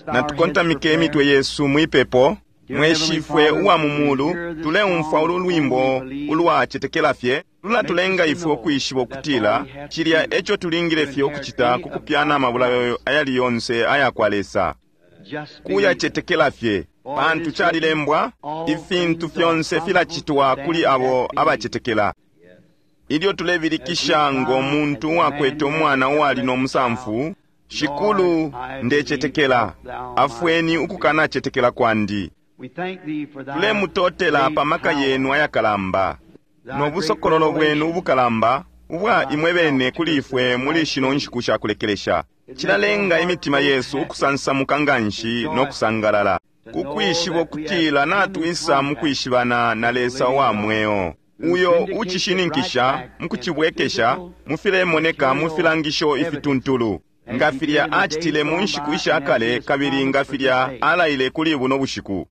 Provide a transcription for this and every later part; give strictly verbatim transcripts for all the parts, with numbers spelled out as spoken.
Natukontamike imitwe yesu mwipepo. Mweshifwe uwa mu mulu, tuleumfwa ulu lwimbo ulwacetekela fye lulatulenga ifwe ukwishiba ukutila cilya eco tulingile fye ukucita ku kupyana amabulayo ayali yonse aya kwa Lesa, kuyacetekela fye, pantu calilembwa, ifintu fyonse filacitwa kuli abo abacetekela. Ilyo tulebilikisha ngo muntu uwakwete umwana uwali no musamfu, Shikulu, ndecetekela, afweni ukukanacetekela kwandi. Tulemutotela pa maka yenu ayakalamba no busokololo bwenu ubukalamba ubwa imwe bene kuli ifwe muli shino nshiku sha kulekelesha. Cilalenga imitima yesu ukusansamuka nganshi no kusangalala ku kwishiba ukutila natwisa mu kwishibana na Lesa wa mweo, uyo ucishininkisha mu kucibwekesha mu filemoneka mu filangisho ifituntulu, nga filya acitile mu nshiku isha kale kabili nga filya alaile kuli buno bushiku.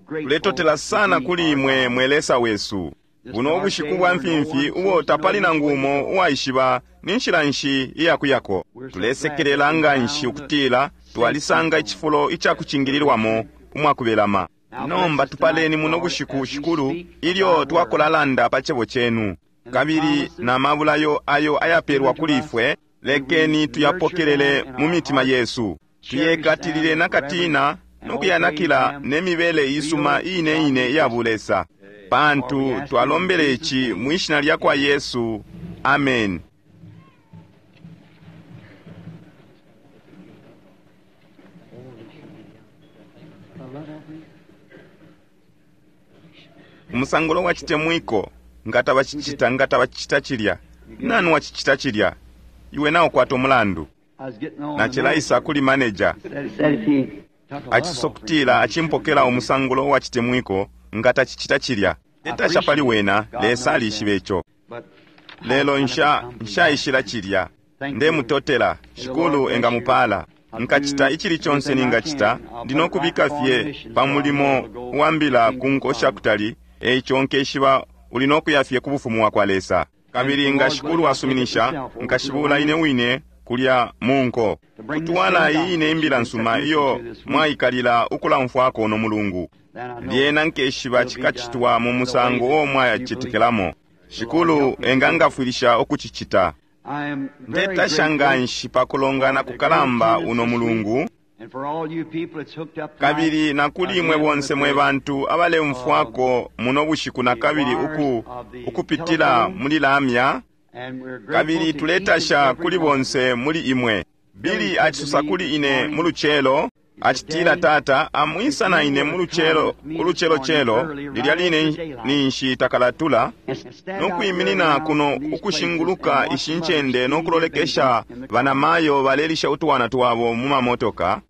Tuletotela sana kuli imwe, mwe Lesa wesu, buno ubushiku bwa mfimfi ubo tapali nangu umo uwaishiba ni nshila nshi iyakuyako. Tulesekelela nganshi ukutila twalisanga icifulo icakucingililwamo umwakubelama. Nomba tupaleni muno bushiku, Shikulu, ilyo twakulalanda pa cebo cenu kabili na mabulayo ayo ayapelwa kuli ifwe. Lekeni tuyapokelele mu mitima yesu, tuyekatilile na katina no kuyanakila ne mibele isuma ine ine iya bulesa, pantu twalombele ici mwi shina lya kwa Yesu. Amen. Umusangulo wa chitemwiko, nga tabacicita, nga tabacicita cilya, nani wacicita cilya? Iwe naukwata umulandu. Nacilaisa kuli manager, acisokutila acimpokela umusangulo wa chitemwiko nga tacicita cilya. Tetasha pali wena, Lesa alishiba ico. Lelo nsha nshaishila cilya. Ndemutotela, Shikulu engamupala. Nkacita icili conse ningacita, ndinokubika fye pa mulimo wambila ku nko shakutali, eico nkeshiba uli nokuya fye ku bufumu wa kwa Lesa. Kabili nga Shikulu asuminisha, nkashibula ine wine kulya mu nko, kutwala iyi ine imbila nsuma iyo mwaikalila ukulamfwako no mulungu. Lyena nkeshiba cikacitwa mu musango uo mwayacetekelamo. Shikulu engangafwilisha ukucicita. Ndetasha nganshi pa kulongana kukalamba uno mulungu, kabili na kuli imwe bonse mwe bantu abaleumfwako muno bushiku na kabili uku, ukupitila muli lamya, kabili tuletasha kuli bonse muli imwe. Bili acisosa kuli ine mu lucelo, acitila, Tata, amwisa na ine mu lucelo, ulucelocelo lilya line ninshi takalatula, no kwiminina kuno ukushinguluka ishi ncende no kulolekesha banamayo balelisha utwana twabo mu mamotoka,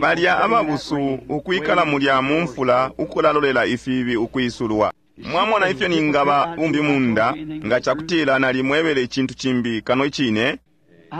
balya ababusu ukwikala mulya mu mfula ukulalolela ifibi ukwisulwa. Mwamona ifyo ningaba bumbi munda nga cakutila nalimwebele icintu cimbi kano icine?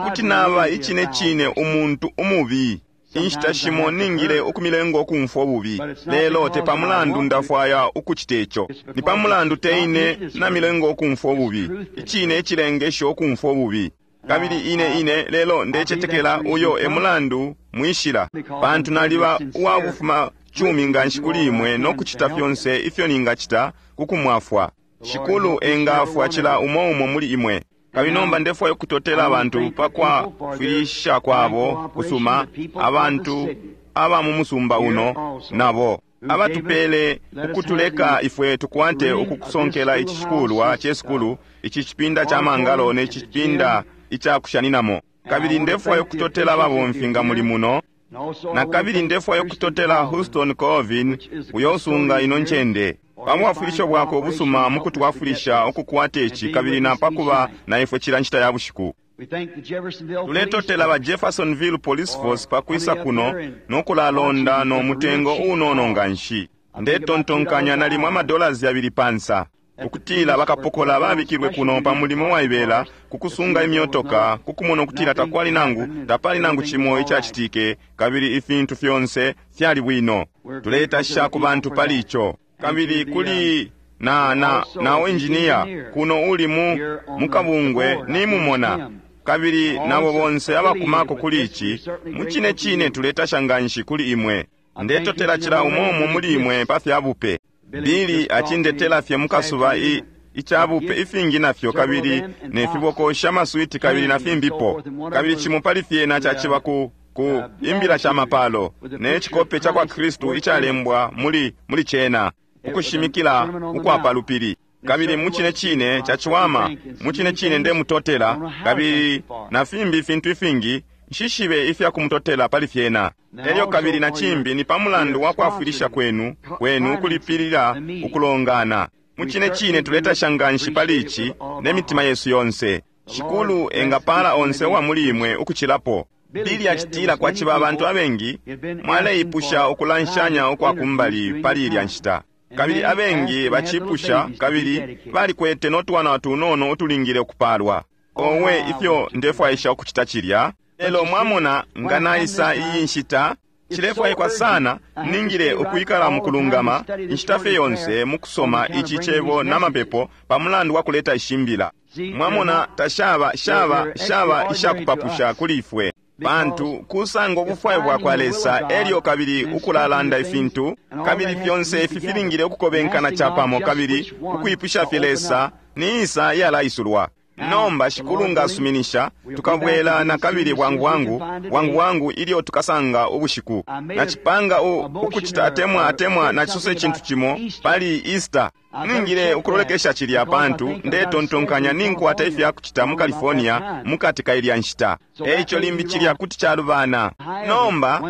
Kuti naba icine cine umuntu umubi. Inshita shimo ningile ukumilenga ukumfwa ububi, lelo te pamulandu ndafwaya ukucita ico, ni pamulandu te ine namilenga ukumfwa ububi, icine icilengesha ukumfwa ububi. Kabili ine ine lelo ndecetekela uyo e mulandu mwishila, pantu naliba uwabufuma cumi nganshi kuli imwe no kucita fyonse ifyo ningacita ku kumwafwa. Shikulu engafwa cila umo umo muli imwe. Kabili nomba ndefwaya ukutotela abantu pa kwafwilisha kwabo kusuma, abantu aba mu musumba uno nabo abatupele ukutuleka ifwe tukwate ukukusonkela ici cikulwa ce sukulu, ici cipinda ca mangalo ne cipinda ica kushaninamo. Kabili ndefwaya ukutotela ababomfi nga muli muno, na kabili ndefwaya ukutotela Houston Colvin uyo usunga ino ncende pa bwafwilisho bwakwe ubusuma mu kutwafwilisha ukukwata ici kabili na pakuba na ifwe cila nshita ya bushiku. Tuletotela ba Jeffersonville Police Force pa kwisa kuno no kulalonda no mutengo unono nganshi. Ndetontonkanya nalimo amadollars yabili pansa, ukutila bakapokola babikilwe kuno pa mulimo waibela ku kusunga imyotoka, ku kumona ukutila takwali nangu tapali nangu cimo icacitike kabili ifintu fyonse fyali bwino. Tuletasha ku bantu pali ico. Kabili kuli na na na engineer kuno uli mu mukabungwe nimumona kabili nabo bonse abakumako kuli ici, mucine cine tuletasha nganshi kuli imwe. Ndetotela cila umo umo muli imwe pa fya bupe. Bili acindetela fye mukasuba i icabupe ifingi nafyo, kabili ne fibokosha amaswiti kabili na fimbipo, kabili cimo pali fyena caciba ku ku imbila sha mapalo ne cikope ca kwa Kristu icalembwa muli muli cena, ukushimikila ukwa palupili. Kabili mucine cine caciwama, mucine cine ndemutotela, kabili na fimbi ifintu ifingi nshishibe ifya kumutotela pali fyena. Elyo kabili na cimbi ni pamulandu wa kwafwilisha kwenu kwenu ukulipilila ukulongana. Mucine cine tuletasha nganshi pali ici ne mitima yesu yonse. Shikulu engapala onse uwa muli imwe ukucilapo. Bili acitila kwaciba abantu abengi mwaleipusha ukulanshanya ukwa kumbali pali ilya nshita, kabili abengi bacipusha, kabili balikwete no twana tunono utulingile ukupalwa. Owe, ifyo ndefwaisha ukucita cilya! Lelo mwamona, nga naisa iyi nshita cilefwaikwa sana, ningile ukwikala mukulungama inshita fye yonse mukusoma ici cebo na mapepo pamulandu wa kuleta ishimbila. Mwamona, tashaba shaba shaba ishakupapusha kuli ifwe, pantu kusanga ubufwayo bwa kwa Lesa elyo kabili ukulalanda ifintu, kabili fyonse ifi filingile ukukobenkana capamo, kabili ukwipusha fye Lesa ni isa iyalaisulwa. Nomba Shikulu nga asuminisha, tukabwela na kabili bwangu bwangu bwangu bwangu ilyo tukasanga ubushiku. Nacipanga ukucita atemwa atemwa nacisosa icintu cimo pali Easter. Ningile ukulolekesha cilya, pantu ndetontonkanya ninkwata ifya kucita mu California mukati ka ilya nshita. Eico limbi cilya kuti calubana. Nomba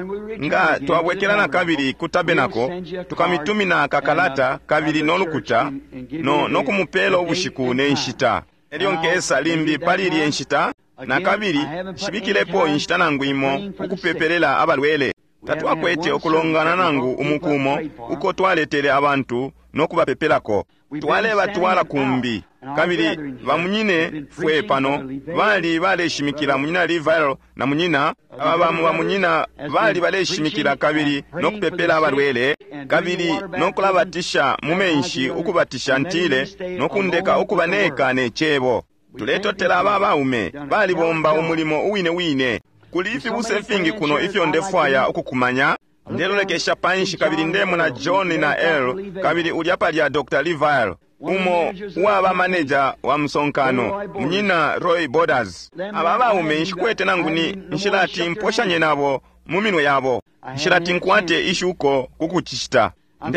nga twabwekela na kabili ku tabernacle, tukamitumina kakalata kabili no lukuta no, no kumupela ubushiku ne nshita. Elyo nkesa limbi pali ilye nshita na kabili nshibikilepo inshita nangu imo ukupepelela abalwele. Tatwakwete ukulongana nangu umukumo uko twaletele abantu no kubapepelako. Twalebatwala kumbi, kabili bamunyine fwe pano bali baleshimikila, munyina Livile na munyina aba bamu bamunyina bali baleshimikila kabili no kupepela abalwele, kabili no kulabatisha mu menshi, ukubatisha ntile, no kundeka ukuba neka ne cebo. Tuletotela aba baume balibomba umulimo uwine wine. Kuli ifibusa ifingi kuno ifyo ndefwaya ukukumanya. Ndelolekesha panshi kabili ndemona John na Earl, kabili ulya palya Doctor Livile, umo uwaba maneja wa msonkano, munyina Roy Borders. Aba baume nshikwete nangu ni nshilati mposhanye nabo mu minwe yabo, nshilati nkwate ishuko kukucicita.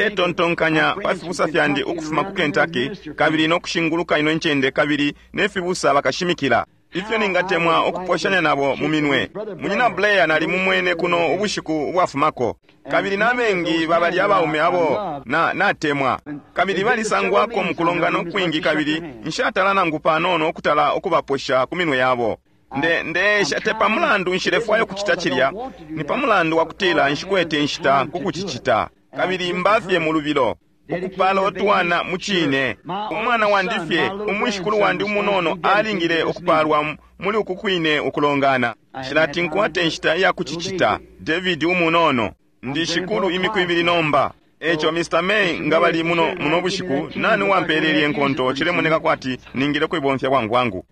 Ndetontonkanya pa fibusa fyandi ukufuma ku Kentucky kabili no kushinguluka ino ncende, kabili ne fibusa bakashimikila ifyo ningatemwa ukuposhanya nabo mu minwe. Munyina Blair nali mumwene kuno ubushiku ubwafumako, kabili nabengi babali abaume abo na natemwa, kabili balisangwako mukulongana ukwingi, kabili nshatala nangu panono ukutala ukubaposha ku minwe yabo. Nde ndeesha te pamulandu nshilefwaya ukucita cilya, ni pamulandu wa kutila nshikwete inshita kukucicita, kabili mbafye mu lubilo ukupala utwana mucine. Umwana wandi fye, umwishikulu wandi umunono alingile ukupalwa muli uku kwine ukulongana. Nshilati nkwate inshita iya kucicita. David umunono, ndi shikulu imiku ibili nomba. Eco Mister May nga bali muno muno bushiku, nani wampelele inkonto cilemoneka kwati ningile kuibomfya bwangu bwangu.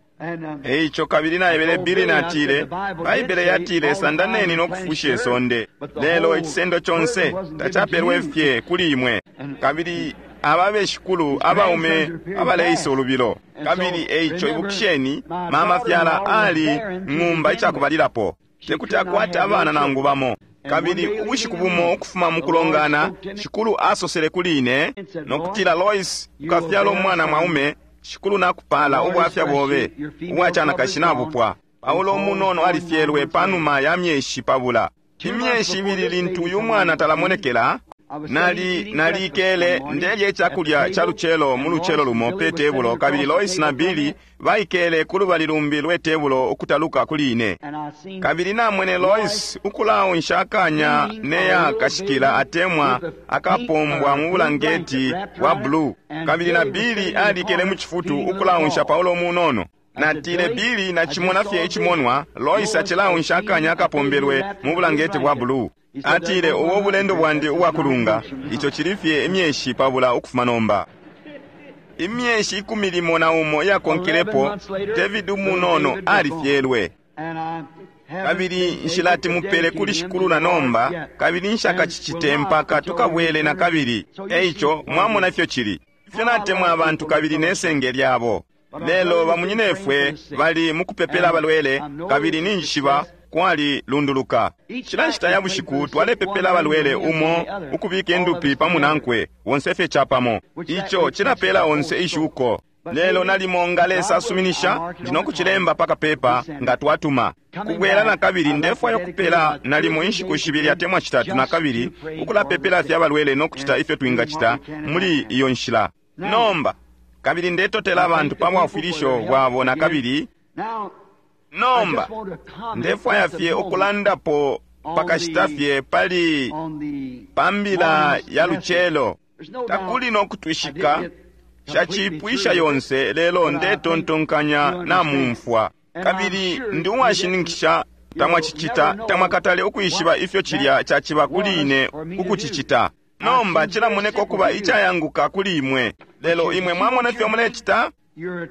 Eico kabili naebele Billy natile, Baibele yatile sandaneni no kufusha isonde, lelo icisendo conse tacapelwe fye kuli imwe. Kabili aba beshikulu abaume abaleisa ulubilo. Kabili eico ibukisheni, mama fyala ali ng'umba icakubalilapo, tekuti akwate abana nangu bamo. Kabili ubushiku bumo ukufuma mukulongana, shikulu asosele kuli ine no kutila, Lois, ukafyala umwana mwaume. Shikulu nakupala ubwafya bobe ubwacanakashi nabupwa. Paulo umunono alifyelwe panuma ya myeshi pabula. Imyeshi ibili lintu uyu mwana talamonekela, nali nalikele ndelye icakulya ca lucelo mu lucelo lumo pe tebulo, kabili Lois na Billy baikele ku lubali lumbi lwe tebulo ukutaluka kuli ine. Kabili namwene Lois ukulaonsha akanya neya kashikila atemwa akapombwa mu bulangeti bwa blue, kabili na Billy alikele mu cifutu ukulaonsha Paulo munono. Natile, Billy, nacimona fye icimonwa, Lois acilaonsha akanya akapombelwe mu bulangeti bwa blue. Atile, ubo bulendo bwandi ubwakulunga, ico cili fye imyeshi pabula ukufuma nomba. Imyeshi ikumi limo na umo iyakonkelepo, David umunono alifyelwe. Kabili nshilati mupele kuli Shikulu na nomba, kabili nshakacicite mpaka tukabwele na kabili. Eico mwamona ifyo cili, ifyo natemwa abantu kabili nesenge lyabo. Lelo bamunyinefwe bali mukupepela abalwele, kabili ninjishiba kwali lunduluka. Cila nshita ya bushiku twalepepela abalwele, umo ukubika indupi pamunankwe, bonse fye capamo. Ico cilapela onse ishuko. Lelo nalimo nga Lesa asuminisha, ndi nokucilemba pakapepa nga twatuma kubwela na kabili. Ndefwaya ukupela nalimo inshiku shibili atemwa shitatu na kabili, ukulapepela fye abalwele no kucita ifyo twingacita muli iyo nshila. Nomba kabili ndetotela abantu pa bwafwilisho bwabo na kabili. Nomba ndefwaya fye ukulandapo pakashita fye pali pambila ya lucelo. Takuli no kutwishika shacipwisha yonse, lelo ndetontonkanya namumfwa. Kabili ndi uwashininkisha tamwacicita, tamwakatale ukwishiba ifyo cilya caciba kuli ine ukucicita. Nomba cilamoneka ukuba icayanguka kuli imwe, lelo imwe mwamona ifyo mulecita?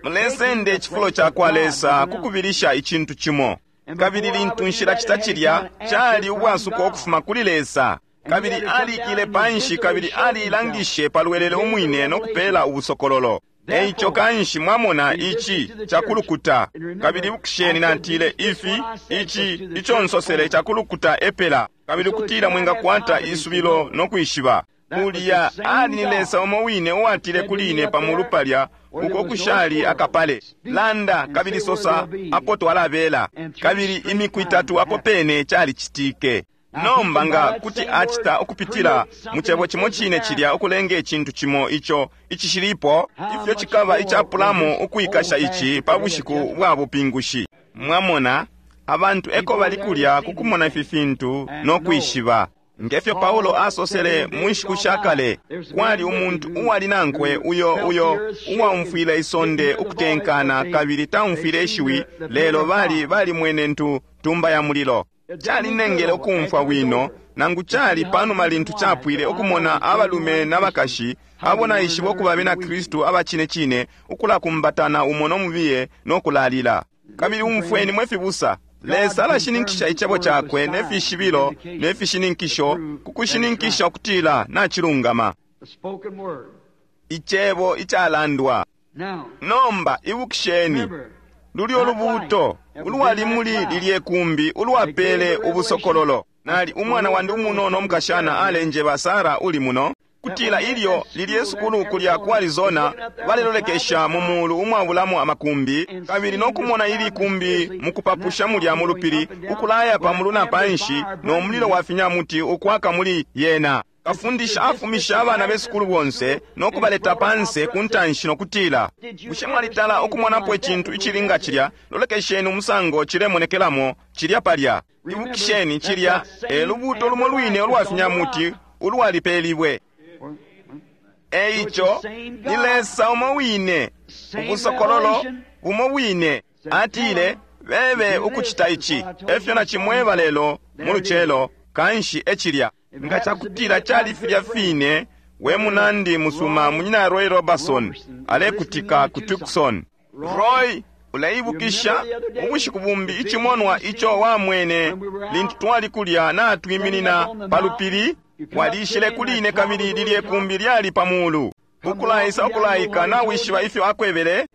Mulesenda icifulo ca kwa Lesa kukubilisha icintu cimo. Kabili lintu nshilacita cilya, cali ubwasuko ukufuma kuli Lesa. Kabili alikile panshi kabili aliilangishe palwelele umwine no kupela ubusokololo. Eico kanshi mwamona ici cakulukuta. Kabili ibukisheni natile ifi, ici ico nsosele cakulukuta epela, kabili kutila mwingakwata isubilo no kwishiba. Ulya ali ni Lesa umo wine uwatile kuli ine pamulu palya uko kushali akapale, landa kabili sosa apo twalabela. Kabili imiku itatu apo pene calicitike. Nomba nga kuti acita ukupitila mu cebo cimo cine cilya ukulenga icintu cimo ico icishilipo, ifyo cikaba icapulamo ukwikasha ici pa bushiku bwa bupingushi. Mwamona, abantu eko bali kulya kukumona ifi fintu no kwishiba. Ngefyo Paulo asosele mu nshiku sha kale, kwali umuntu uwali nankwe uyo uyo uwaumfwile isonde ukutenkana kabili taumfwile ishiwi, lelo bali balimwene ntu tumba ya mulilo. Calinengele ukumfwa bwino, nangu cali panuma lintu capwile ukumona abalume n'abakashi abo naishiba ukuba bena Kristu aba cine cine ukulakumbatana umo no mubiye no kulalila. Kabili umfweni mwe fibusa, Lesa alashininkisha icebo cakwe ne fishibilo ne fishininkisho ku kushininkisha ukutila nacilungama. Icebo icalandwa. Nomba ibukisheni lulyo lubuuto ulwali muli lilye kumbi ulwapele ubusokololo. Nali umwana wandi umunono umukashana alenjeba, Sara uli muno, kutila ilyo lilye sukulu kulya ku Arizona balelolekesha mu mulu umwabulamo amakumbi, kabili no kumona ili kumbi mukupapusha mulya mu lupili ukulaya pamulu na panshi no mulilo wa finyamuti ukwaka muli yena. Kafundisha afumisha abana besukulu bonse no kubaleta panse ku ntanshi no kutila, bushe mwalitala ukumonapo icintu icili nga cilya? Lolekesheni umusango cilemonekelamo cilya palya. Ibukisheni cilya e lubuuto lumo lwine ulwa finyamuti ulwalipelibwe. Eico ni Lesa umo wine, ubusokololo bumo wine. Atile bebe ukucita ici, efyo nacimweba lelo mu lucelo, kanshi ecilya. Nga cakutila cali filya fine, we munandi musuma munyina Roy Robertson alekutika ku Tucson. Roy, uleibukisha ubushiku bumbi icimonwa ico wamwene lintu twali kulya natwiminina pa lupili? Walishile kuli ine kabili lilye kumbi lyali pa mulu ukulaisa ukulaika. Nawishiba ifyo akwebele?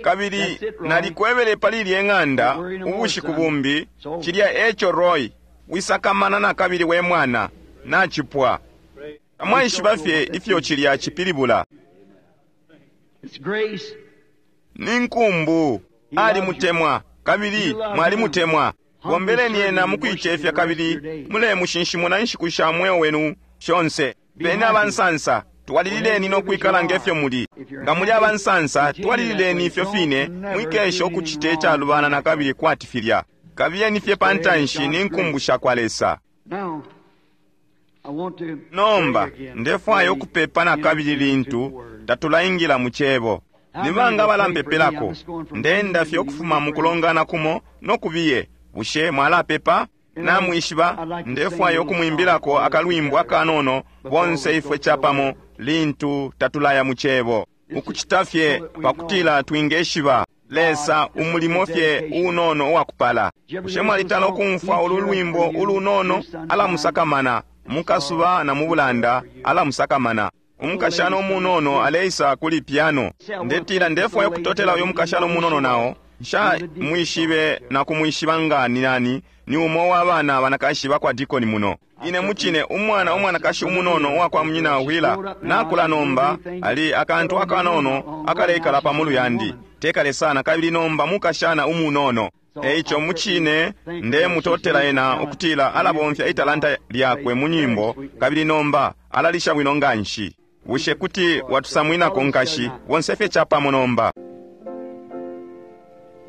Kabili nalikwebele pali lye ng'anda ubushiku bumbi, cilya eco Roy. Wisakamana na kabili we mwana, nacipwa. Tamwaishiba fye ifyo cilya cipilibula. Ni nkumbu. Alimutemwa kabili mwalimutemwa. Bombeleni ena mukuicefya kabili mulemushinshimuna inshiku sha mweo wenu shonse. Beni abansansa, twalilileni no kwikala ngefyo muli. Nga muli abansansa, twalilileni ifyo fine, mwikesha ukucita icalubana na kabili kwati filya. Kabiyeni fye pa ntanshi ni nkumbu sha kwa Lesa. Nomba ndefwaya ukupepa na kabili lintu tatulaingila mu cebo. Ni banga balampepelako? Ndenda fye ukufuma mu kulongana kumo no kubiye. Bushe mwalapepa? Namwishiba, ndefwaya ukumwimbilako akalwimbo akanono bonse ifwe capamo lintu tatulaya mu Cebo, ukucita fye pakutila twingeshiba Lesa umulimo fye unono uwakupala. Bushe mwalitala ukumfwa ulu lwimbo ulunono? Alamusakamana mukasuba na mubulanda, alamusakamana. Umukashana umunono aleisa kuli piano. Ndetila ndefwaya ukutotela uyu mukashana umunono nao. Nsha mwishibe na kumwishiba nga ni nani, ni umo wa bana banakashi bakwa dikoni muno. Ine muchine umwana umwanakashi umunono uwakwa munyina Wheeler nakula nomba ali akantu akanono akaleikala pamulu yandi tekale sana kabili nomba mukashana umunono. Eico muchine ndemutotela ena ukutila alabomfya italanta lyakwe mu nyimbo kabili nomba alalisha bwino nganshi. Bushe kuti watusamwinako nkashi bonse fye chapamo nomba.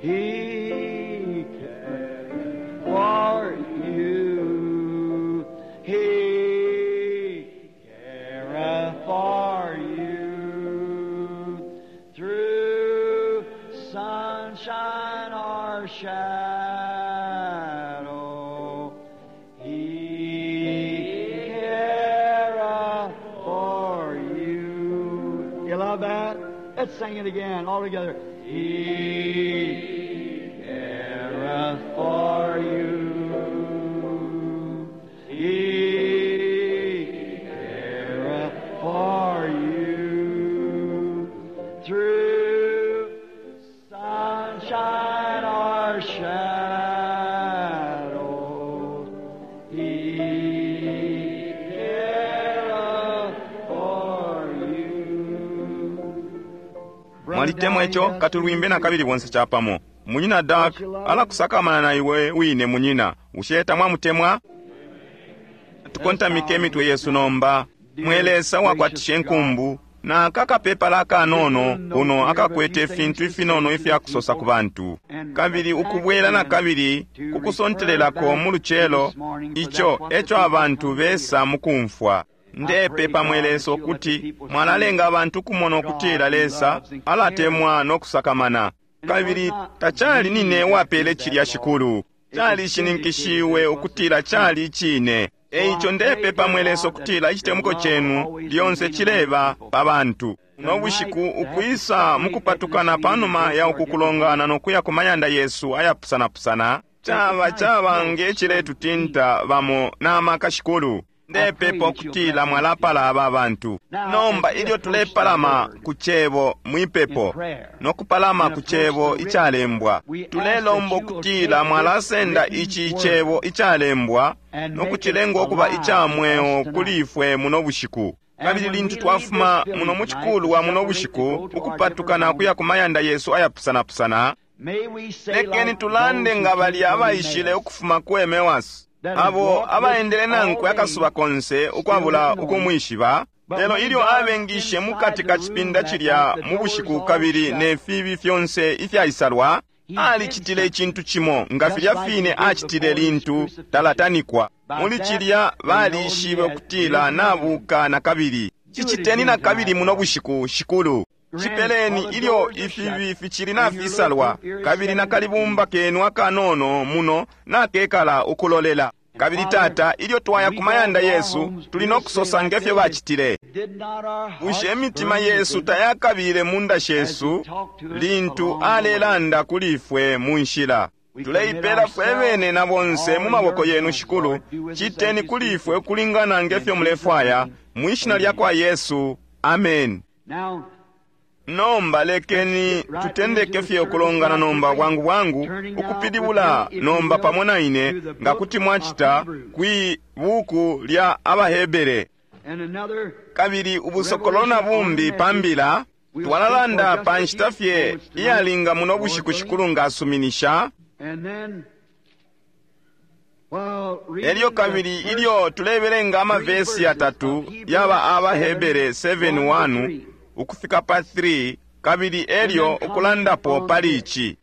He cares for you. He careth for you. Through sunshine or shadow, He careth for you. You love that? Let's sing it again, all together. He careth for you. He careth for you. Through sunshine or shadow, He careth for you. Mwalitemwa ico katulwimbe na kabili bonse chapamo. Munyina Dark alakusakamana na iwe wine munyina. Bushe tamwamutemwa? Tukontamike emitwe yesu nomba. Mwe Lesa wakwatisha enkumbu na akakapepala akanono kuno akakwete ifintu ifinono ifyakusosa ku bantu kabili ukubwela na kabili kukusontelelako mu lucelo ico eco abantu besa mukumfwa. Ndepepa mwe Lesa ukuti mwalalenga abantu kumona ukutila Lesa alatemwa no kusakamana. Kabili tacali nine wapele cilya shikulu, calishininkishiwe ukutila cali icine. Eico ndepepa mwe Lesa ukutila icitemuko cenu lyonse cileba pa bantu. No bushiku ukwisa mukupatukana panuma ya uku kulongana no kuya ku mayanda yesu ayapusanapusana, caba caba ngeciletutinta bamo n'amaka shikulu. Ndepepa ukutila mwalapala aba bantu. Nomba ilyo tulepalama ku cebo mwipepo no kupalama ku cebo icalembwa, tulelomba ukutila mwalasenda ici cebo icalembwa no kucilenga ukuba ica mweo kuli ifwe muno bushiku. Kabili lintu twafuma muno mu cikulu muno bushiku ukupatukana kuya ku mayanda yesu ayapusanapusana, lekeni tulande nga balya abaishile ukufuma ku Emewasi, abo abaendele nankwe akasuba konse ukwabula ukumwishiba. Lelo ilyo abengishe mukati ka cipinda cilya mu bushiku kabili ne fibi fyonse ifyaisalwa, alicitile icintu cimo nga filya fine acitile lintu talatanikwa. Muli cilya balishibe ukutila nabuka na kabili. Ciciteni na kabili muno bushiku shikulu. Cipeleni ilyo ifibi ficili nafisalwa kabili na kalibumba kenu akanono muno nakekala ukulolela. Kabili tata, ilyo twaya ku mayanda yesu tuli no kusosa ngefyo bacitile. Bushe imitima yesu tayakabile munda shesu lintu alelanda kuli ifwe mu nshila? Tuleipela fwe bene na bonse mu maboko yenu shikulu. Citeni kuli ifwe ukulingana ngefyo mulefwaya, mwishina lya kwa Yesu, amen. Nomba lekeni tutendeke fye ukulongana nomba bwangu bwangu ukupilibula nomba pamo na ine nga kuti mwacita kwi buku lya Abahebere. Kabili ubusokolo na bumbi pambila twalalanda pa nshita fye iyalinga muno bushiku shikulu nga asuminisha. Elyo kabili ilyo tulebelenga amavesi yatatu yaba Abahebere seven one ukufika pa three, kabili elyo ukulandapo pali ici.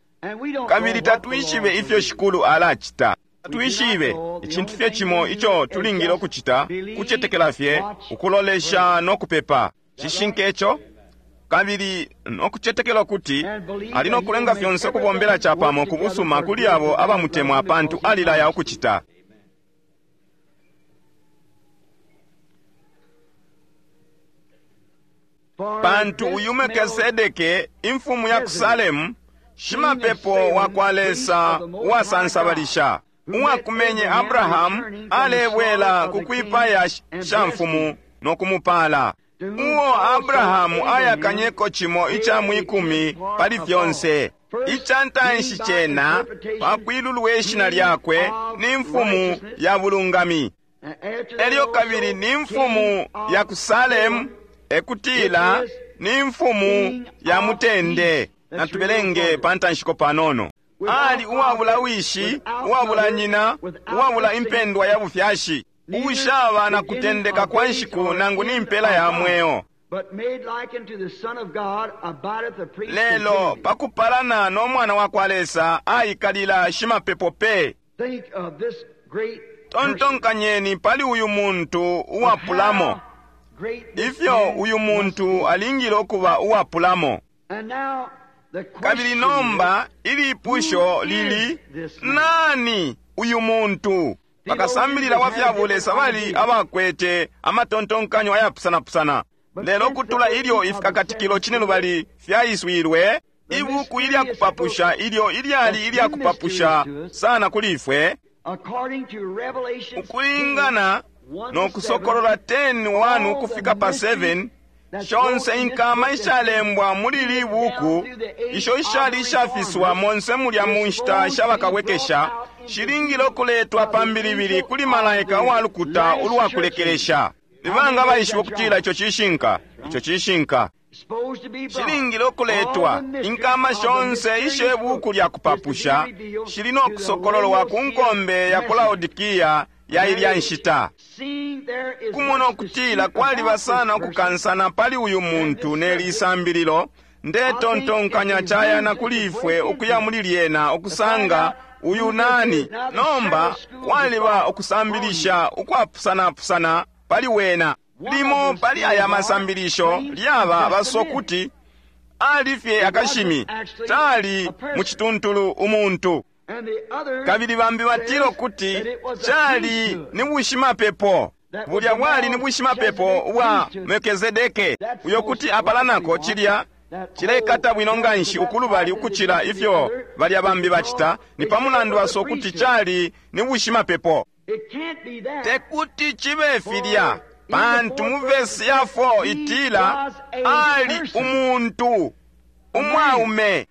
Kabili tatwishibe ifyo shikulu alacita. Tatwishibe icintu fye cimo ico tulingile ukucita kucetekela fye, ukulolesha no kupepa. Cishinka ico? Kabili no kucetekela ukuti ali no kulenga fyonse ukubombela capamo ku busuma kuli abo abamutemwa, pantu alilaya ukucita. Pantu uyu Melkisedeke, imfumu ya ku Salemu, shimapepo wa kwa Lesa uwasansabalisha, uwakumenye Abrahamu alebwela ku kwipaya shamfumu no kumupala, uo Abrahamu ayakanyeko cimo ica mwikumi pali fyonse. Ica ntanshi cena pakwilulwa ishina lyakwe ni mfumu ya bulungami, elyo kabili ni mfumu ya ku Salemu, ekutila ni mfumu ya mutende. Natubelenge pa ntanshiko panono. Ali uwabula wishi, uwabula nyina, uwabula impendwa ya bufyashi, ushaba na kutendeka kwa nshiku nangu ni mpela ya mweo. Lelo pakupalana no mwana wa kwa Lesa aikalila shimapepo pe. Tontonkanyeni pali uyu muntu uwapulamo, ifyo uyu muntu alingile ukuba uwapulamo. Kabili nomba ilipusho lili, nani uyu muntu? Bakasambilila wa fya bulesa bali abakwete amatontonkanyo ayapusanapusana. Lelo kutula ilyo ifikakatikilo cine lubali fyaiswilwe, ibuku ilya kupapusha ilyo ilyali ilya kupapusha sana kuli ifwe, ukulingana no Kusokolola ten one ukufika pa seven, shonse inkama ishalembwa muli li buku isho ishali ishafiswa monse mulya mu nshita shabakabwekesha shilingile ukuletwa pambilibili kuli malaika uwa lukuta ulwakulekelesha. Nibanga baishiba ukutila ico cishinka? Ico cishinka. Shilingile ukuletwa inkama shonse ishe buku lya kupapusha shili no kusokololwa ku nkombe ya ku Laodikia ya ilya nshita. Kumona ukutila kwaliba sana ukukansana pali uyu muntu ne lisambililo, ndetontonkanya cayana kuli ifwe ukuya muli lyena ukusanga uyu nani. Nomba kwaliba ukusambilisha ukwapusanapusana pali wena. Limo pali aya masambilisho lyaba basokuti ali fye akashimi, tali mu cituntulu umuntu. Kabili bambi batila ukuti cali ni bushimapepo. Bulya bwali ni bushimapepo ubwa Melkizedeke, uyo kuti apalanako cilya cilekata bwino nganshi ukulubali ukucila ifyo balya bambi bacita, ni pa mulandu wasokuti cali ni bushimapepo. Tekuti cibe filya, pantu mu vesi ya four itila ali umuntu umwaume.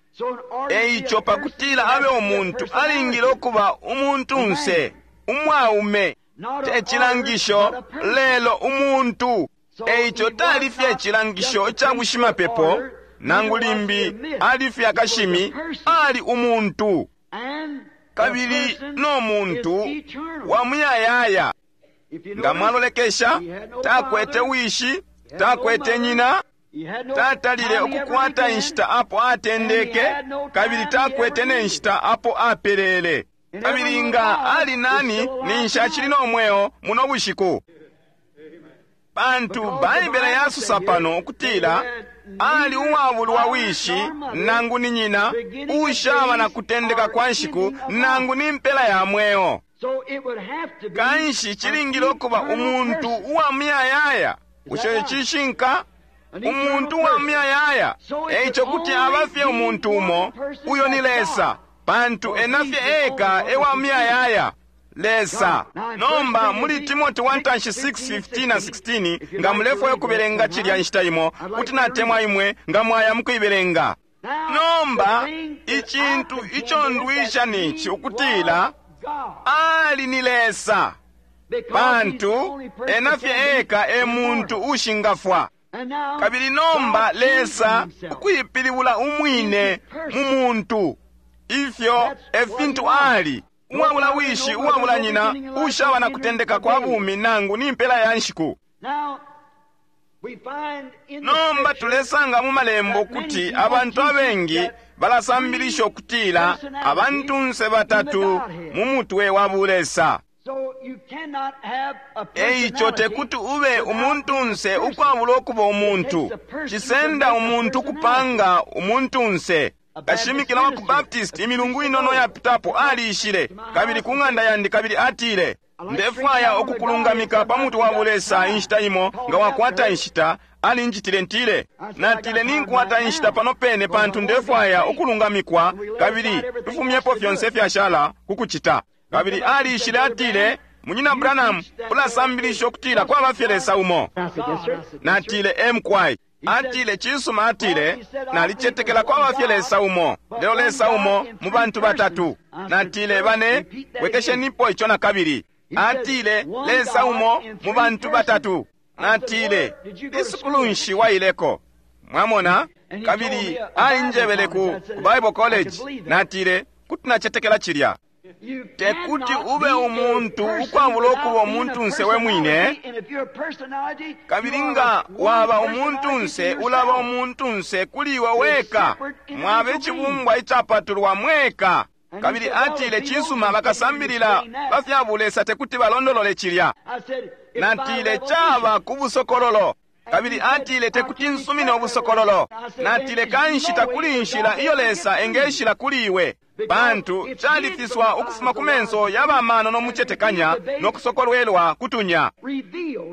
Eico pakutila abe umuntu alingile ukuba umuntunse umwaume, te cilangisho lelo umuntu. Eico tali fye cilangisho ca bushimapepo, nangu limbi ali fye akashimi, ali umuntu. Kabili no muntu wa muyayaya. Nga mwalolekesha, takwete wishi, takwete nyina, tatalile ukukwata inshita apo atendeke, kabili takwete ne nshita apo apelele. Kabili nga ali nani, ninshi acili no mweo muno bushiku. Pantu Baibele yasusa pano ukutila ali uwabulwa wishi nangu ni nyina, ushaba na kutendeka kwa nshiku nangu ni mpela ya mweo. Kanshi cilingile ukuba umuntu uwa muyayaya. Bushe cishinka? Umuntu uwa muyayaya. Eico kuti aba fye umuntu umo, uyo ni Lesa, pantu ena fye eka ewa muyayaya, Lesa. Nomba muli Timoti one six fifteen na sixteen, nga mulefwaya ukubelenga cilya nshita imo, kuti natemwa imwe nga mwaya mukuibelenga. Nomba icintu ico ndwisha nici ukutila ali ni Lesa, pantu ena fye eka e muntu ushingafwa. Kabili nomba Lesa ukuipilibula umwine mu muntu, ifyo e fintu ali, uwabula wishi, uwabula nyina, ushaba na kutendeka kwa bumi nangu ni mpela ya nshiku. Nomba tulesanga mu malembo kuti abantu abengi balasambilisha ukutila abantunse batatu mu mutwe wa bulesa. Eico tekuti ube umuntunse ukwabula ukuba umuntu. Cisenda umuntu kupanga umuntunse. Kashimikila wa ku Baptist imilungu inono yapitapo aliishile kabili ku ng'anda yandi, kabili atile, Ndefwaya ukukulungamika pa mutwe wa bulesa inshita imo, nga wakwata inshita. Alinjitile ntile. Natile, ninkwata inshita pano pene, pantu ndefwaya ukulungamikwa, kabili tufumyepo fyonse fyashala kukucita. Kabili aliishile, atile, Munyina Branham, ulasambilisha ukutila kwaba fye Lesa umo. Natile, emkwai. Atile, cisuma, atile, nalicetekela kwaba fye Lesa umo, lelo Lesa umo mu bantu batatu. Natile, bane, wekeshenipo ico nakabili. Atile, Lesa umo mu bantu batatu. Natile, isukulu nshi waileko? Mwamona? Kabili ainjebele ku Bible College. Natile, kuti nacetekela cilya. Tekuti ube umuntu ukwabula ukuba umuntunse we mwine. Kabili nga waba umuntunse, ulaba umuntunse kuli iwe weka. Mwaba icibumbwa icapatulwa mweka. Kabili atile, cisuma, bakasambilila bafya bulesa tekuti balondolole cilya. Natile, caba ku busokololo. Kabili atile, tekuti nsumine ubusokololo. Natile, kanshi takuli inshila iyo Lesa engeshila kuli iwe, pantu califiswa ukufuma ku menso ya bamano no mucetekanya no kusokolwelwa kutunya.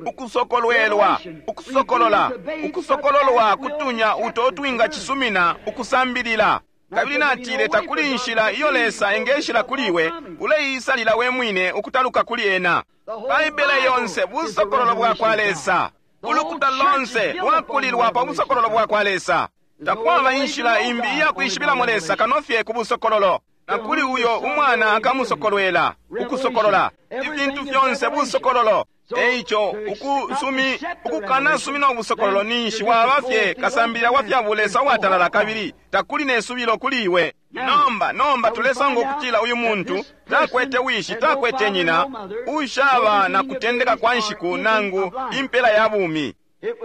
Ukusokolwelwa, ukusokolola, ukusokololwa kutunya uto twinga cisumina ukusambilila. Kabili natile, takuli inshila iyo Lesa engeshila kuli iwe, uleisalila we mwine ukutaluka kuli ena. Baibele yonse busokololo bwa kwa Lesa. Ulukuta lonse lwakulilwa pa busokololo bwa kwa Lesa. Takwaba inshila imbi iya kwishibilamo Lesa kano fye ku busokololo. Na kuli uyo umwana akamusokolwela, ukusokolola. Ifintu fyonse busokololo. Eico ukusumi ukukanasumina ubusokololo ninshi waba fye kasambilila wa fya bulesa uwatalala, kabili takuli ne subilo kuli iwe. Nomba nomba tulesanga ukutila uyu muntu takwete wishi, takwete nyina, ushaba na kutendeka kwa nshiku nangu impela ya bumi.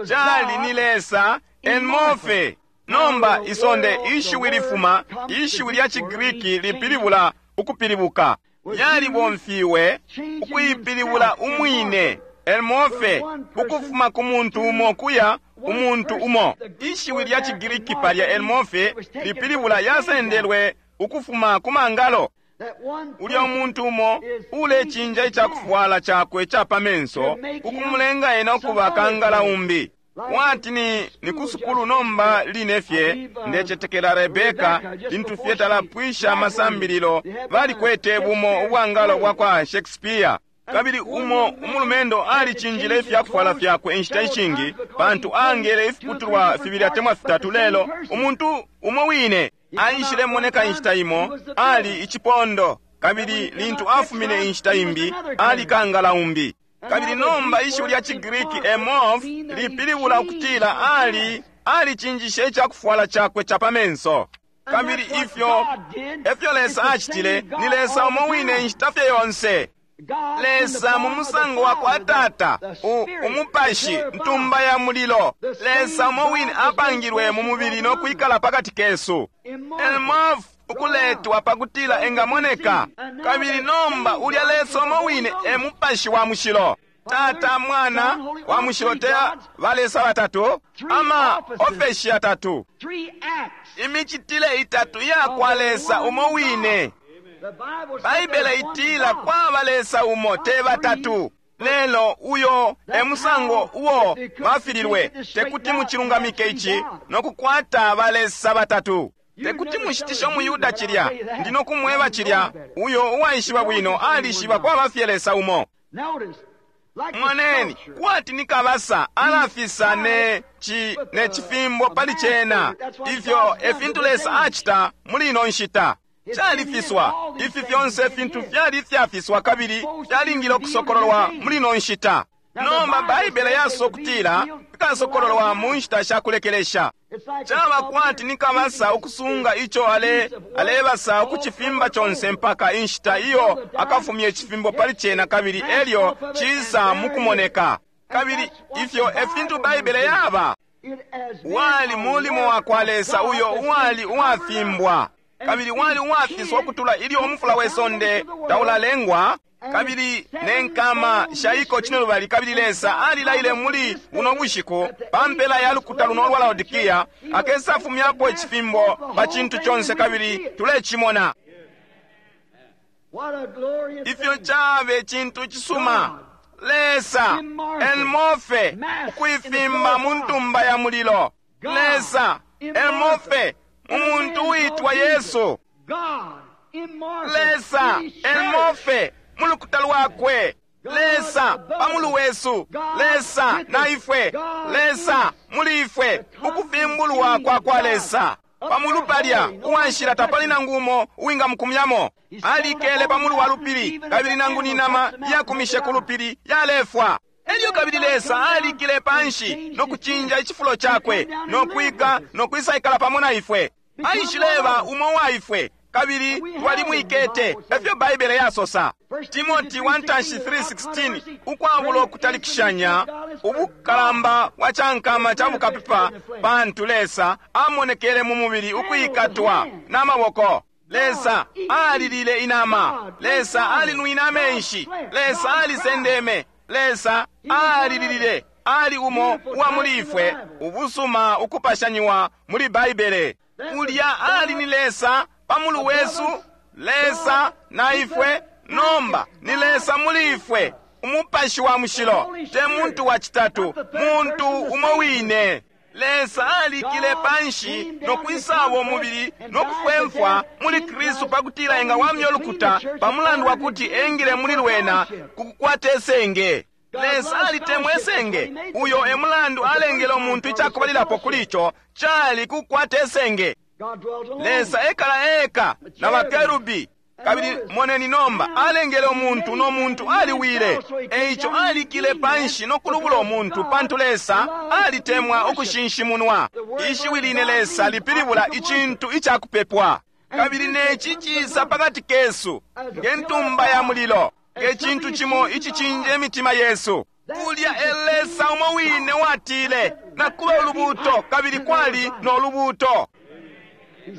Cali ni Lesa enmofe. Nomba isonde ishiwi lifuma, ishiwi lya ciGriki lipilibula ukupilibuka. Yalibomfiwe ukuipilibula umwine elmofe, ukufuma ku muntu umo kuya umuntu umo. Ishiwi lya ciGriki palya elmofe lipilibula yasendelwe ukufuma ku mangalo. Ulya umuntu umo ulecinja icakufwala cakwe ca pa menso ukumulenga ena ukuba kangala umbi. Kwati ni, ni kusukulu nomba line fye ndecetekela Rebeka lintu fye talapwisha amasambililo balikwete bumo ubwangalo bwa kwa Shakespeare. Kabili umo umulumendo alicinjile ifyakufwala fyakwe inshita ishingi pantu angele ifiputulwa fibili atemwa fitatu, lelo umuntu umo wine aishile moneka inshita imo ali icipondo, kabili lintu afumine inshita imbi ali kangala umbi. Kabili nomba ishiwi lya ciGriki emorph lipilibula ukutila ali alicinjishe icakufwala cakwe ca pa menso. Kabili ifyo efyo Lesa acitile, ni Lesa umo wine inshita fye yonse. Lesa mu musango wa kwa Tata, umupashi, ntumba ya mulilo. Lesa umo wine apangilwe mu mubili no kwikala pakati kesu. Elmorph ukuletwa pakutila engamoneka. Kabili nomba ulya Lesa umo wine e mupashi wa mushilo. Tata, Mwana wa mushilo, tea balesa batatu, ama ofeshi atatu, imicitile itatu iya kwa Lesa umo wine. Baibele itila kwaba Lesa umo, te batatu. Lelo uyo e musango uo bafililwe, tekuti mucilungamike ici no kukwata balesa batatu. Tekuti mushitishe umuyuda cilya, ndi no kumweba cilya. Uyo uwaishiba bwino alishiba kwaba fye Lesa umo. Moneni, kwati ni kabasa alafisa ne ci ne cifimbo pali cena. Ifyo e fintu Lesa acita muli ino nshita. Califiswa. Ifi fyonse fintu fyali fyafiswa kabili fyalingile ukusokololwa muli ino nshita. Nomba Baibele yasokutila fikasokololwa mu nshita sha kulekelesha. Caba kwati ni kabasa ukusunga ico ale alebasa ukucifimba conse mpaka inshita iyo akafumye icifimbo pali cena, kabili elyo cisa mukumoneka. Kabili ifyo e fintu Baibele yaba. Wali mulimo wa kwa Lesa uyo uwali uwafimbwa, kabili wali uwafiswa ukutula ilyo umufula we sonde taulalengwa, kabili ne nkama shaiko cinelubali. Kabili Lesa alilaile muli buno bushiku pa mpela ya lukuta luno lwa Laodikia akesafumyapo icifimbo pa cintu conse, kabili tulecimona. Ifyo cabe cintu cisuma! Lesa elmofe ukuifimba mu ntumba ya mulilo. Lesa elmofe mu muntu uitwa Yesu. Lesa elmofe mu lukuta lwakwe. Lesa pamulu wesu. Lesa na ifwe. Lesa muli ifwe. Ukufimbulwa kwa kwa Lesa pamulu palya uwanshila tapali nangu umo uwingamukumyamo. Alikele pamulu wa lupili, kabili nangu ni nama yakumishe ku lupili yalefwa. Elyo kabili Lesa alikile panshi no kucinja icifulo cakwe no kwika no kwisaikala pamo na ifwe. Aishileba umo wa ifwe, kabili twalimwikete, efyo Baibele yasosa. Timoti one three sixteen, ukwabulo kutalikishanya ubukalamba bwa cankama ca bukapepa, pantu Lesa amonekele mu mubili ukwikatwa na maboko. Lesa alilile inama, Lesa alinwine amenshi, Lesa alisendeme, Lesa alililile, ali umo uwa muli ifwe, ubusuma ukupashanyiwa muli Baibele. Ulya ali ni Lesa pamulu wesu, Lesa na ifwe, nomba ni Lesa muli ifwe, umupashi wa mushilo, te muntu wa citatu, muntu umo wine. Lesa alikile panshi no kwisaba umubili no kufwemfwa muli Kristu pakutila engawamya ulukuta pamulandu wa kuti engile muli lwena kukukwata esenge. Lesa alitemwa esenge. Uyo e mulandu alengele umuntu icakubalilapo kuli ico cali kukwata esenge. Lesa ekala eka na bakerubi. Kabili moneni nomba alengele umuntu no muntu aliwile. Eico alikile panshi no kulubula umuntu, pantu Lesa alitemwa ukushinshimunwa. Ishiwi line Lesa lipilibula icintu icakupepwa. Kabili neci cisa pakati kesu nge ntumba ya mulilo, nge cintu cimo icicinja imitima yesu. Ulya e Lesa umo wine watile nakuba ulubuto, kabili kwali no lubuto.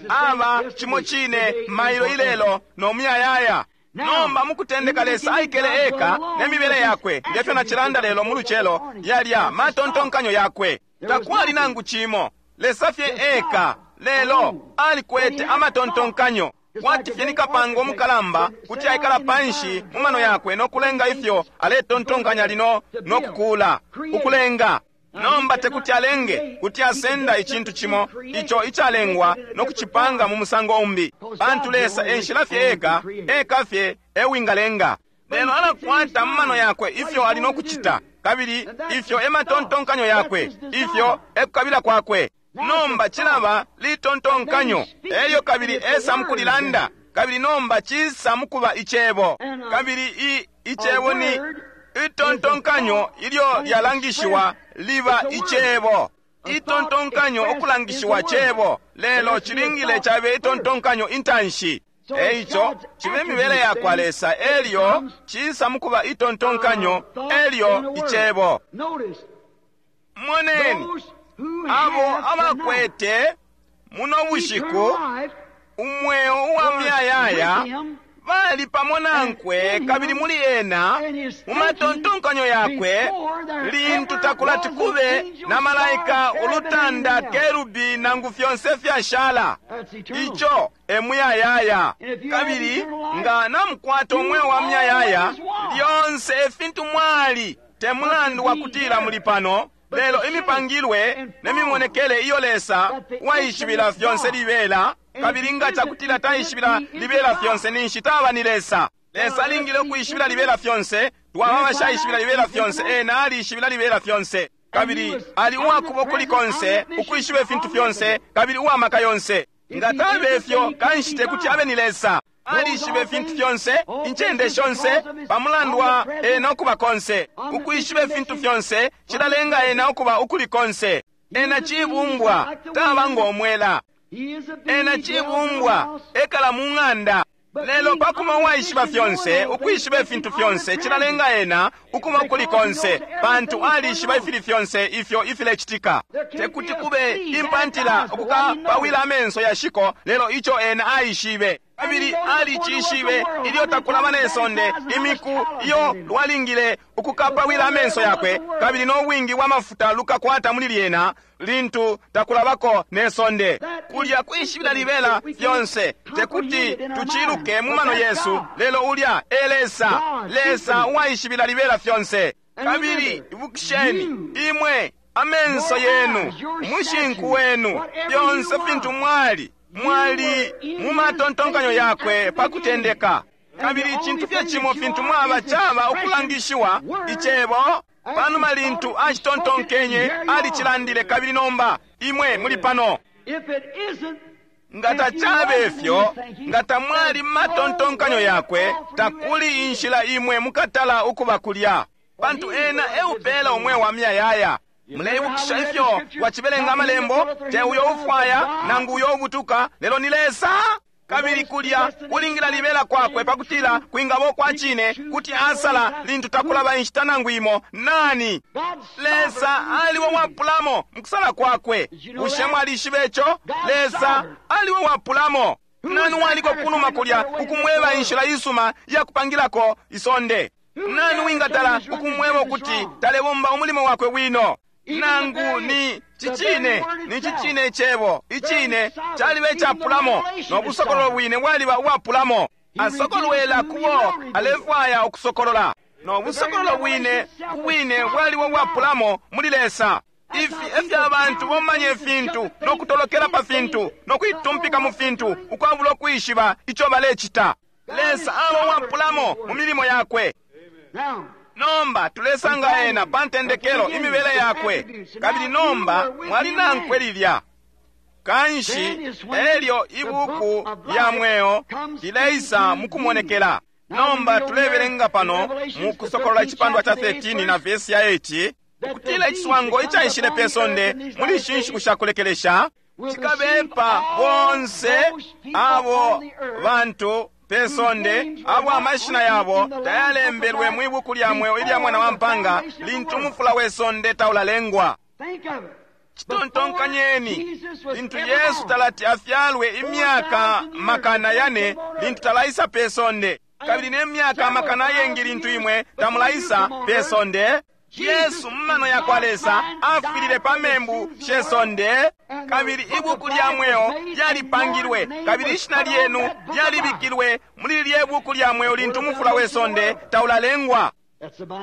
Aba cimo cine mailo ilelo no muyayaya. Nomba mukutendeka Lesa aikele eka ne mibele yakwe, ngefyo nacilanda lelo mu lucelo, yalya matontonkanyo yakwe. Takwali nangu cimo, Lesa fye eka, lelo alikwete amatontonkanyo. Kwati fye ni kapanga umukalamba kuti aikala panshi mu mano yakwe no kulenga ifyo aletontonkanya lino no kukula, ukulenga. Nomba tekuti alenge, kuti asenda icintu cimo ico icalengwa no kucipanga mu musango umbi, pantu Lesa enshila fye eka, eka fye ewingalenga. Lelo alakwata mu mano yakwe ifyo ali no kucita, kabili ifyo ematontonkanyo yakwe, ifyo ekukabila kwakwe. Nomba cilaba litontonkanyo, elyo kabili esa mukulilanda, kabili nomba cisa mukuba icebo. Kabili i icebo ni itontonkanyo ilyo lyalangishiwa liba icebo. Itontonkanyo okulangishiwa cebo, lelo cilingile cabe itontonkanyo intanshi. Eico cibe mibele yakwa Lesa, elyo cisa mukuba itontonkanyo, elyo icebo. Moneni abo abakwete muno bushiku umweo uwa muyayaya bali pamo nankwe, kabili muli ena mu matontonkanyo yakwe, lintu takulati kube na malaika, ulutanda, kerubi nangu fyonse fyashala. Ico e muyayaya. Kabili nga namukwata umweo wa muyayaya, lyonse efintu mwali, te mulandu wa kutila muli pano, lelo imipangilwe ne mimonekele iyo Lesa waishibila fyonse libela. Kabili nga cakutila taishibila libela fyonse, ninshi taba ni Lesa. Lesa alingile ukuishibila libela fyonse, twaba bashaishibila libela fyonse, ena alishibila libela fyonse. Kabili ali uwakuba ukuli konse, ukwishiba ifintu fyonse, kabili uwamaka yonse. Nga tabe ifyo, kanshi tekuti abe ni Lesa. Alishiba ifintu fyonse, incende shonse, pamulandu wa ena ukuba konse. Ukwishiba ifintu fyonse cilalenga ena ukuba ukuli konse. Ena cibumbwa, taba ng'omwela. Ena cibumbwa, ekala mu ng'anda. Lelo pakuba uwaishiba fyonse, ukwishiba ifintu fyonse, cilalenga ena ukuba ukuli konse, pantu alishiba ifili fyonse ifyo ifilecitika. Tekuti kube impantila ukukapawila amenso yashiko, lelo ico ena aishibe. Kabili alicishibe ilyo takulaba ne sonde, imiku iyo lwalingile ukukapawila amenso yakwe, kabili no bwingi bwa mafuta lukakwata muli lyena lintu takulabako ne sonde. Kulya kwishibila libela fyonse, tekuti tuciluke mu mano yesu, lelo ulya e Lesa, Lesa uwaishibila libela fyonse. Kabili ibukisheni, imwe amenso yenu, umushinku wenu, fyonse fintu mwali mwali mu matontonkanyo yakwe pa kutendeka. Kabili icintu fye cimo fintu mwaba caba ukulangishiwa icebo. Panuma lintu acitontonkenye, alicilandile, kabili nomba imwe muli pano. Nga tacabe fyo, nga tamwali matontonkanyo yakwe, takuli inshila imwe mukatala ukuba kulya, pantu ena eupela umweo wa miyayaya. Muleibukisha ifyo wacibelenga amalembo? Te uyo ufwaya nangu uyo ubutuka, lelo ni Lesa. Kabili kulya kulingila libela kwakwe pakutila kwingaba kwa cine, kuti asala lintu takulaba inshita nangu imo. Nani? Lesa aliwo wapulamo mukusala kwakwe. Bushe mwalishiba ico? Lesa aliwo wapulamo. Nani waliko kunuma kulya ukumweba inshila isuma ya kupangilako isonde? Nani wingatala ukumweba ukuti talebomba umulimo wakwe wino? Nangu ni cicine, ni cicine icebo icine caliba icapulamo, no busokololo bwine bwaliba ubwapulamo. Asokolwela kubo alefwaya ukusokolola, no busokololo bwine ubwine bwaliba ubwapulamo muli Lesa. Ifi efyo abantu bomanya ifintu no kutolokela pa fintu no kuitumpika mu fintu ukwabula ukwishiba ico balecita. Lesa aba uwapulamo mu milimo yakwe. Nomba tulesanga ena pa ntendekelo imibele yakwe, kabili nomba mwali nankwe lilya. Kanshi elyo ibuku lya mweo lileisa mukumonekela. Nomba tulebelenga pano mu Kusokolola icipandwa ca thirteen na vesi ya eight, ukutila iciswango icaishile pe sonde muli ishi nshiku sha kulekelesha cikabepa bonse abo bantu pe sonde abo amashina yabo tayalembelwe mwi buku lya mweo ilya mwana wa mpanga lintu umufula we sonde taulalengwa. Citontonkanyeni, lintu Yesu talati afyalwe imyaka makana yane lintu talaisa pe sonde, kabili ne myaka makana ayengi lintu imwe tamulaisa pe sonde. Yesu mumano ya kwa Lesa afwilile pa membu she sonde, kabili ibuku lya mweo lyalipangilwe, kabili ishina lyenu lyalibikilwe muli lye buku lya mweo lintu umufula we sonde taulalengwa.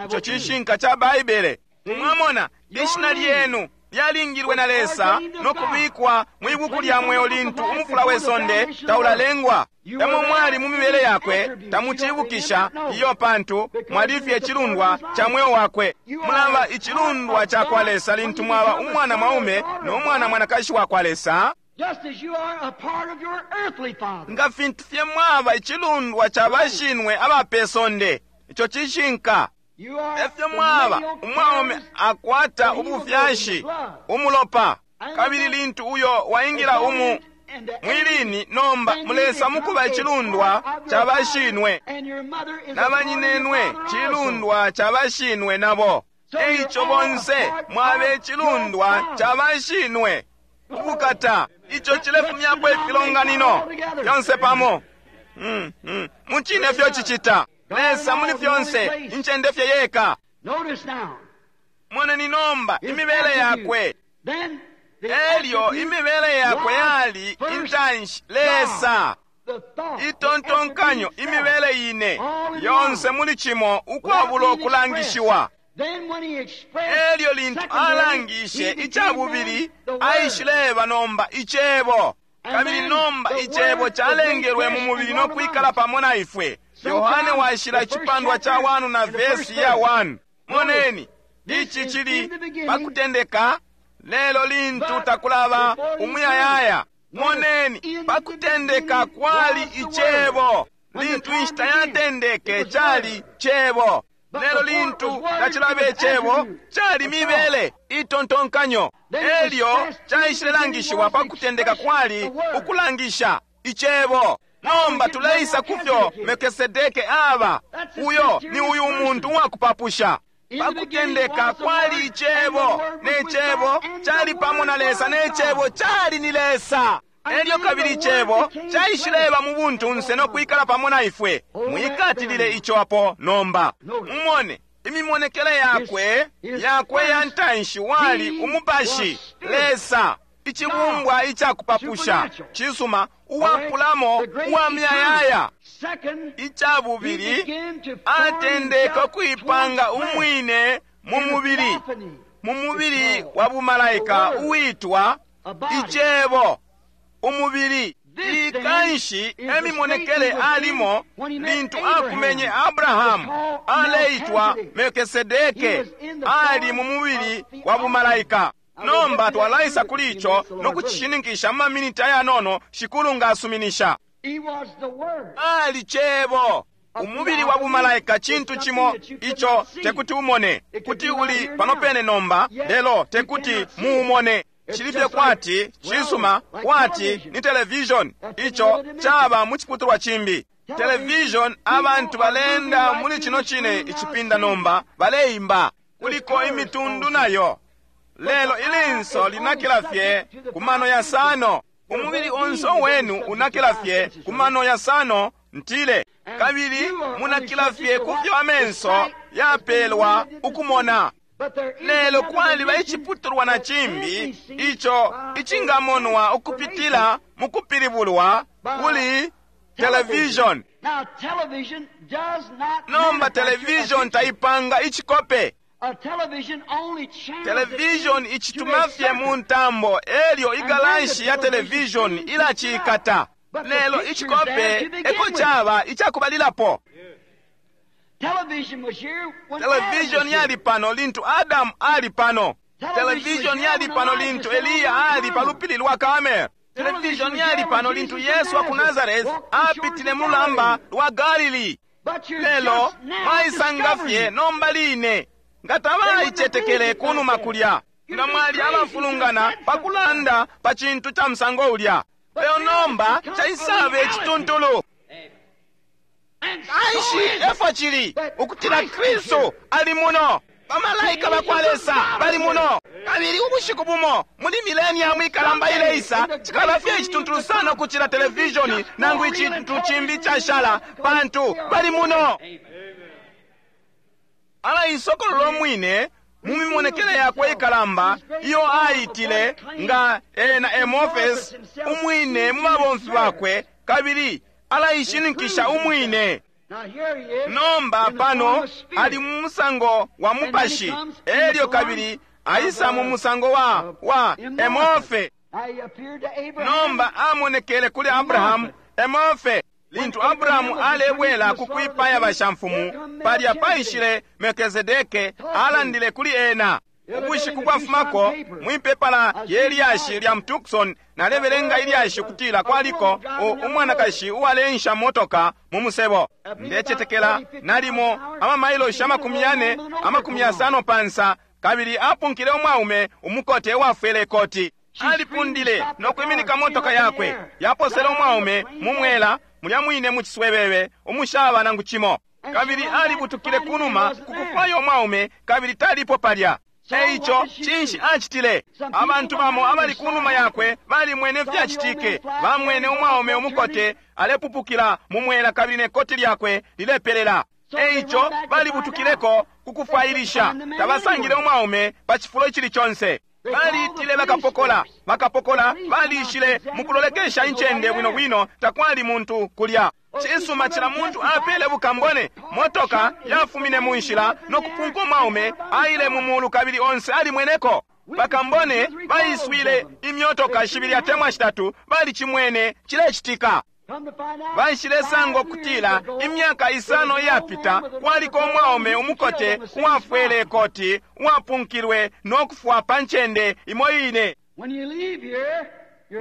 Ico cishinka ca Baibele. Mwamona, ishina lyenu lyalingilwe na Lesa no kubikwa mwi buku lya mweo lintu umufula we sonde taulalengwa. Tamo mwali mu mibele yakwe, tamucibukisha iyo, pantu mwalifye icilundwa ca mweo wakwe. Mulaba icilundwa ca kwa Lesa lintu mwaba umwana mwaume no mwana mwanakashi wa kwa Lesa, nga fintu fye mwaba icilundwa ca bashinwe aba pe sonde. Ico cishinka. Efyo mwaba umwaume akwata ubufyashi umulopa, kabili lintu uyo waingila umu mwilini, nomba mulesa mukuba icilundwa ca bashinwe, na banyinenwe cilundwa ca bashinwe nabo. Eico bonse mwaba icilundwa ca bashinwe. Ubukata! Ico cilefumyapo ifilonganino fyonse pamo. Mm, mm. Mucine fyo cicita. Lesa muli fyonse, incende fye yeka. Moneni nomba imibele yakwe. Elyo imibele yakwe yali intanshi Lesa. Itontonkanyo imibele ine yonse muli cimo ukwabula ukulangishiwa. Elyo lintu alangishe icabubili, aishileba nomba icebo. Kabili nomba icebo calengelwe mu mubili no kwikala pamo na ifwe. Yohane washila icipandwa ca one na vesi ya one. Moneni, ici cili pakutendeka, lelo lintu takulaba umuyayaya. Moneni, pakutendeka kwali icebo. Lintu inshita yatendeke cali cebo. Lelo lintu tacilaba icebo, cali mibele itontonkanyo. Elyo caishilelangishiwa pakutendeka kwali ukulangisha icebo. Nomba tuleisa kufyo Melkisedeke aba. Uyo ni uyu umuntu uwakupapusha. Pakutendeka kwali icebo, ne cebo cali pamo na Lesa, ne cebo cali ni Lesa. Elyo kabili icebo caishileba mu buntunse no kwikala pamo na ifwe. Mwikatilile ico apo nomba. Mumone imimonekele yakwe yakwe ya ntanshi wali umupashi, Lesa. icibumbwa icakupapusha, cisuma, uwapulamo uwa muyayaya. Ica bubili, atendeka ukuipanga umwine mu mubili, mu mubili wa bumalaika uwitwa Icebo, umubili. Ikanshi emimonekele alimo lintu akumenye Abrahamu, aleitwa Melkisedeke, ali mu mubili wa bumalaika. Nomba twalaisa kuli ico no kucishininkisha mu maminiti ayanono, Shikulu nga asuminisha. Ali Cebo. Umubili wa bumalaika cintu cimo ico tekuti umone, kuti uli pano pene nomba, lelo tekuti muumone. Cilifye kwati cisuma, kwati ni television, ico caba mu ciputulwa cimbi. Television, abantu balenda muli cino cine icipinda nomba baleimba, kuliko imitundu nayo, lelo ilinso linakila fye ku mano yasano. Umubili onse wenu unakila fye ku mano yasano, ntile, kabili munakila fye ku fyo amenso yapelwa ukumona. Lelo kwaliba iciputulwa na cimbi ico icingamonwa ukupitila mu kupilibulwa kuli television. Nomba television taipanga icikope. Television icituma fye mu ntambo, elyo igalanshi ya television ilacikata. Lelo icikope eko caba icakubalilapo. Television yali pano lintu Adamu ali pano. Television yali pano lintu Eliya ali pa lupili lwa Karmel. Television yali pano lintu Yesu wa ku Nazareth apitile mu lamba lwa Galili. Lelo mwaisanga fye nomba line nga tabaicetekele kunuma kulya, nga mwali abafulungana pa kulanda pa cintu ca musango ulya. Lelo nomba caisaba icituntulu. Kanshi efo cili ukutila Kristu ali muno, bamalaika bakwa Lesa bali muno, kabili ubushiku bumo muli mileniamu ikalamba ileisa cikaba fye icituntulu sana ukucila televisioni nangu icintu cimbi cashala, pantu bali muno. Alaisokolola umwine mu mimonekele yakwe ikalamba iyo aitile nga ena Emorphis umwine mu babomfi bakwe, kabili alaishininkisha umwine. Nomba pano ali mu musango wa mupashi, elyo kabili aisa mu musango wa wa Emorphe. Nomba amonekele kuli Abrahamu Emorphe. Lintu Abrahamu alebwela ku kwipaya bashamfumu, palya paishile Melkizedeke alandile kuli ena. Ubushiku bwafumako mwipepala ye lyashi lya Tucson nalebelenga ilyashi kutila kwaliko umwanakashi uwaleensha motoka mu musebo. Ndecetekela nalimo amamailoshi amakumi yane amakumi yasano pansa, kabili apunkile umwaume umukote uwafwele ikoti. Alipundile no kwiminika motoka yakwe, yaposele umwaume mu mwela mulya mwine mu ciswebebe umushaba nangu cimo, kabili alibutukile kunuma ku kufwaya umwaume, kabili talipo palya. Eico cinshi acitile? Abantu bamo abali kunuma yakwe balimwene fyacitike, bamwene umwaume umukote alepupukila mu mwela kabili ne koti lyakwe lilepelela. Eico balibutukileko ku kufwailisha, tabasangile umwaume pa cifulo icili conse. Balitile bakapokola, bakapokola balishile mukulolekesha incende bwino bwino, takwali muntu kulya. Cisuma cila muntu apele bukambone, motoka yafumine mu nshila no kupunka umwaume aile mu mulu kabili onse alimweneko. Bakambone baiswile imyotoka shibili atemwa shitatu, balicimwene cilecitika. Baishilesanga ukutila imyaka isano iyapita kwaliko umwaume umukote uwafwele ikoti uwapunkilwe no kufwa pa ncende imo ine.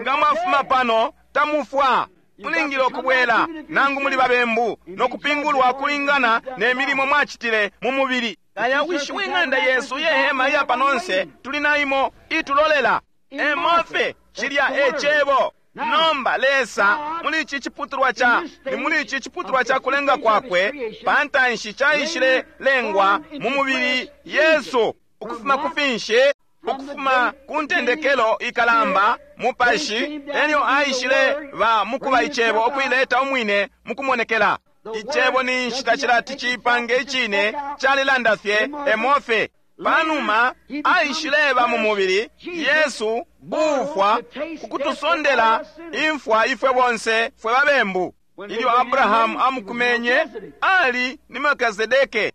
Nga mwafuma pano tamufwa, mulingile ukubwela nangu muli babembu no kupingulwa kulingana ne milimo mwacitile mu mubili. Kaya wishi w'ing'anda yesu yehema iya panonse tuli naimo itulolela. Emofe cilya ecebo. Nomba Lesa muli ici ciputulwa ca ni muli ici ciputulwa ca kulenga kwakwe pantanshi caishile lengwa mu mubili Yesu ukufuma ku finshi, ukufuma ku ntendekelo ikalamba mupashi, elyo aishile ba mukuba icebo ukuileta umwine mukumonekela. Icebo ni nshita cilati cipange icine calilanda fye emofe. Panuma aishileba mu mubili, Yesu uufwa kukutusondela imfwa ifwe bonse fwe babembu. Ilyo Abrahamu amukumenye, ali ni Melkizedeke.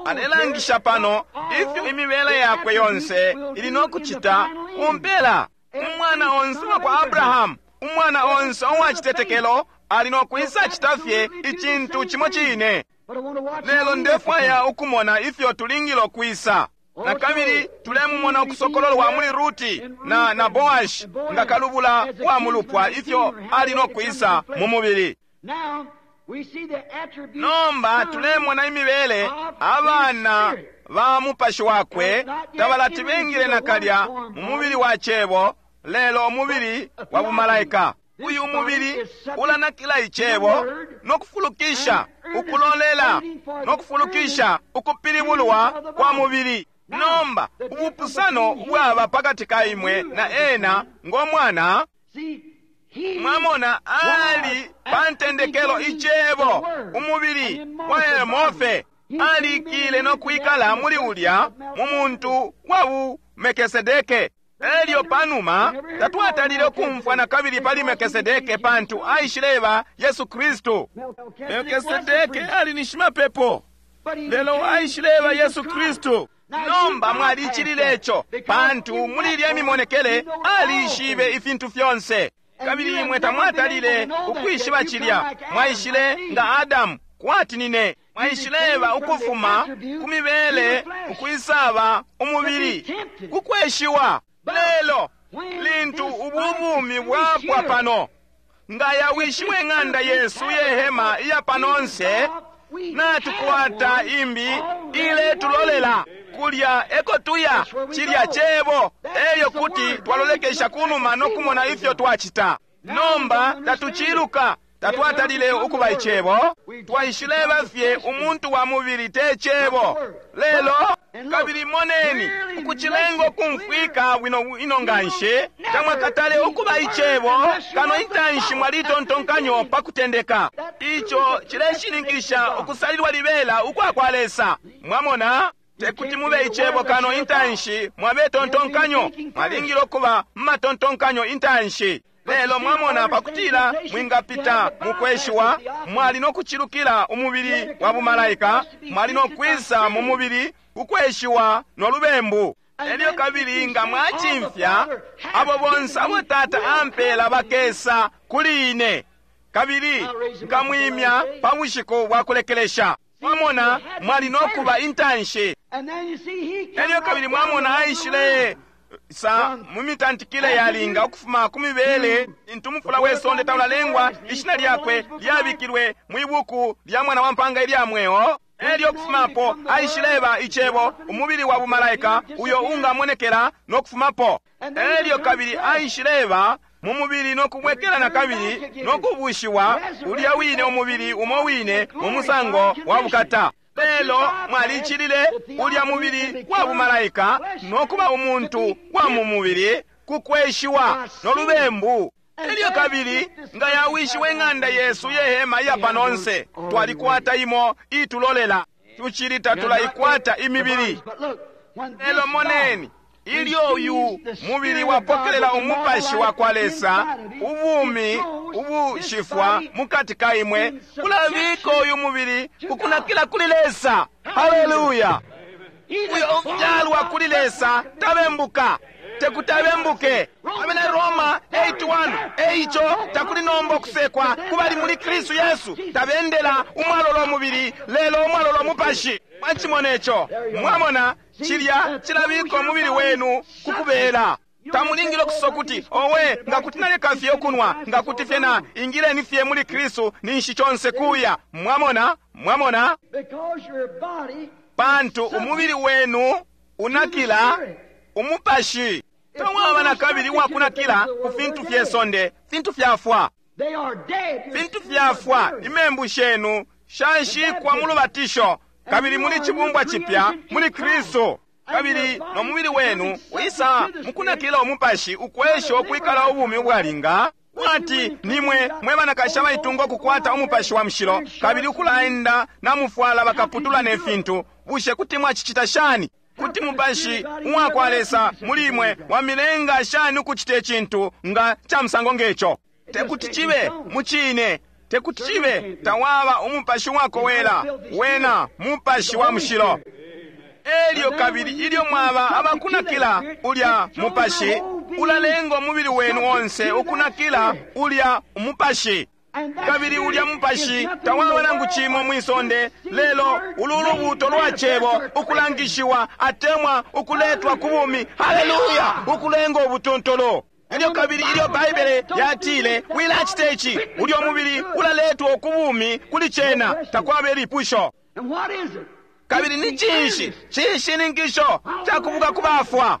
Alelangisha pano ifyo imibele yakwe yonse ili no kucita kumpela. Umwana onse wa kwa Abrahamu, umwana onse uwa citetekelo, ali no kwisa cita fye icintu cimo cine. Lelo ndefwaya ukumona ifyo tulingile ukwisa. Na kabili tulemumona ukusokololwa muli Ruti na, na Boashi nga kalubula wa mulupwa ifyo ali no kwisa mu mubili. Nomba tulemona imibele abana ba mupashi wakwe tabalati bengile nakalya mu mubili wa cebo, lelo umubili wa bumalaika. Uyu mubili ulanakila icebo no kufulukisha ukulolela no kufulukisha ukupilibulwa kwa mubili. Nomba ubupusano bwaba pakati ka imwe na ena ngo mwana. Mwamona ali pa ntendekelo icebo, umubili wa Emofe alikile no kwikala muli ulya mu muntu wa bu Melkisedeke. Elyo panuma tatwatalile ukumfwa na kabili pali Melkisedeke pantu aishileba Yesu Kristu. Melkisedeke ali ni shimapepo, lelo aishileba Yesu Kristu. Nomba mwalicilile ico pantu muli ilya mimonekele alishibe ifintu fyonse. Kabili imwe tamwatalile ukwishiba cilya, mwaishile nga Adamu kwati nine. Mwaishileba ukufuma ku mibele ukwisaba umubili kukweshiwa. Lelo lintu ububumi bwapwa pano, nga yawishiwe ng'anda yesu yehema iya panonse, natukwata imbi iletulolela kulya eko tuya cilya cebo. Elyo kuti twalolekesha kunuma no kumona ifyo twacita. Nomba tatuciluka, tatwatalile ukuba icebo, twaishileba fye umuntu wa mubili te cebo. Lelo kabili moneni ukucilenga ukumfwika bwino ino nganshi, tamwakatale ukuba icebo kano intanshi mwalitontonkanyo pa kutendeka. Ico cileshininkisha ukusalilwa libela ukwa kwa Lesa. Mwamona, tekuti mube icebo kano intanshi mwabe tontonkanyo, mwalingile ukuba mumatontonkanyo intanshi. Lelo mwamona, pakutila mwingapita mukweshiwa, mwali no kucilukila umubili wa bumalaika, mwali no kwisa mu mubili kukweshiwa no lubembu. Elyo kabili nga mwacimfya, abo bonse abo Tata ampela bakesa kuli ine, kabili nkamwimya pa bushiku bwa kulekelesha. Mwamona, mwali no kuba intanshi. Elyo kabili mwamona aishile sa mumitantikile yalinga ukufuma ku mibele intu mufula we sonde taulalengwa, ishina lyakwe lyabikilwe mwibuku lya mwana wa mpanga ilya mweo. Elyo kufumapo aishileba icebo, umubili wa bumalaika uyo ungamonekela no kufumapo. Elyo kabili aishileba mu mubili no kubwekela na kabili no kubushiwa ulya wine umubili umo wine mu musango wa bukata. Lelo mwalicilile ulya mubili wa bumalaika no kuba umuntu wa mu mubili kukweshiwa no lubembu. Elyo kabili nga yawishiwe ng'anda yesu yehema iya panonse, twalikwata imo itulolela, tucili tatulaikwata imibili. Lelo moneni, ilyo uyu mubili wapokelela umupashi wa kwa Lesa, ubumi ubushifwa mukati ka imwe kulabika uyu mubili kukunakila kuli Lesa. Haleluya! Uyo ufyalwa kuli Lesa tabembuka, tekutabembuke. Abena Roma eight one, eico takuli nomba okusekwa kubali muli Kristu Yesu, tabendela umwalolo mubili lelo umwalolo mupashi. Mwachimona ico? Mwamona cilya cilabika umubili wenu kukubela. Tamulingile okusosa kuti owe nga kuti naleka fye okunwa, nga kuti fye na ingileni fye muli Kristu ninshi chonse kuya. Mwamona, mwamona, pantu umubili wenu unakila umupashi. Tawaba na kabili wakunakila ku fintu fye sonde, fintu fyafwa, fintu fyafwa. Imembu shenu shanshikwa mu lubatisho, kabili muli chibumbwa chipya muli Kristu. Kabili no mubili wenu wisa mukunakila umupashi ukwesha ukwikala ubumi ubwalinga, kwati nimwe mwe banakashi abaitunga ukukwata umupashi wa mushilo, kabili ukulaenda namufwala bakaputula ne fintu. Bushe kuti mwacicita shani? Kuti mupashi uwakwa Lesa muli imwe wamilenga shani ukucita icintu nga ca musango ngeco? Tekuti cibe mucine, tekuti cibe. Tawaba umupashi wakowela, wena mupashi wa mushilo. Elyo kabili ilyo mwaba abakunakila ulya mupashi, ulalenga umubili wenu onse ukunakila ulya umupashi. Kabili ulya mupashi tawaba nangu cimo mwisonde, lelo ulu lubuto lwa cebo ukulangishiwa atemwa ukuletwa ku bumi. Haleluya! Ukulenga ubutuntulu. Elyo kabili ilyo Baibele yatile wilacita ici, ulyo mubili ulaletwa ku bumi kuli cena, takwaba ilipusho. Kabili ni cinshi cishininkisho cakubuka ku bafwa?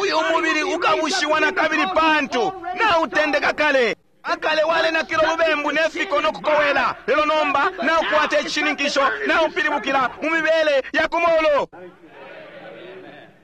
Uyu mubili ukabushiwa na kabili pantu nautendeka kale. Akale walenakila ulubembu nefiko nokukowela, lelo nomba naukwata icishininkisho, naupilibukila mu mibele ya kumulu.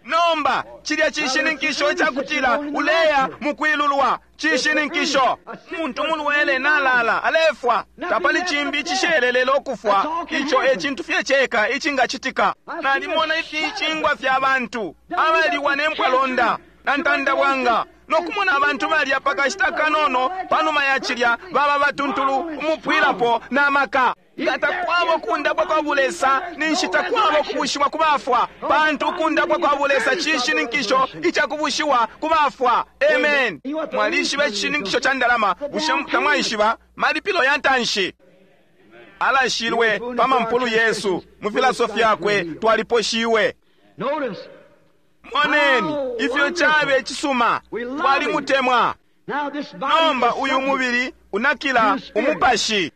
Nomba cilya cishininkisho icakutila uleya mukwilulwa cishininkisho. Umuntu mulwele nalala alefwa, tapali cimbi icishelelelo ukufwa. Ico e cintu fye ceka icingacitika. Nalimona ificingwa fya bantu abaliwa ne mpwalonda na ntandabwanga, nokumona abantu balya pakashita kanono panuma ya cilya baba batuntulu umupwilapo na maka. Nga takwaba ukundapwa kwa bulesa, ninshi takwaba ukubushiwa ku bafwa, pantu ukundapwa kwa bulesa cishininkisho icakubushiwa ku bafwa. Amen. Mwalishiba icishininkisho ca ndalama, bushe tamwaishiba? Malipilo ya ntanshi alashilwe pa mampulu yesu, mu filaso fyakwe twaliposhiwe. Moneni ifyo cabe cisuma, twalimutemwa. Nomba uyu mubili unakila umupashi,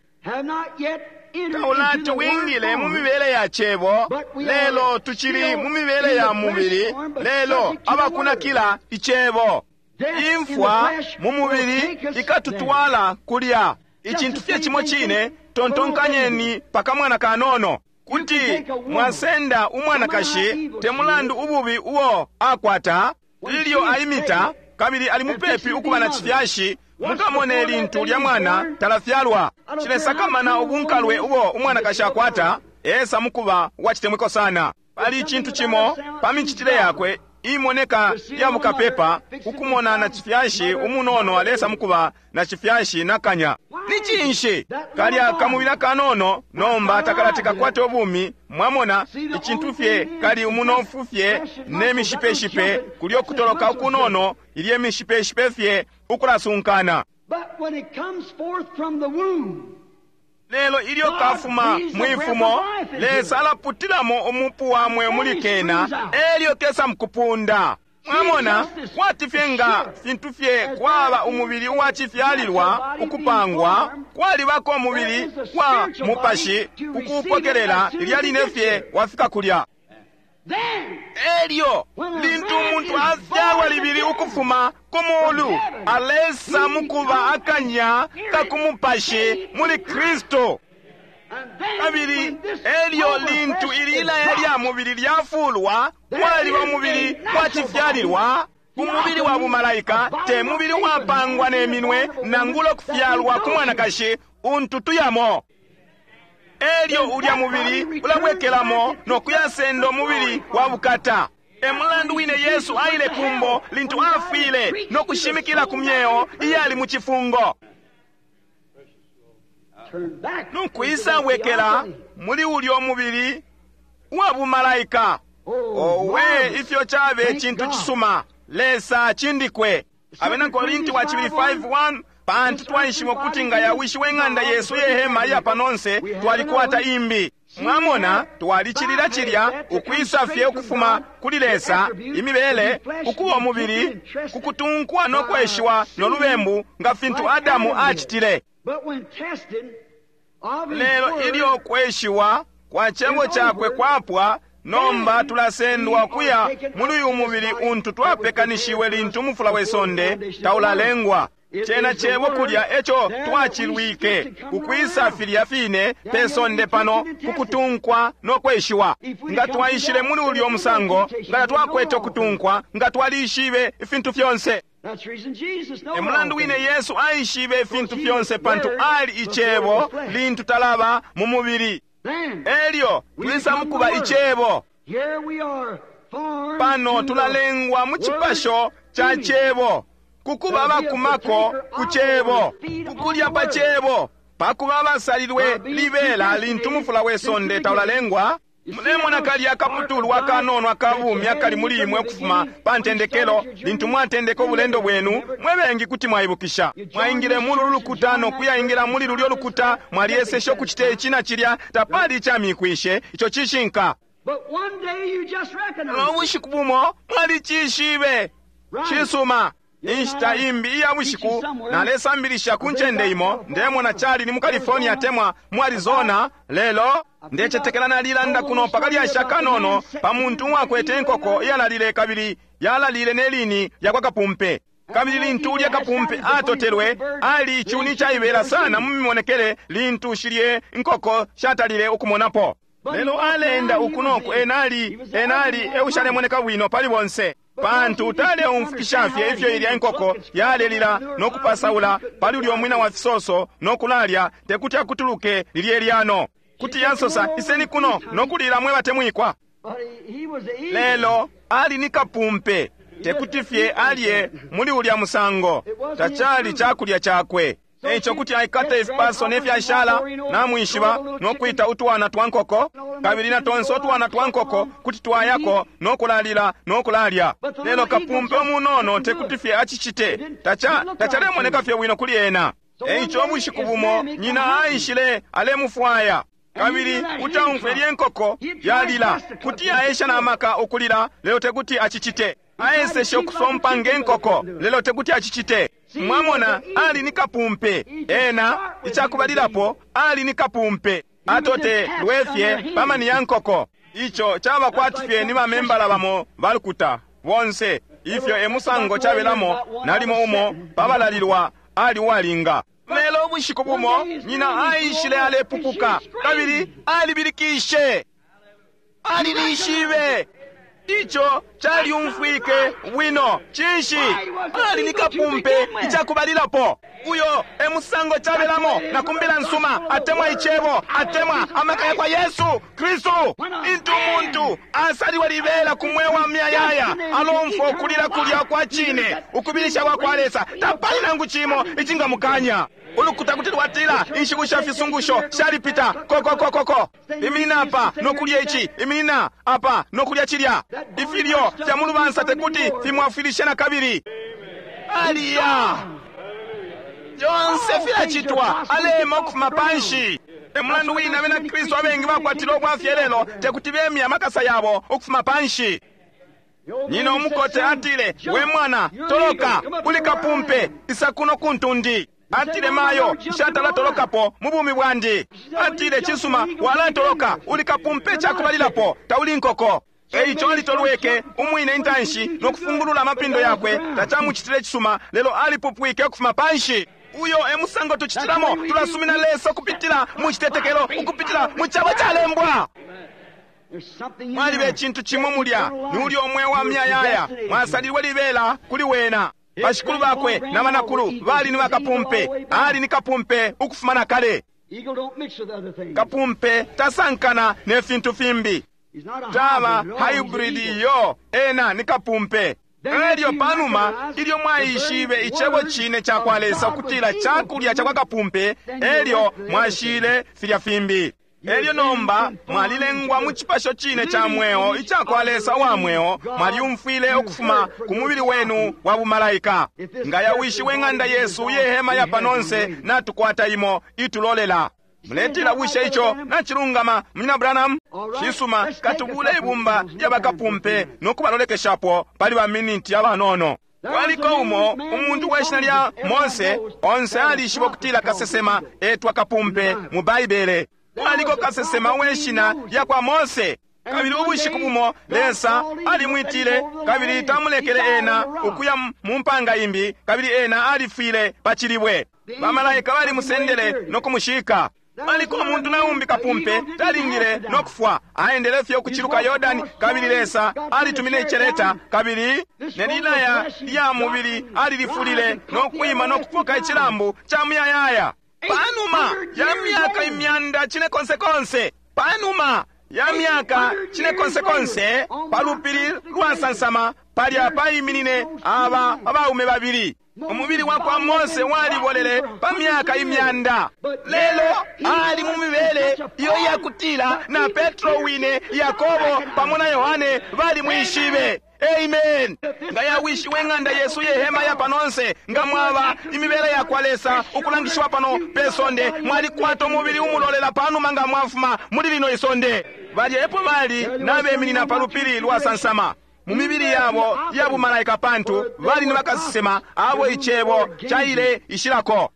taulati wingile mu mibele ya cebo, lelo tucili mu mibele ya mubili, lelo abakunakila icebo. Imfwa mu mubili ikatutwala kulya. Icintu fye cimo cine, tontonkanyeni pakamwana kanono. Kuti mwasenda umwanakashi te mulandu ububi uo akwata, ilyo aimita kabili ali mupepi ukuba na cifyashi, mukamone lintu lya mwana talafyalwa. Cilesakamana ubunkalwe ubo umwanakashi akwata, esa mukuba uwacitemwiko sana. Pali icintu cimo pa micitile yakwe imoneka ya mukapepa, ukumona na cifyashi umunono alesa mukuba na cifyashi nakanya. Ni cinshi? Kalya kamubila kanono nomba takalati kakwate ubumi. Mwamona icintu fye kali umunofu fye ne mishipeshipe, kulyo kutoloka ukunono ilye mishipeshipe fye ukulasunkana. Lelo ilyo kafuma mwifumo, Lesa alaputilamo umupu wamwe muli kena, elyo kesa mukupunda. Mwamona kwati fye nga fintu fye kwaba umubili uwacifyalilwa ukupangwa, kwalibako umubili wa mupashi ukuupokelela lilya line fye wafika kulya. Elyo lintu umuntu afyalwa libili ukufuma ku mulu, alesa mukuba akanya kakumupashi muli Kristu. Kabili elyo lintu ililaya lya mubili lyafulwa, kwaliba umubili wacifyalilwa, umubili wa bumalaika, te mubili wapangwa ne minwe nangula kufyalwa ku mwanakashi untu tuyamo. Elyo ulya mubili ulabwekelamo no kuyasenda umubili wa bukata. E mulandu wine Yesu aile kumbo lintu afwile no kushimikila ku myeo iyali mu cifungo. Nukwisa bwekela muli ulyo mubili wa bumalaika. Owe, ifyo cabe cintu cisuma! Lesa cindikwe. Abena Korinti wa cibili five one, pantu twaishiba ukuti nga yawishiwe ng'anda yesu yehema iya panonse, twalikwata imbi. Mwamona, twalicilila cilya ukwisa fye ukufuma kuli Lesa, imibele, ukuba umubili, kukutunkwa no kweshiwa no lubembu nga fintu Adamu acitile. Lelo ilyo kweshiwa kwa cebo cakwe kwapwa, nomba tulasendwa kuya muli uyu mubili untu twapekanishiwe lintu umufula we sonde taulalengwa. Cena cebo kulya eco twacilwike ukwisa filya fine pe sonde pano kukutunkwa no kweshiwa. Nga twaishile muli ulyo musango, nga twakwete ukutunkwa, nga twalishibe ifintu fyonse. E mulandu wine Yesu aishibe ifintu fyonse, pantu ali icebo lintu talaba mu mubili. Elyo twisa mukuba icebo. Pano tulalengwa mu cipasho ca Cebo, kukuba abakumako ku Cebo, kukulya pa Cebo, pakuba abasalilwe libela lintu mufula we sonde taulalengwa. Mulemona kalya akaputulwa akanono akabumi akali muli imwe ukufuma pa ntendekelo lintu mwatendeka ubulendo bwenu. Mwe bengi kuti mwaibukisha, mwaingile muli ulu lukuta no kuyaingila muli lulyo lukuta, mwalyeseshe ukucita ici na cilya, tapali icamikwishe. Ico cishinka. No bushiku bumo mwalicishibe. Cisuma. Inshita imbi iya bushiku nalesambilisha ku ncende imo, ndemona cali ni mu California temwa mu Arizona. Lelo ndecetekela nalilanda kuno pakalyasha kanono pa muntu uwakwete inkoko iyalalile, kabili yalalile ne lini lyakwa kapumpe. Kabili lintu ulya kapumpe atotelwe, ali icuni caibela sana mu mimonekele lintu shilye inkoko shatalile ukumonapo. Lelo aleenda uku noku, enali enali eushalemoneka bwino pali bonse, pantu taleumfukisha fye ifyo ilya inkoko yalelila no kupasaula pali ulyo mwina wa fisoso no kulalya, tekuti akutuluke lilye lyano. Kuti yasosa, iseni kuno no kulila mwe batemwikwa. Lelo ali ni kapumpe, tekuti fye alye muli ulya musango, tacali cakulya cakwe. Eico kuti aikata ifipaso ne fyashala, namwishiba, no kwita utwana twa nkoko, kabili na tonse utwana twa nkoko kuti twayako no kulalila no kulalya. Lelo kapumpe umunono tekuti fye acicite, tacha tachalemoneka fye bwino kuli ena. Eico ubushiku bumo nyina aishile alemufwaya, kabili utaumfwe lye nkoko yalila, kuti yaesha na maka ukulila, lelo tekuti acicite. Aeseshe ukusompa nge nkoko, lelo tekuti acicite. Mwamona, ali ni kapumpe. Ena icakubalilapo ali ni kapumpe, atote lwefye pamani ya nkoko. Ico caba kwati fye ni bamembala bamo balukuta bonse, ifyo emusango cabelamo. Nalimo umo pabalalilwa ali uwalinga. Lelo ubushiku bumo nyina aishile alepupuka, kabili alibilikishe, alilishibe. Ico calyumfwike bwino. Cinshi? Ali ni kapumpe icakubalilapo. Uyo emusango cabelamo na kumbila nsuma, atemwa icebo, atemwa amaka yakwa Yesu Kristu. Intu umuntu asaliwa libela ku mweo wa myayaya, alomfwa ukulila kulya kwa cine, ukubilisha kwa kwa Lesa, tapali nangu cimo icingamukanya. Ulukuta kuti lwatila inshiku sha fisungusho shalipita, kokokokoko, iminina apa nokulya ici, iminina apa nokulya cilya. Ifilyo fya mu lubansa tekuti fimwafwilishe na kabili. Aliya fyonse filacitwa, alema ukufuma panshi. Emulandu wina abena Kristu abengi bakwatile ubwafya lelo, tekuti bemye amakasa yabo ukufuma panshi. Nyina umukote atile, we mwana toloka, uli kapumpe, isa kuno kuntundi. Atile, mayo nshatala tolokapo mu bumi bwandi. Atile, cisuma, walatoloka, uli kapumpe cakubalilapo, tauli nkoko. Eico alitolweke umwine intanshi no kufungulula amapindo yakwe, tacamucitile cisuma, lelo alipupwike ukufuma panshi. Uyo emusango tucitilamo, tulasumina Lesa ukupitila mu citetekelo, ukupitila mu cabo calembwa. Mwaliba icintu cimo mulya, ni ulyo umweo wa myayaya, mwasalilwe libela kuli wena. Bashikulu bakwe na banakulu bali ni bakapumpe, ali ni kapumpe ukufuma na kale. Kapumpe tasankana ne fintu fimbi, taba hybrid yo, ena ni kapumpe. Elyo panuma ilyo mwaishibe icebo cine ca kwa Lesa ukutila cakulya ca kwa kapumpe, elyo mwashile filya fimbi. Elyo nomba mwalilengwa mu cipasho cine ca mweo ica kwa Lesa wa mweo, mwalyumfwile ukufuma ku mubili wenu wa bumalaika. Nga yawishiwe ng'anda yesu yehema ya panonse, natukwata imo itulolela. Muletila, bushe ico nacilungama, Munyina Branham? Cisuma, katubule ibumba lya bakapumpe no kubalolekeshapo pali baminiti abanono. Kwaliko umo umuntu we shina lya Mose, onse alishiba ukutila kasesema etwa kapumpe mu Baibele. Kwaliko kasesema we shina lya kwa Mose, kabili ubushiku bumo Lesa alimwitile kabili tamulekele ena ukuya mu mpanga imbi, kabili ena alifwile pa cilibwe. Bamalaika balimusendele no kumushika. Aliko umuntu naumbi kapumpe talingile no kufwa, aendele fye ukuciluka Yordani, kabili Lesa alitumine iceleta, kabili nelilaya lya mubili alilifulile no kwima no kupoka icilambu ca muyayaya. Panuma ya myaka imyanda cine konse konse, panuma ya myaka cinekonsekonse pa lupili lwasansama palya paiminine aba abaume babili. Umubili wa kwa Mose walibolele pa myaka imyanda, lelo ali mu mibele iyo iyakutila na Petro wine, Yakobo pamo na Yohane balimwishibe. Amen. Nga yawishiwe ng'anda yesu yehema ya panonse, nga mwaba imibele ya kwa Lesa ukulangishiwa pano pe sonde, mwalikwata umubili umulolela panuma nga mwafuma muli lino isonde. Balya epo bali nabeminina pa lupili lwasansama mu mibili yabo ya bumalaika, pantu bali ni bakasesema abo icebo caile ishilako.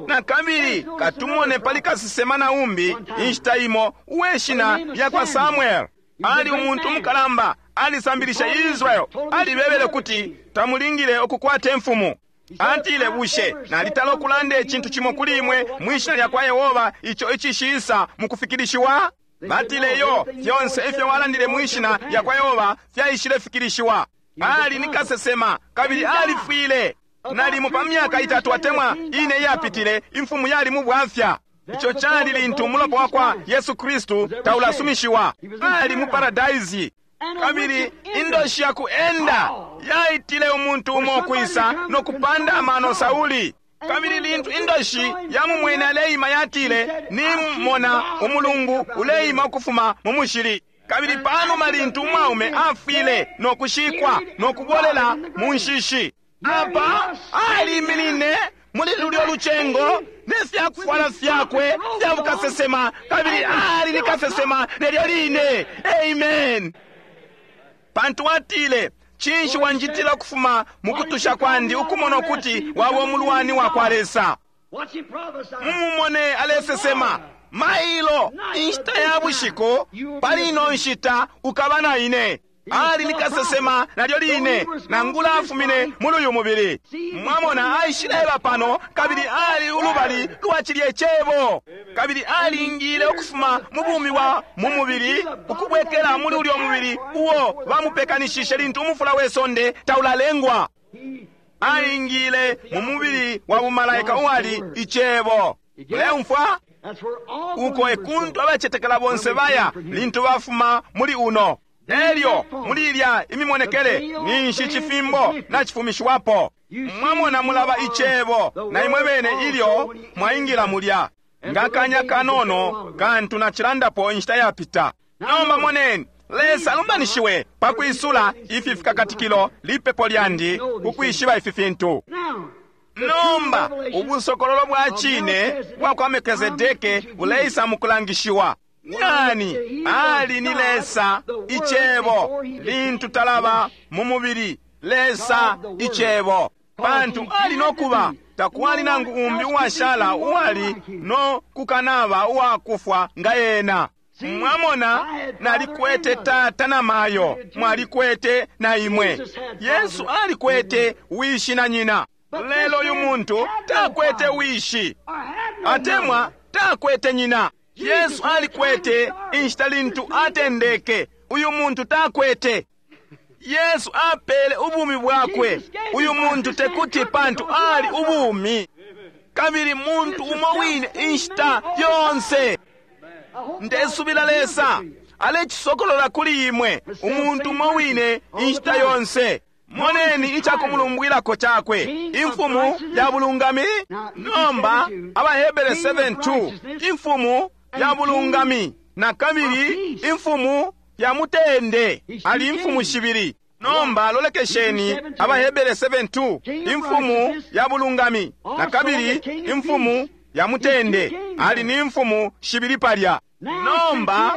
Na kabili katumone pali kasesema na umbi inshita imo uwe shina lya kwa Samuel. Ali umuntu umukalamba, alisambilisha Israel, alibebele kuti tamulingile ukukwata imfumu. Atile, bushe nalitala ukulanda icintu cimo kuli imwe mwishina lya kwa Yehova ico icishisa mukufikilishiwa? Batile, yo fyonse ifyo walandile mwishina lya kwa Yehova fyaishile fikilishiwa. Ali ni kasesema kabili alifwile. Nalimo pa myaka itatu atemwa ine iyapitile, imfumu yali mu bwafya. Ico cali lintu umulopa wa kwa Yesu Kristu taulasumishiwa. Ali mu paradaisi. Kabili indoshi ya kuenda yaitile umuntu umo kwisa no kupanda amano Sauli. Kabili lintu indoshi yamumwene aleima yatile, nimona umulungu uleima ukufuma mu mushili. Kabili panuma lintu umwaume afwile no kushikwa no kubolela mu nshishi, apa aliminine muli lulyo lucengo ne fyakufwala fyakwe fya bukasesema, kabili ali ni kasesema nelyo line. Amen. Pantu atile, cinshi wanjitila ukufuma mukutusha kwandi ukumona ukuti waba umulwani wa kwa Lesa? Mumumone alesesema, mailo inshita ya bushiku, pali ino nshita ukaba na ine. Ali ni kasesema nalyo line, nangula afumine muli uyu mubili. Mwamona, aishileba pano kabili ali ulubali lwa cilye cebo, kabili alingile ukufuma mu bumi bwa mu mubili ukubwekela muli ulyo mubili uo bamupekanishishe lintu umufula we sonde taulalengwa. Aingile mu mubili wa bumalaika uwali icebo. Muleumfwa? Uko ekuntu abacetekela bonse baya lintu bafuma muli uno. Elyo muli ilya imimonekele ninshi cifimbo nacifumishiwapo. Mwamona, mulaba icebo na imwe bene ilyo mwaingila mulya. Nga kanya kanono kantu nacilandapo inshita yapita. Nomba moneni, Lesa alumbanishiwe pakwisula ifi fikakatikilo lipepo lyandi kukwishiba ifi fintu. Nomba ubusokololo bwa cine bwa kwa Melkizedeke buleisa mukulangishiwa. Nani ali ni Lesa icebo lintu talaba mu mubili? Lesa icebo, pantu ali nokuba takwali nangu umbi uwashala uwali no kukanaba uwakufwa nga ena. Mwamona, nalikwete tata na mayo, mwalikwete na imwe. Yesu alikwete wishi na nyina, lelo uyu muntu takwete wishi atemwa takwete nyina. Yesu alikwete inshita lintu atendeke, uyu muntu takwete. Yesu apele ubumi bwakwe, uyu muntu tekuti, pantu ali ubumi. Kabili muntu umo wine inshita yonse. Ndesubila Lesa alecisokolola kuli imwe, umuntu umo wine inshita yonse. Moneni icakumulumbwilako cakwe, imfumu ya bulungami. Nomba Abahebere seven two, imfumu ya bulungami na kabili imfumu ya mutende, ali imfumu shibili. Nomba lolekesheni Abahebere seven two, imfumu ya bulungami na kabili imfumu ya mutende, ali ni imfumu shibili palya. Nomba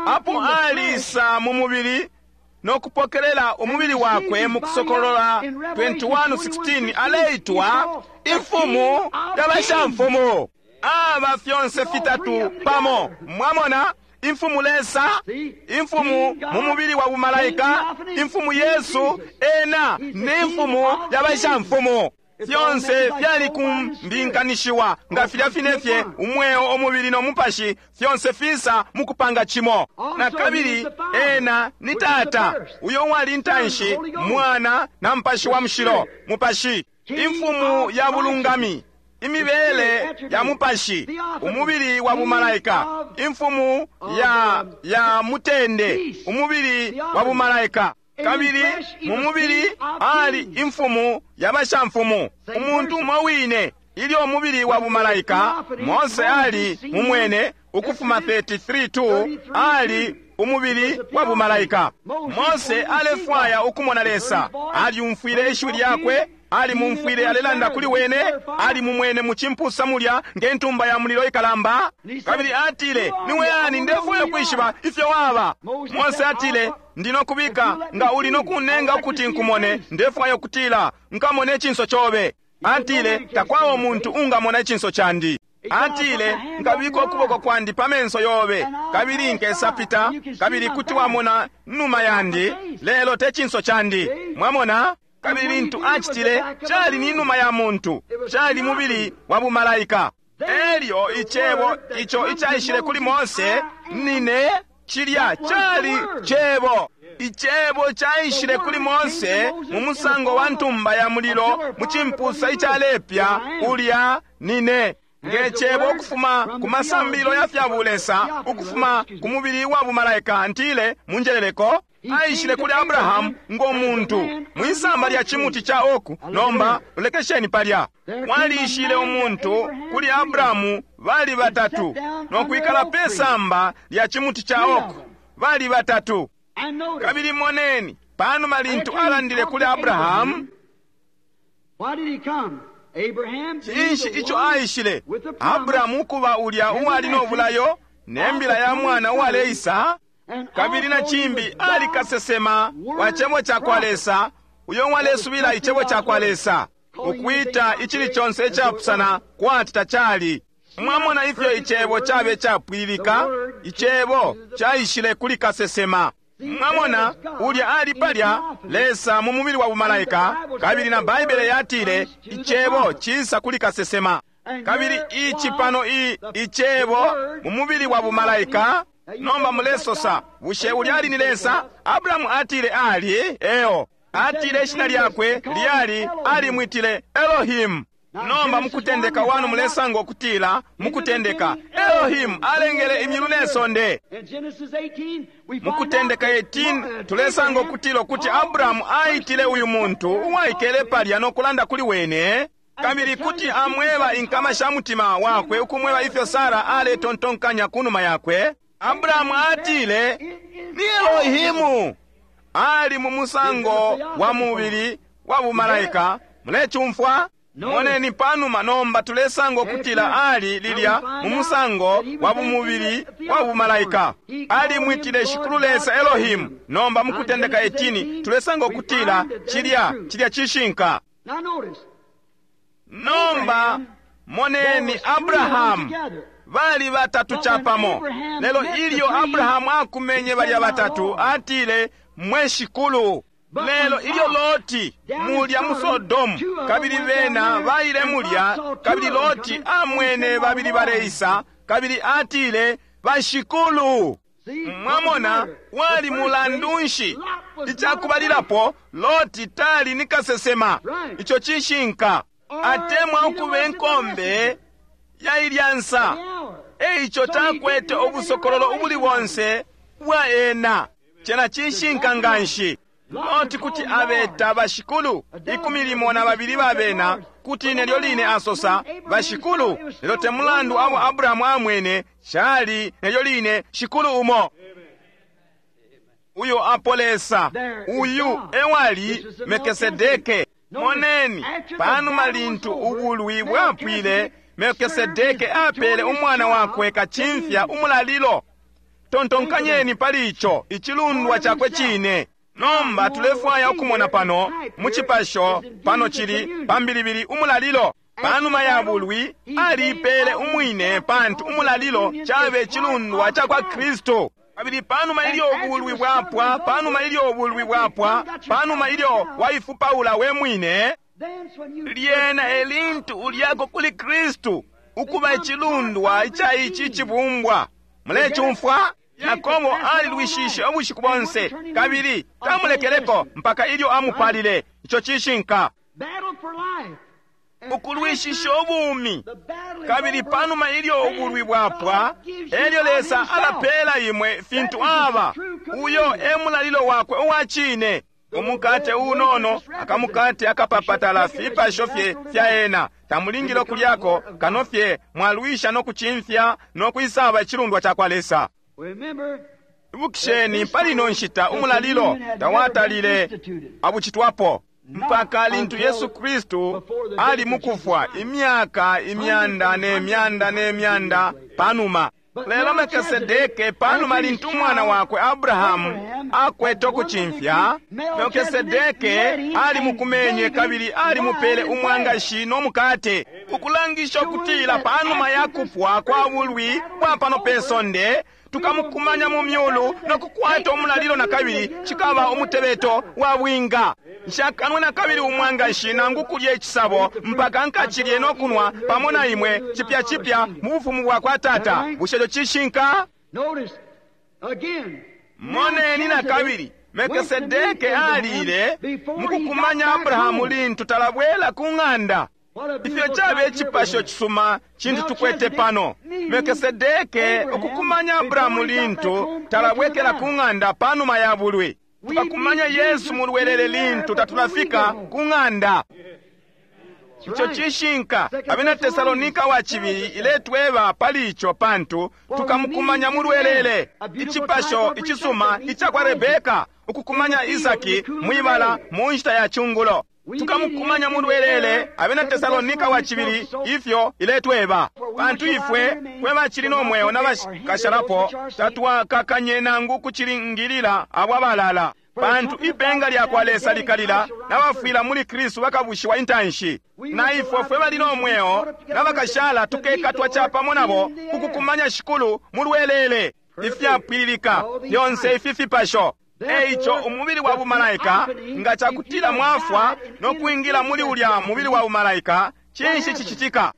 apo alisa mu mubili no kupokelela umubili wakwe mu Kusokolola twenty-one sixteen, aleitwa imfumu ya bashamfumu. Aba fyonse fitatu pamo. Mwamona, imfumu Lesa, imfumu mu mubili wa bumalaika, imfumu Yesu, ena ni imfumu ya bashamfumu. Fyonse fyali kumbinkanishiwa nga filya finefye umweo, umubili no mupashi, fyonse fisa mukupanga cimo. Na kabili ena ni tata uyo wali ntanshi, mwana na mupashi wa mushilo, mupashi, imfumu ya bulungami, imibele ya mupashi, umubili wa bumalaika, imfumu ya ya mutende, umubili wa bumalaika. Kabili mu mubili ali imfumu ya bashamfumu, umuntu umo wine. Ilyo umubili wa bumalaika, Mose ali mumwene, ukufuma thirty-three two, ali umubili wa bumalaika. Mose alefwaya ukumona Lesa, alyumfwile ishiwi lyakwe, alimumfwile alelanda kuli wene, alimumwene mu cimpusa mulya nge ntumba ya mulilo ikalamba. Kabili atile, niwe ani? Ndefwaya kwishiba ifyo waba. Mose atile, ndino kubika nga uli no kunenga ukuti nkumone, ndefwaya ukutila nkamone icinso cobe. Atile, takwaba umuntu ungamona icinso candi. Atile, nkabika ukuboko kwandi pa menso yobe, kabili nkesapita, kabili kuti wamona numa yandi, lelo te cinso candi. Mwamona? Kabili lintu acitile, cali ni numa ya muntu, cali mubili wa bumalaika. Elyo icebo ico icaishile kuli Mose, nine cilya cali cebo. Icebo caishile kuli Mose mu musango wa ntumba ya mulilo mu cimpusa icalepya, ulya nine. Nge cebo ukufuma ku masambilo ya fya bulesa, ukufuma ku mubili wa bumalaika, ntile munjeleleko, aishile kuli Abrahamu ngo muntu mwisamba lya chimuti cha oku. Nomba lolekesheni palya, mwalishile umuntu kuli Abrahamu bali batatu no kwikala pe samba lya chimuti cha oku, bali batatu. Kabili moneni panuma lintu alandile kuli Abrahamu, cinshi ico aishile Abrahamu kuba ulya uwali no bulayo ne mbila ya mwana uwaleisa? Kabili na cimbi ali kasesema wa cebo ca kwa Lesa, uyo walesubila icebo ca kwa Lesa, ukwita icili conse icapusana kwati tacali. Mwamona ifyo icebo cabe capwililika? Icebo caishile kuli kasesema. Mwamona ulya ali palya Lesa mu mubili wa bumalaika, kabili na Baibele yatile icebo cisa kuli kasesema. Kabili ici pano i icebo mu mubili wa bumalaika. Nomba mulesosa, bushe ulya ali ni Lesa? Abrahamu atile ali eo. Atile ishina lyakwe lyali alimwitile Elohim. Nomba mukutendeka wanu mulesanga okutila mukutendeka Elohim alengele imyulu ne sonde. Mukutendeka eighteen tulesanga okutila okuti Abrahamu aitile uyu muntu uwaikele palya no kulanda kuli wene, kabili kuti amweba inkama sha mutima wakwe, ukumweba ifyo Sara aletontonkanya kunuma yakwe. Abrahamu atile ni Elohimu. Ali mu musango wa mubili wa bumalaika. Mulecumfwa? Moneni panuma nomba tulesanga okutila ali lilya mu musango wa bumubili wa bumalaika. Ali mwitile Shikulu Lesa Elohimu. Nomba mukutendeka eighteen tulesanga okutila cilya cilya cishinka. Nomba moneni Abrahamu bali batatu chapamo. Lelo ilyo Abrahamu akumenye balya batatu, atile mwe Shikulu. Lelo ilyo Loti mulya mu Sodomu, kabili bena baile mulya, kabili Loti amwene babili baleisa, kabili atile bashikulu. Mwamona wali mulandu nshi? Icakubalilapo Loti tali ni kasesema. Ico cishinka. Atemwa ukuba enkombe ya ilyansa, eico takwete obusokololo ubuli bonse bwa ena. Cena cishinka nganshi. Loti kuti abeta bashikulu ikumi limo na babili babena, kuti nelyo line asosa bashikulu, lelo te mulandu abo Abrahamu amwene cali nelyo line shikulu umo. Uyo apo Lesa, uyu ewali Melkisedeke. Moneni panuma lintu ubulwi bwapwile, Melkisedeke apele umwana wakwe kacimfya umulalilo. Tontonkanyeni pali ico, icilundwa cakwe cine. Nomba tulefwaya ukumona pano mu cipasho pano cili pambilibili umulalilo. Panuma ya bulwi alipele umwine, pantu umulalilo cabe cilundwa ca kwa Kristu. Kabili panuma ilyo ubulwi bwapwa, panuma ilyo ubulwi bwapwa, panuma ilyo waifupaula we mwine, lyena elintu ulyako kuli Kristu ukuba icilundwa ica ici cibumbwa. Mulecumfwa? Yakobo alilwishishe ubushiku bonse, kabili tamulekeleko mpaka ilyo amupalile. Ico cishinka. Ukulwishisha ubumi Kabili panuma ilyo ubulwi bwapwa, elyo Lesa alapela imwe fintu aba. Uyo e mulalilo wakwe uwa cine. Umukate unono, akamukate akapapatala fipasho fye fya ena. Tamulingile ukulyako kano fye mwalwisha no kucimfya no kwisaba icilundwa cakwa Lesa. Ibukisheni, pali ino nshita umulalilo tawatalile abucitwapo mpaka lintu Yesu Kristu ali mukufwa, imyaka imyanda ne myanda ne myanda panuma. Lelo Melkisedeke, panuma lintu umwana wakwe Abrahamu akwete ukucimfya, Melkisedeke ali mukumenye kabili ali mupele umwangashi no mukate, ukulangisha ukutila panuma ya kupwa kwa bulwi bwa pano pe sonde tukamukumanya mu myulu no kukwata umulalilo na kabili. Cikaba umutebeto wa bwinga. Nshakanwe na kabili umwangashi nangu kulya icisabo mpaka nkacilye no kunwa pamo na imwe cipya cipya mu bufumu bwa kwa Tata. Bushe ico cishinka? Moneni na kabili, Melkisedeke alile mukukumanya Abrahamu lintu talabwela ku ng'anda. Ifyo cabe icipasho cisuma cintu tukwete pano. Melkisedeke ukukumanya Abrahamu lintu talabwekela ku ng'anda panuma ya bulwi. Tukakumanya Yesu mu lwelele lintu tatulafika ku ng'anda. Ico cishinka. Abena Tesalonika wa cibili iletweba pali ico, pantu tukamukumanya mu lwelele. Icipasho icisuma ica kwa Rebeka ukukumanya Isaki mwibala mu nshita ya cungulo. Tukamukumanya mu lwelele. Abena Tesalonika wa cibili ifyo iletweba, pantu ifwe fwe bacili no mweo na bakashalapo tatwakakanye nangu kucilingilila abo abalala, pantu ipenga lya kwa Lesa likalila, nabafwila muli Kristu bakabushiwa intanshi. Na ifwe fwe bali no mweo na bakashala tukekatwa capamo nabo kukukumanya Shikulu mu lwelele. Ifyapwililika fyonse ifi fipasho. Eico umubili wa bumalaika, nga cakutila mwafwa no kwingila muli ulya mubili wa bumalaika, cinshi cicitika?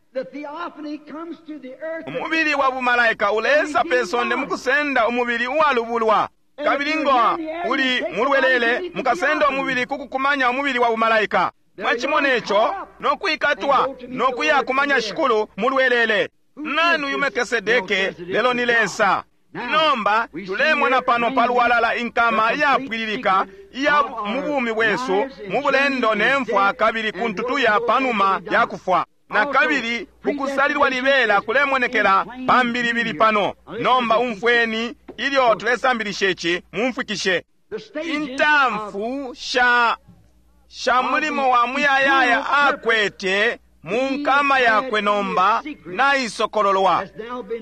Umubili wa bumalaika ulesa pe sonde mukusenda umubili uwalubulwa. Kabili ngo uli mulwelele, mukasenda umubili kukukumanya umubili wa bumalaika. Mwacimona ico no kwikatwa no kuya kumanya Shikulu mulwelele. Nani uyu Melkisedeke? Lelo ni Lesa. Nomba tulemona pano palwalala inkama iyapwililika iya mu bumi bwesu mu bulendo ne mfwa, kabili kuntu tuya panuma ya kufwa. Na kabili ukusalilwa libela kulemonekela pambilibili pano. Nomba umfweni ilyo tulesambilisha ici, mumfwikishe. Intamfu sha sha mulimo wa muyayaya akwete mu nkama yakwe nomba naisokololwa.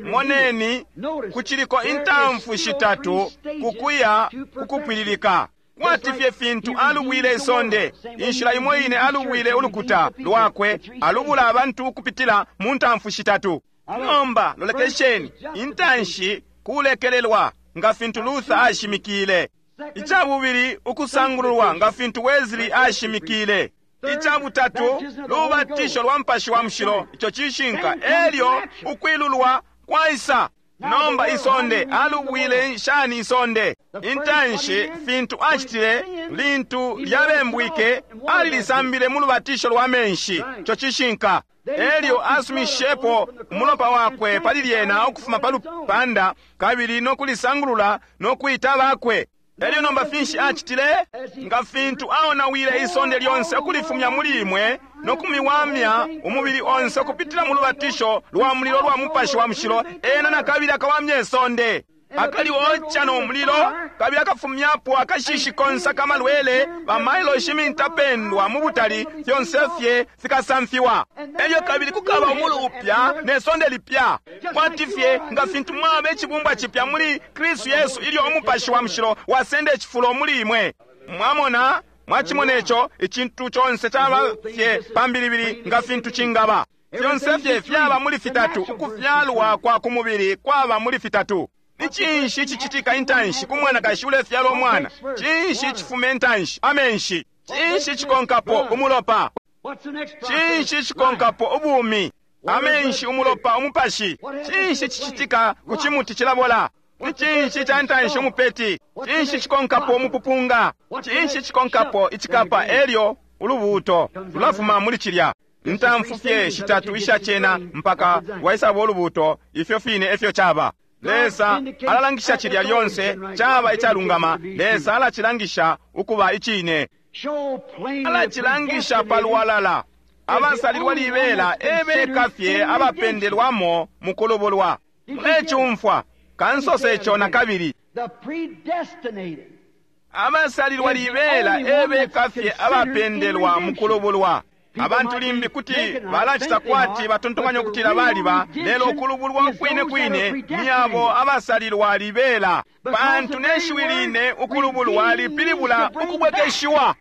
Moneni, kuciliko intamfu shitatu kukuya kukupwililika. Kwati fye fintu alubwile isonde, inshila imo ine alubwile ulukuta lwakwe, alubula abantu ukupitila mu ntamfu shitatu. Nomba lolekesheni, intanshi kulekelelwa nga fintu Luther ashimikile. Icabubili, ukusangululwa nga fintu Wesley ashimikile. Icabutatu, lubatisho lwa Mupashi wa Mushilo. Ico cishinka. Elyo ukwilulwa kwaisa. Nomba isonde alubwile shani isonde? Intanshi fintu acitile lintu lyabembwike, alilisambile mu lubatisho lwa menshi. Ico cishinka. Elyo asumishepo umulopa wakwe pali lyena ukufuma pa lupanda, kabili no kulisangulula no kwita bakwe. Elyo nomba finshi acitile? Nga fintu aonawile isonde lyonse ukulifumya muli imwe no kumiwamya umubili onse ukupitila mu lubatisho lwa mulilo lwa Mupashi wa Mushilo, ena na kabili akawamya isonde. Akali oca no mulilo, kabili akafumyapo akashishi konse akamalwele bamailoshi mintapendwa mu butali, fyonse fye fikasamfiwa. Elyo kabili kukaba umulu upya ne sonde lipya, kwati fye nga fintu mwaba icibumbwa cipya muli Kristu Yesu ilyo Umupashi wa Mushilo wasenda icifulo muli imwe. Mwamona, mwacimona ico, icintu conse caba fye pambilibili nga fintu cingaba. Fyonse fye fyaba muli fitatu. Ukufyalwa kwa kumubili kwaba muli fitatu. Ni cinshi cicitika intanshi ku mwanakashi ulefyala umwana? Cinshi cifume intanshi? Amenshi. Cinshi cikonkapo? Umulopa. Cinshi cikonkapo? Ubumi. Amenshi, umulopa, umupashi. Cinshi cicitika ku cimuti cilabola? Ni cinshi ca ntanshi? Umupeti. Cinshi cikonkapo? Umupupunga. Cinshi cikonkapo? Icikapa. Elyo ulubuuto lulafuma muli cilya. Intamfu fye shitatu isha cena mpaka waisaba ulubuto, ifyo fine efyo caba. Lesa alalangisha cilya lyonse caba icalungama. Lesa alacilangisha ukuba icine, alacilangisha palwalala. Abasalilwa libela ebeka fye abapendelwamo mu kulubulwa. Mulecumfwa kansose ico na kabili. Abasalilwa libela ebeka fye abapendelwa mu kulubulwa. Abantu limbi kuti balacita kwati batontonkanya ukutila baliba, lelo ukulubulwa ukwine kwine ni abo abasalilwa libela, pantu ne shiwi line ukulubulwa lipilibula ukubwekeshiwa.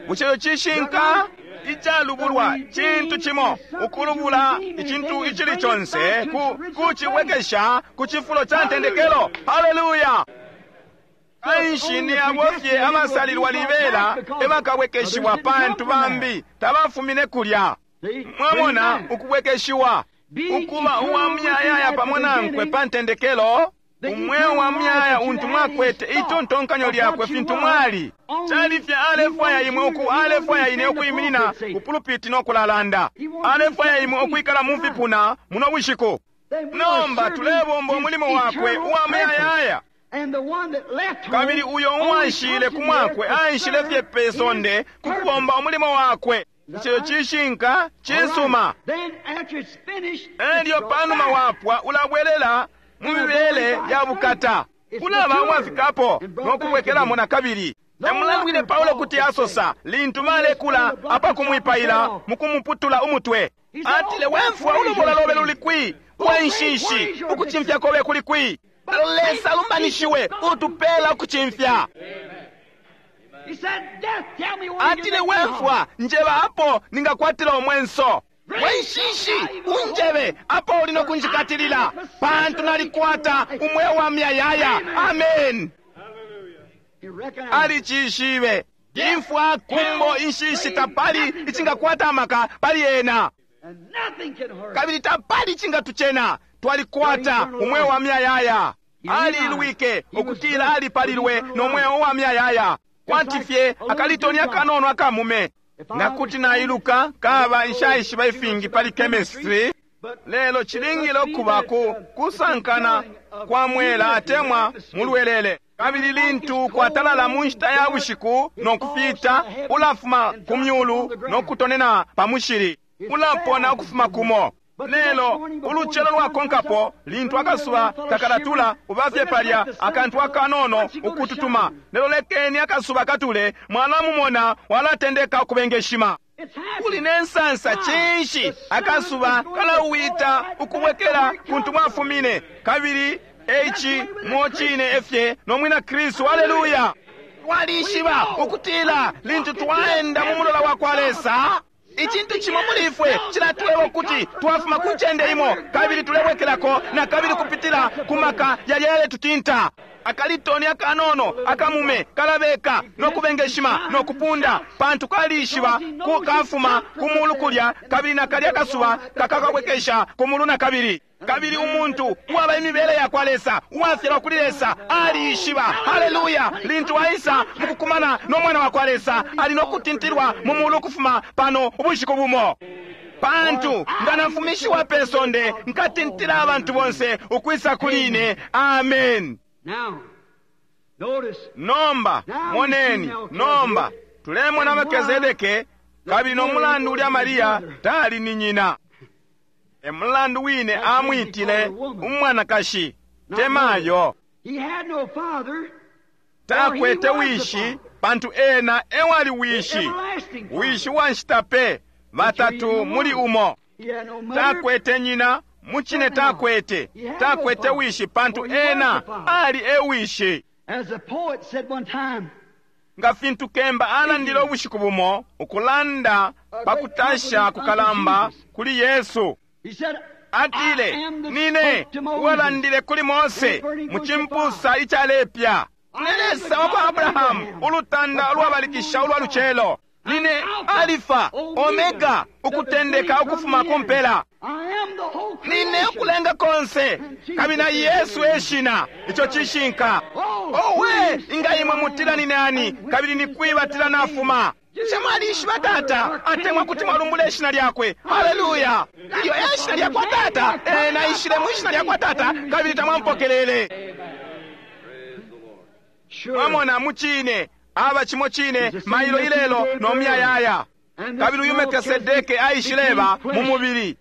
Bushe cishinka? Icalubulwa cintu cimo, ukulubula icintu icili conse ku kucibwekesha ku cifulo ca ntendekelo. Haleluya! Kanshi ni abo fye abasalilwa libela ebakabwekeshiwa, pantu bambi tabafumine kulya. Mwamona, ukubwekeshiwa, ukuba uwa muyayaya pamo nankwe pa ntendekelo, umweo wa muyaya untu mwakwete itontonkanyo lyakwe fintu mwali. Cali fye alefwaya imwe uku alefwaya ine ukuiminina ku pulupiti no kulalanda. Alefwaya imwe ukwikala mu fipuna muno bushiku. Nomba tulebomba umulimo wakwe uwa muyayaya. Kabili uyo uwaishile ku mwakwe aishile fye pe sonde ku kubomba umulimo wakwe. Ico cishinka cisuma. Elyo panuma wapwa ulabwelela mu mibele ya bukata, ulaba uwafikapo no kubwekelamo na kabili. Emulandu Paulo kuti asosa lintu malekula apakumwipaila mukumuputula umutwe, atile, wemfwa ulubola lobe luli kwi, wenshishi ukucimfya kobe kuli kwi? Lesa alumbanishiwe utupela ukucimfya. Atile, wemfwa njeba apo ningakwatila umwenso, wenshishi unjebe apo uli no kunjikatilila, pantu nalikwata umweo wa muyayaya. Amen. Alicishibe imfwa, kumbo, inshishi, tapali icingakwata amaka pali ena, kabili tapali icingatucena. Twalikwata umweo wa muyayaya. Alilwike ukutila alipalilwe no mweo wa muyayaya, kwati fye akalitoni akanono akamume. Nga kuti nailuka kaba nshaishiba ifingi pali chemistry, lelo cilingile ukuba ku kusankana kwa mwela atemwa mulwelele. Kabili lintu kwatalala mu nshita ya bushiku no kufita, ulafuma ku myulu no kutonena pa mushili, ulapona ukufuma kumo. Lelo ulucelo lwakonkapo lintu akasuba takalatula, ubafye palya akantu akanono ukututuma. Lelo lekeni akasuba katule, mwalamumona walatendeka ukubengeshima. Uli ne nsansa cinshi? Akasuba kalauwita ukubwekela kuntu mwafumine. Kabili eici mocine efye no mwina Kristu. Haleluya! Twalishiba ukutila lintu twaenda mu mulola wa kwa Lesa, icintu cimo muli ifwe cilatweba ukuti twafuma ku ncende imo kabili tulebwekelako na kabili kupitila ku maka yalya yaletutinta. Akalitoni akanono akamume kalabeka no kubengeshima no kupunda, pantu kalishiba ku kafuma ku mulu kulya, kabili na kalya kasuba kakakabwekesha ku mulu na kabili. Kabili umuntu uwaba imibele ya kwa Lesa, uwafyalwa kuli Lesa, aliishiba. Haleluya! Lintu aisa mukukumana no mwana wa kwa Lesa, ali no kutintilwa mu mulu ukufuma pano ubushiku bumo. Pantu nga nafumishiwa pe sonde, nkatintila abantu bonse ukwisa kuli ine. Amen. Nomba moneni, nomba tulemona Melkizedeke, kabili no mulandu ulya Maria tali ni nyina. Emulandu wine amwitile umwanakashi temayo. Takwete wishi, pantu ena ewali wishi, wishi wa nshita pe, batatu muli umo. Takwete nyina, mucine takwete, takwete wishi, pantu ena ali e wishi. Nga fintu kemba alandile ubushiku bumo, ukulanda pakutasha kukalamba kuli Yesu. Atile, nine uwalandile kuli Mose mu cimpusa icalepya, ni Lesa wa kwa Abrahamu, ulutanda ulwabalikisha ulwa lucelo. Nine Alifa, Omega, ukutendeka ukufuma ku mpela. Nine ukulenga konse, kabili na Yesu eshina. Ico cishinka. Owe, inga imwe mutila ni nani, kabili ni kwi batila nafuma? Bushe mwalishiba Tata, atemwa kuti mwalumbula ishina lyakwe? Haleluya! Ilyo e shina lyakwa Tata, ena aishile mwi shina lyakwa Tata, kabili tamwampokelele. Mwamona, mucine aba cimo cine mailo ilelo no muyayaya. Kabili uyu Melkisedeke aishileba mu mubili,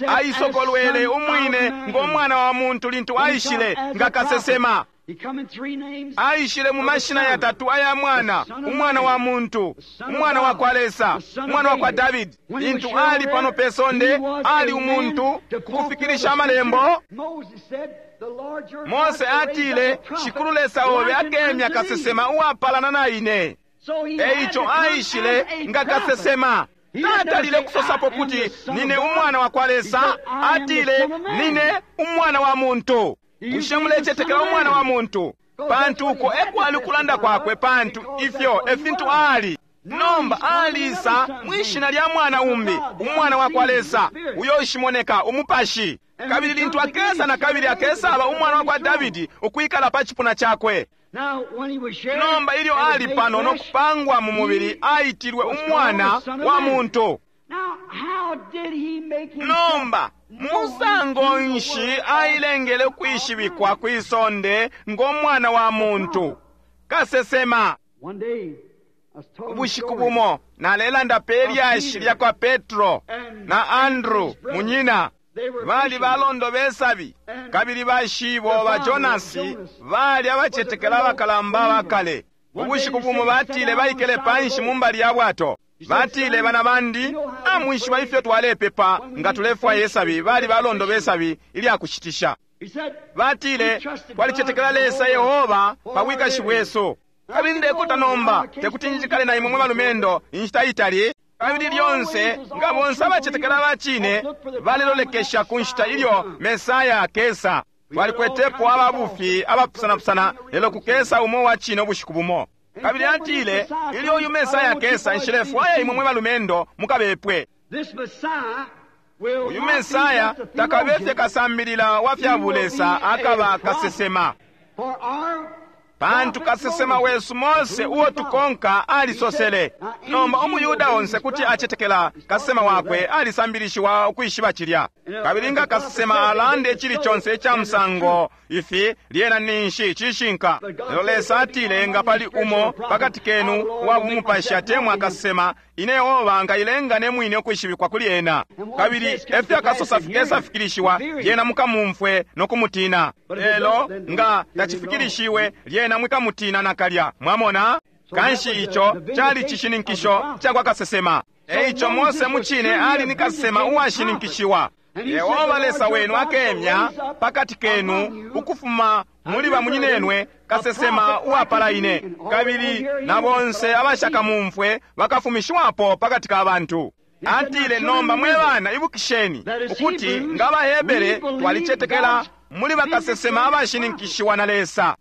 aisokolwele umwine ngo mwana wa muntu lintu aishile nga kasesema. Aishile mu mashina yatatu aya mwana, umwana wa muntu, umwana wa kwa Lesa, umwana wa kwa Davidi. Lintu ali pano pe sonde, ali umuntu kukufikirisha amalembo. Mose atile, Shikulu Lesa obe akemya kasesema uwapalana na ine. Eico aishile nga kasesema. Tatalile kusosapo kuti nine umwana wa kwa Lesa, atile nine umwana wa muntu. Bushe mulecetekela umwana wa muntu? Pantu uko ekwali ukulanda kwakwe, pantu ifyo efintu ali. Nomba alisa mwishina lya mwana umbi, umwana wa kwa Lesa, uyo ushimoneka, umupashi. Kabili lintu akesa na kabili akesaba umwana wa kwa Davidi ukwikala pa cipuna cakwe. Nomba ilyo ali pano no kupangwa mu mubili, aitilwe umwana wa muntu. Nomba musango nshi ailengele ukwishibikwa kwi sonde ngo mwana wa muntu? Kasesema. Ubushiku bumo nalelanda pe lyashi lya kwa Petro na Andrew munyina. Bali balondo besabi, kabili bashibo ba Jonasi bali abacetekela abakalamba bakale. Ubushiku bumo batile baikele panshi mu mbali ya bwato. Batile, bana bandi, amwishiba ifyo twalepepa nga tulefwaya isabi. Bali balondo besabi ilya kushitisha. Batile, twalicetekela Lesa Yehova pa bwikashi bwesu. Kabili ndekuta nomba tekuti njikale na imwe mwe balumendo inshita itali. Kabili lyonse nga bonse abacetekela bacine balelolekesha ku nshita ilyo Mesaya akesa. Twalikwetepo ababufi abapusanapusana, lelo kukesa umo wa cine ubushiku bumo. Kabili atile, ilyo uyu Mesaya akesa, nshilefwaya imwe mwe balumendo mukabepwe. Uyu Mesaya takabefye kasambilila wa fya bulesa, akaba kasesema. Pantu kasesema wesu Mose uo tukonka alisosele. Nomba umuyuda onse kuti acetekela kasesema wakwe alisambilishiwa ukwishiba cilya. Kabili nga kasesema alande icili conse ica musango ifi, lyena ninshi cishinka. Lelo Lesa atile, nga pali umo pakati kenu wa bumupashi atemwa kasesema, ine Yehova nkailenga ne mwine ukwishibikwa kuli ena. Kabili efyo akasosa fikesafikilishiwa, lyena mukamumfwe no kumutina. Lelo nga tacifikilishiwe, lyena mwikamutina nakalya. Mwamona? Kanshi ico cali cishininkisho ca kwa kasesema. Eico Mose mucine ali ni kasesema uwashininkishiwa. Yehova Lesa wenu akemya pakati kenu ukufuma muli bamunyinenwe kasesema uwapala ine, kabili na bonse abashakamumfwe bakafumishiwapo pakati ka bantu. Atile, nomba mwe bana, ibukisheni ukuti nga Abahebere twalicetekela muli bakasesema abashininkishiwa na Lesa.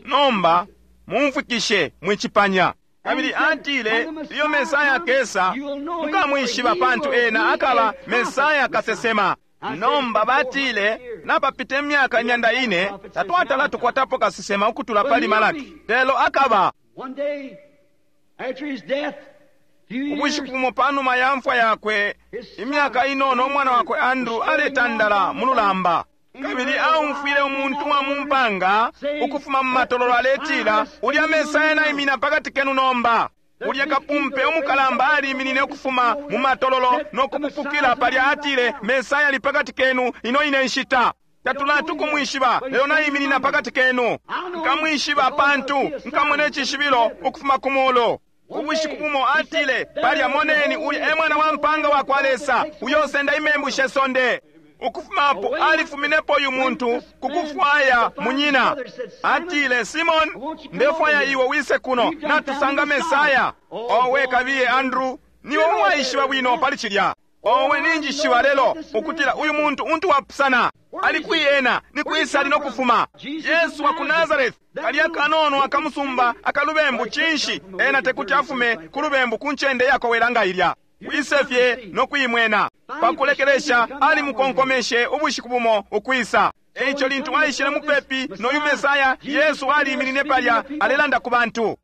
Nomba mumfwikishe mwicipanya. Kabili atile, iyo Mesaya akesa mukamwishiba, pantu ena akaba Mesaya kasesema. Nomba batile, napapita imyaka imyanda ine tatwatala tukwatapo kasesema ukutula pali Malaki, lelo akaba. Ubushiku bumo panuma ya mfwa yakwe, imyaka inono, umwana wakwe Andrew aletandala mu lulamba. Kabili aumfwile umuntu wa mumpanga ukufuma mu matololo aletila, ulya Mesaya naimina pakati kenu nomba. Ulya kapumpe umukalamba aliminine ukufuma mu matololo no kupupukila palya, atile, Mesaya ali pakati kenu ino ine nshita. Tatulati kumwishiba, lelo naiminina pakati kenu. Nkamwishiba pantu nkamona icishibilo ukufuma ku mulu. Ubushiku bumo atile, palya moneni ulya e mwana wa mpanga wa kwa Lesa, uyo usenda imembu she sonde. Ukufumapo alifuminepo uyu muntu kukufwaya munyina. Atile, Simon, ndefwaya iwe wise kuno natusanga Mesaya. Owe kabiye Andrew, niwe uwaishiba bwino pali cilya. Owe ninjishiba lelo ukutila uyu muntu untu wapusana. Ali kwi ena, ni kwisa ali nokufuma. Yesu wa ku Nazareth, kalya kanono akamusumba akalubembu cinshi, ena tekuti afume ku lubembu ku ncende yakowela nga ilya. Wisefye no kuimwena. Pakulekelesha alimukonkomeshe ubushiku bumo ukwisa. Eico lintu aishile mupepi noyu Mesaya, Yesu aliiminine palya alelanda ku bantu.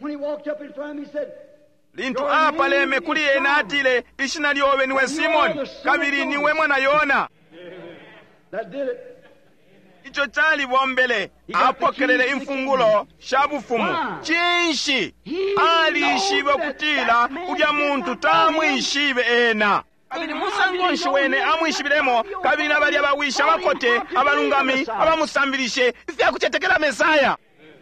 Lintu apaleme kuli ena atile, ishina lyobe niwe Simon, kabili niwe mwana Yona. Ico calibombele, apokelele imfungulo sha bufumu. Cinshi? Alishibe ukutila ulya muntu tamwishibe ena. Kabili musango nshi wene amwishibilemo, kabili na balya bawisha abakote abalungami abamusambilishe ifya kucetekela Mesaya.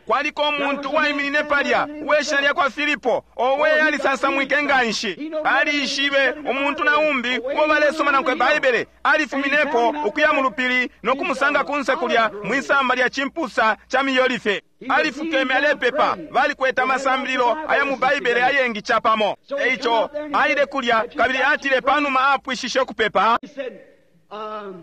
Kwaliko umuntu uwaiminine palya uweshina lya kwa Filipo, owe alisansamwike nganshi. Alishibe umuntu na umbi uo balesoma nankwe Baibele, alifuminepo ukuya mu lupili no kumusanga kunse kulya mwisamba lya chimpusa cha miyolife. Alifukeme alepepa, balikwete amasambililo aya mu Baibele ayengi chapamo. Eico aile kulya kabili atile panuma apwishishe ukupepa,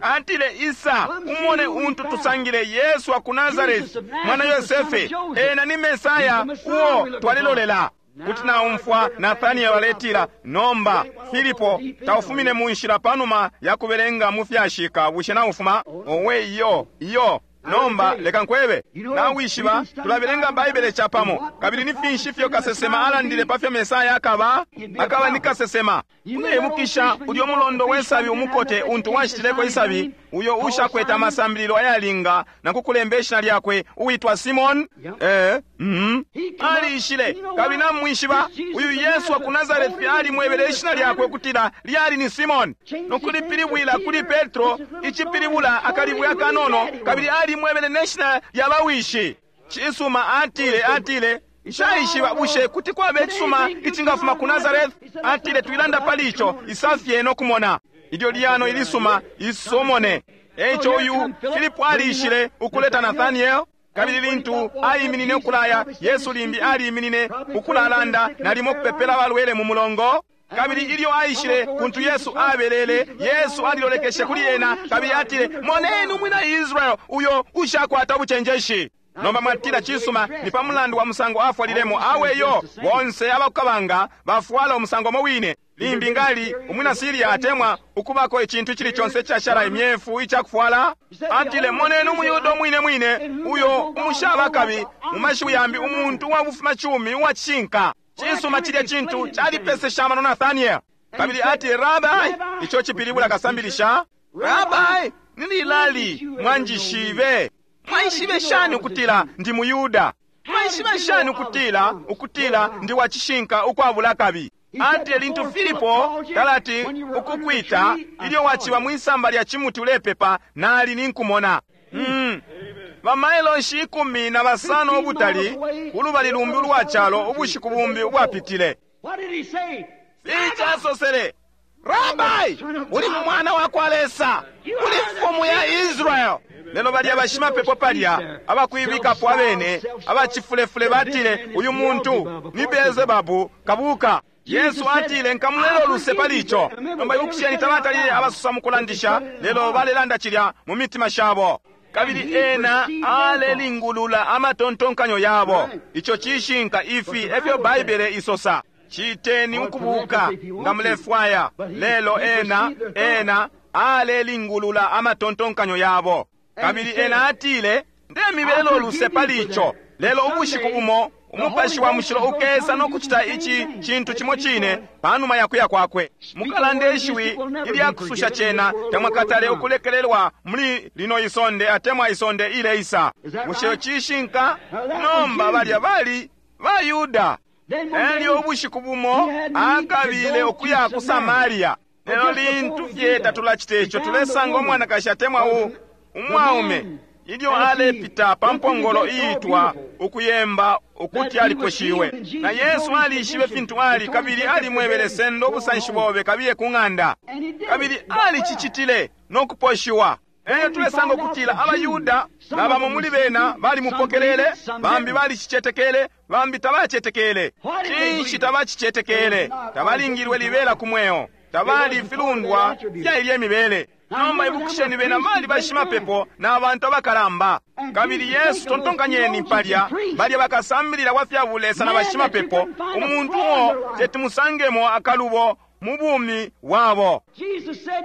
atile, isa umone untu tusangile, Yesu wa ku Nazareti, mwana Yosefe, ena ni Mesaya uo twalilolela. Kuti naumfwa Nathaniel aletila, nomba Filipo taufumine mu nshila panuma ya kubelenga mu fyashika, bushe naufuma? Owe iyo iyo. Nomba leka nkwebe, nawishiba tulabelenga Baibele chapamo, kabili ni finshi fyo kasesema alandile pa fyo Mesaya akaba? Akaba ni kasesema. Uleibukisha ulyo mulondo wesabi umukote untu washitileko isabi, uyo ushakwete amasambililo ayalinga na kukulemba ishina lyakwe, uwitwa Simon? Eh, mm. Alishile, kabili namwishiba uyu Yesu wa ku Nazareti alimwebele ishina lyakwe ukutila lyali ni Simon, nokulipilibwila kuli Petro icipilibula akalibwe akanono, kabili alimwebele neshina lya bawishi. Cisuma, atile, atile nshaishiba bushe kuti kwaba icisuma icingafuma ku Nazareth? Atile twilanda pali ico, isafye no kumona ilyo lyano ilisuma isomone. Eico uyu Filipo alishile ukuleta Nathaniel, kabili lintu aiminine ukulaya, Yesu limbi aliiminine ukulalanda nalimo kupepela abalwele mu mulongo. Kabili ilyo aishile kuntu Yesu abelele, Yesu alilolekeshe kuli ena kabili atile, moneni umwina Israel uyo ushakwata ubucenjeshi. Nomba mwatila, cisuma, ni pa mulandu wa musango afwalilemo. Awe yo, bonse abakukabanga bafwala umusango mo wine. Limbi ngali umwina Siria atemwa ukubako icintu icili conse icashala imyefu icakufwala. Atile, moneni umuyuda umwine mwine uyo umushaba kabi, mu mashiwi yambi umuntu uwabufumacumi uwacishinka. Cisuma, cilya cintu calipesesha amano Nathaniel. Kabili atile, Rabai, ico cipilibula kasambilisha. Rabai, nililali mwanjishibe? Mwaishibe shani ukutila ndi muyuda? Mwaishibe shani ukutila ukutila ndi wacishinka ukwabula kabi? Atile lintu Filipo talati ukukwita, ilyo waciba mwisamba lya chimuti ulepepa, nali ninkumona. Mm. Bamailoshi ikumi na basano ubutali kulubali lumbi ulwa calo ubushiku bumbi ubwapitile. Icasosele, Rabai, uli mwana wa kwa Lesa, uli mfumu ya Israel. Lelo balya bashimapepo palya abakuibikapo abene abacifulefule batile, uyu muntu ni Beelzebabu kabuka. Yesu atile, nkamulelo luse pali ico. Nomba ibukisheni, tabatalile abasusa mu kulandisha, lelo balelanda cilya mu mitima shabo. Kabili ena alelingulula amatontonkanyo yabo. Ico cishinka, ifi efyo Baibele isosa. Citeni ukubuka nga mulefwaya. Lelo ena ena alelingulula amatontonkanyo yabo. Kabili ena atile, ndemibelelo luse pali ico. Lelo ubushiku bumo umupashi wa mushilo ukesa no kucita ici cintu cimo cine panuma ya kuya kwakwe. Mukalande ishiwi ilya kususha cena, tamwakatale ukulekelelwa muli lino isonde atemwa isonde ileisa. Bushe cishinka? Nomba balya bali baYuda. Elyo ubushiku bumo akabile ukuya ku Samaria. Lelo lintu fye tatulacita ico, tulesanga umwanakashi atemwa u umwaume ilyo alepita pa mpongolo iitwa ukuyemba ukuti aliposhiwe. Na Yesu alishibe fintu ali, kabili alimwebele, sendo ubusanshi bobe kabiye ku ng'anda. Kabili alicicitile no kuposhiwa. Eyo tulesanga ukutila abayuda na bamo muli bena balimupokelele, bambi balicicetekele, bambi tabacetekele. Cinshi tabacicetekele? Tabalingilwe libela ku mweo, tabali filundwa fya ilye mibele. Nomba ibukisheni, bena bali bashimapepo na bantu abakalamba. Kabili Yesu, tontonkanyeni palya, balya bakasambilila wa fya bulesa na bashimapepo, umuntu uo tetimusangemo akalubo mu bumi bwabo.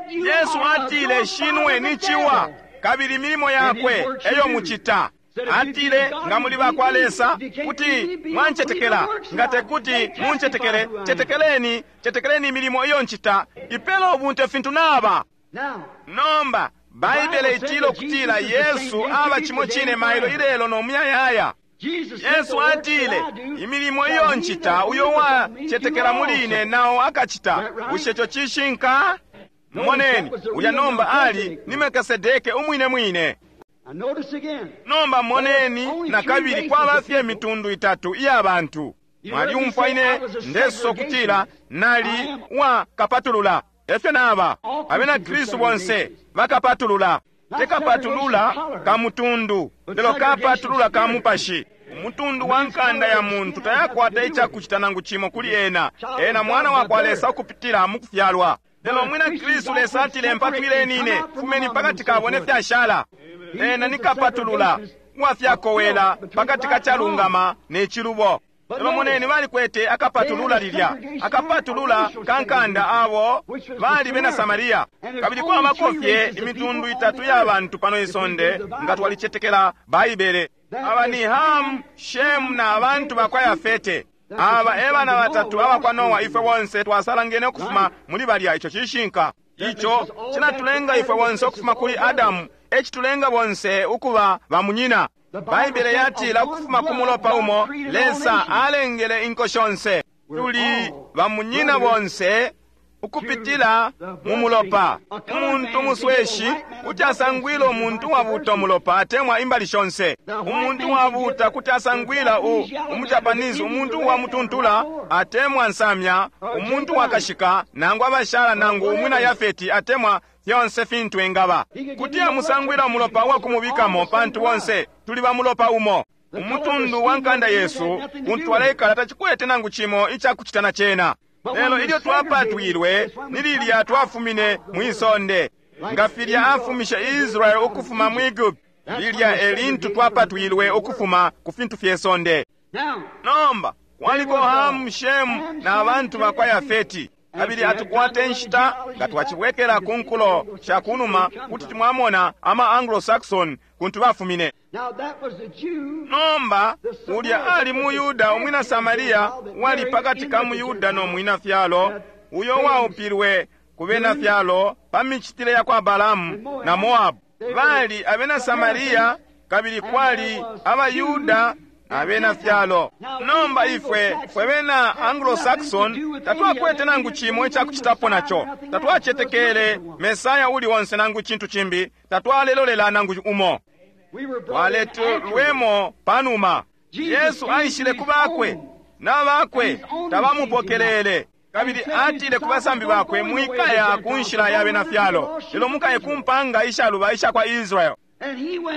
Yesu atile, shinwe ni ciwa, kabili milimo yakwe eyo mucita. Atile, nga muli bakwa Lesa, kuti mwancetekela. Nga tekuti muncetekele, cetekeleni, cetekeleni imilimo iyo ncita, ipela ubunte fintu naba. Nomba Baibele itila ukutila Yesu aba cimo cine mailo ilelo no muyayaya. Yesu atile, imilimo iyo ncita, uyo wacetekela muli ine nao akacita. Bushe ico cishinka? Moneni, uya nomba ali ni Melkisedeke umwine mwine. Nomba moneni nakabili kwaba fye imitundu itatu iya bantu. Mwaliumfwa ine ndesosa ukutila nali wa kapatulula. Efyo naba abena Kristu bonse bakapatulula. Tekapatulula ka mutundu, lelo kapatulula ka mupashi. Umutundu wa nkanda ya muntu tayakwata icakucita nangu cimo kuli ena. Ena mwana wa kwa Lesa ukupitila mu kufyalwa. Lelo mwina Kristu Lesa atile, mpatwileni ine, fumeni pakati kabo ne fyashala. Ena ni kapatulula uwafyakowela pakati ka calungama ne cilubo. Lelo moneni balikwete akapatulula lilya, akapatulula ka nkanda abo bali bena Samaria. Kabili kwabako fye imitundu itatu ya bantu pano isonde nga twalicetekela Baibele. Aba ni Ham, Shem na abantu bakwa Yafete. Aba e bana batatu abakwa Noa. Ifwe bonse twasalangene ukufuma muli balya. Ico cishinka. Ico cinatulenga ifwe bonse ukufuma kuli Adamu, ecitulenga bonse ukuba bamunyina. Baibele yatila ukufuma ku mulopa umo Lesa alengele inko shonse. Tuli bamunyina bonse ukupitila mu mulopa. Umuntu musweshi kuti asangwila umuntu wabuta umulopa atemwa imbali shonse. Umuntu wabuta kuti asangwila u umujapanese, umuntu wa mutuntula atemwa nsamya, umuntu wakashika nangu abashala nangu umwina Yafeti atemwa fyonse fintu engaba. Kuti amusangwila umulopa uwakumubikamo, pantu bonse tuli ba mulopa umo. Umutundu wa nkanda yesu kuntu twaleikala tacikwete nangu cimo icakucita na cena. Lelo ilyo twapatwilwe ni lilya twafumine mwisonde, nga filya afumishe Israeli ukufuma mu Egypt, lilya elintu twapatwilwe ukufuma ku fintu fye sonde. Nomba kwaliko Hamu, Shemu na abantu bakwa Yafeti. Kabili atukwate nshita nga twacibwekela ku nkulo sha kunuma kuti timwamona ama Anglo-Saxon kuntu bafumine. Nomba ulya ali mu Yuda umwina Samaria wali pakati ka mu Yuda no mwina fyalo, uyo waupilwe ku bena fyalo pa micitile ya kwa Balamu na Moabu. Bali abena Samaria, kabili kwali abayuda abena fyalo. Nomba ifwe fwe bena Anglo-Saxon tatwakwete nangu cimo icakucitapo naco. Tatwacetekele Mesaya uli onse nangu cintu cimbi, tatwalelolela nangu umo. Twaletelwemo panuma. Yesu aishile ku bakwe, na bakwe tabamupokelele. Kabili atile ku basambi bakwe, mwikaya ku nshila ya bena fyalo, lelo mukaye ku mpanga ishaluba isha kwa Israel.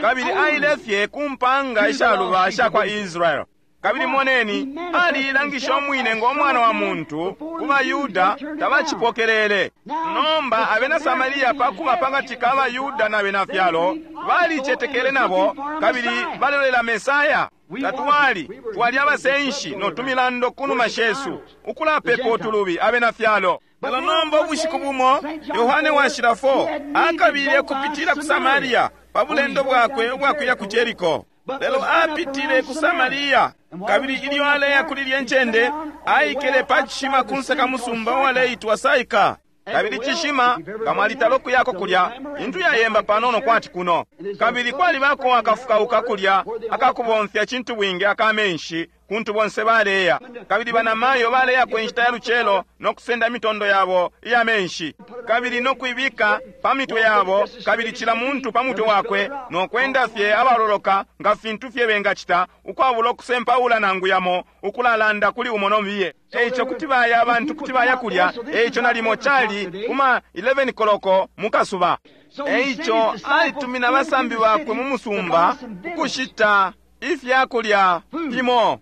Kabili aile fye ku mpanga ishaluba isha kwa Israel. Kabili moneni, aliilangisha umwine ngo mwana wa muntu ku baYuda tabacipokelele. Nomba abena Samaria pakuba pakati ka baYuda na bena fyalo balicetekele nabo, kabili balolela Mesaya. Tatwali twali abasenshi no tumilando kunuma shesu, ukulapepa utulubi abena fyalo. Lelo nomba ubushiku bumo Yohane washila four akabile kupitila ku Samaria pa bulendo bwakwe ubwakuya ku Jeriko. Lelo apitile ku Samaria, kabili ilyo aleya kuli lye ncende aikele pa cishima kunse ka musumba uwaleitwa Saika. Kabili cishima kamwalitalo kuyako kulya, intu yayemba panono kwati kuno. Kabili kwalibako akafukauka kulya akakubomfya cintu bwingi akamenshi kuntu bonse baleya. Kabili banamayo baleyako inshita ya lucelo no kusenda imitondo yabo iya menshi, kabili no kuibika pa mitwe yabo, kabili cila muntu pa mutwe wakwe, no kwenda fye abaloloka nga fintu fye bengacita, ukwabula ukusempaula nangu yamo, ukulalanda kuli umo nomiye. Eico kuti baya abantu kuti baya kulya. Eico nalimo cali kuma eleven koloko mukasuba. Eico alitumina abasambi bakwe mu musumba ukushita ifyakulya fimo.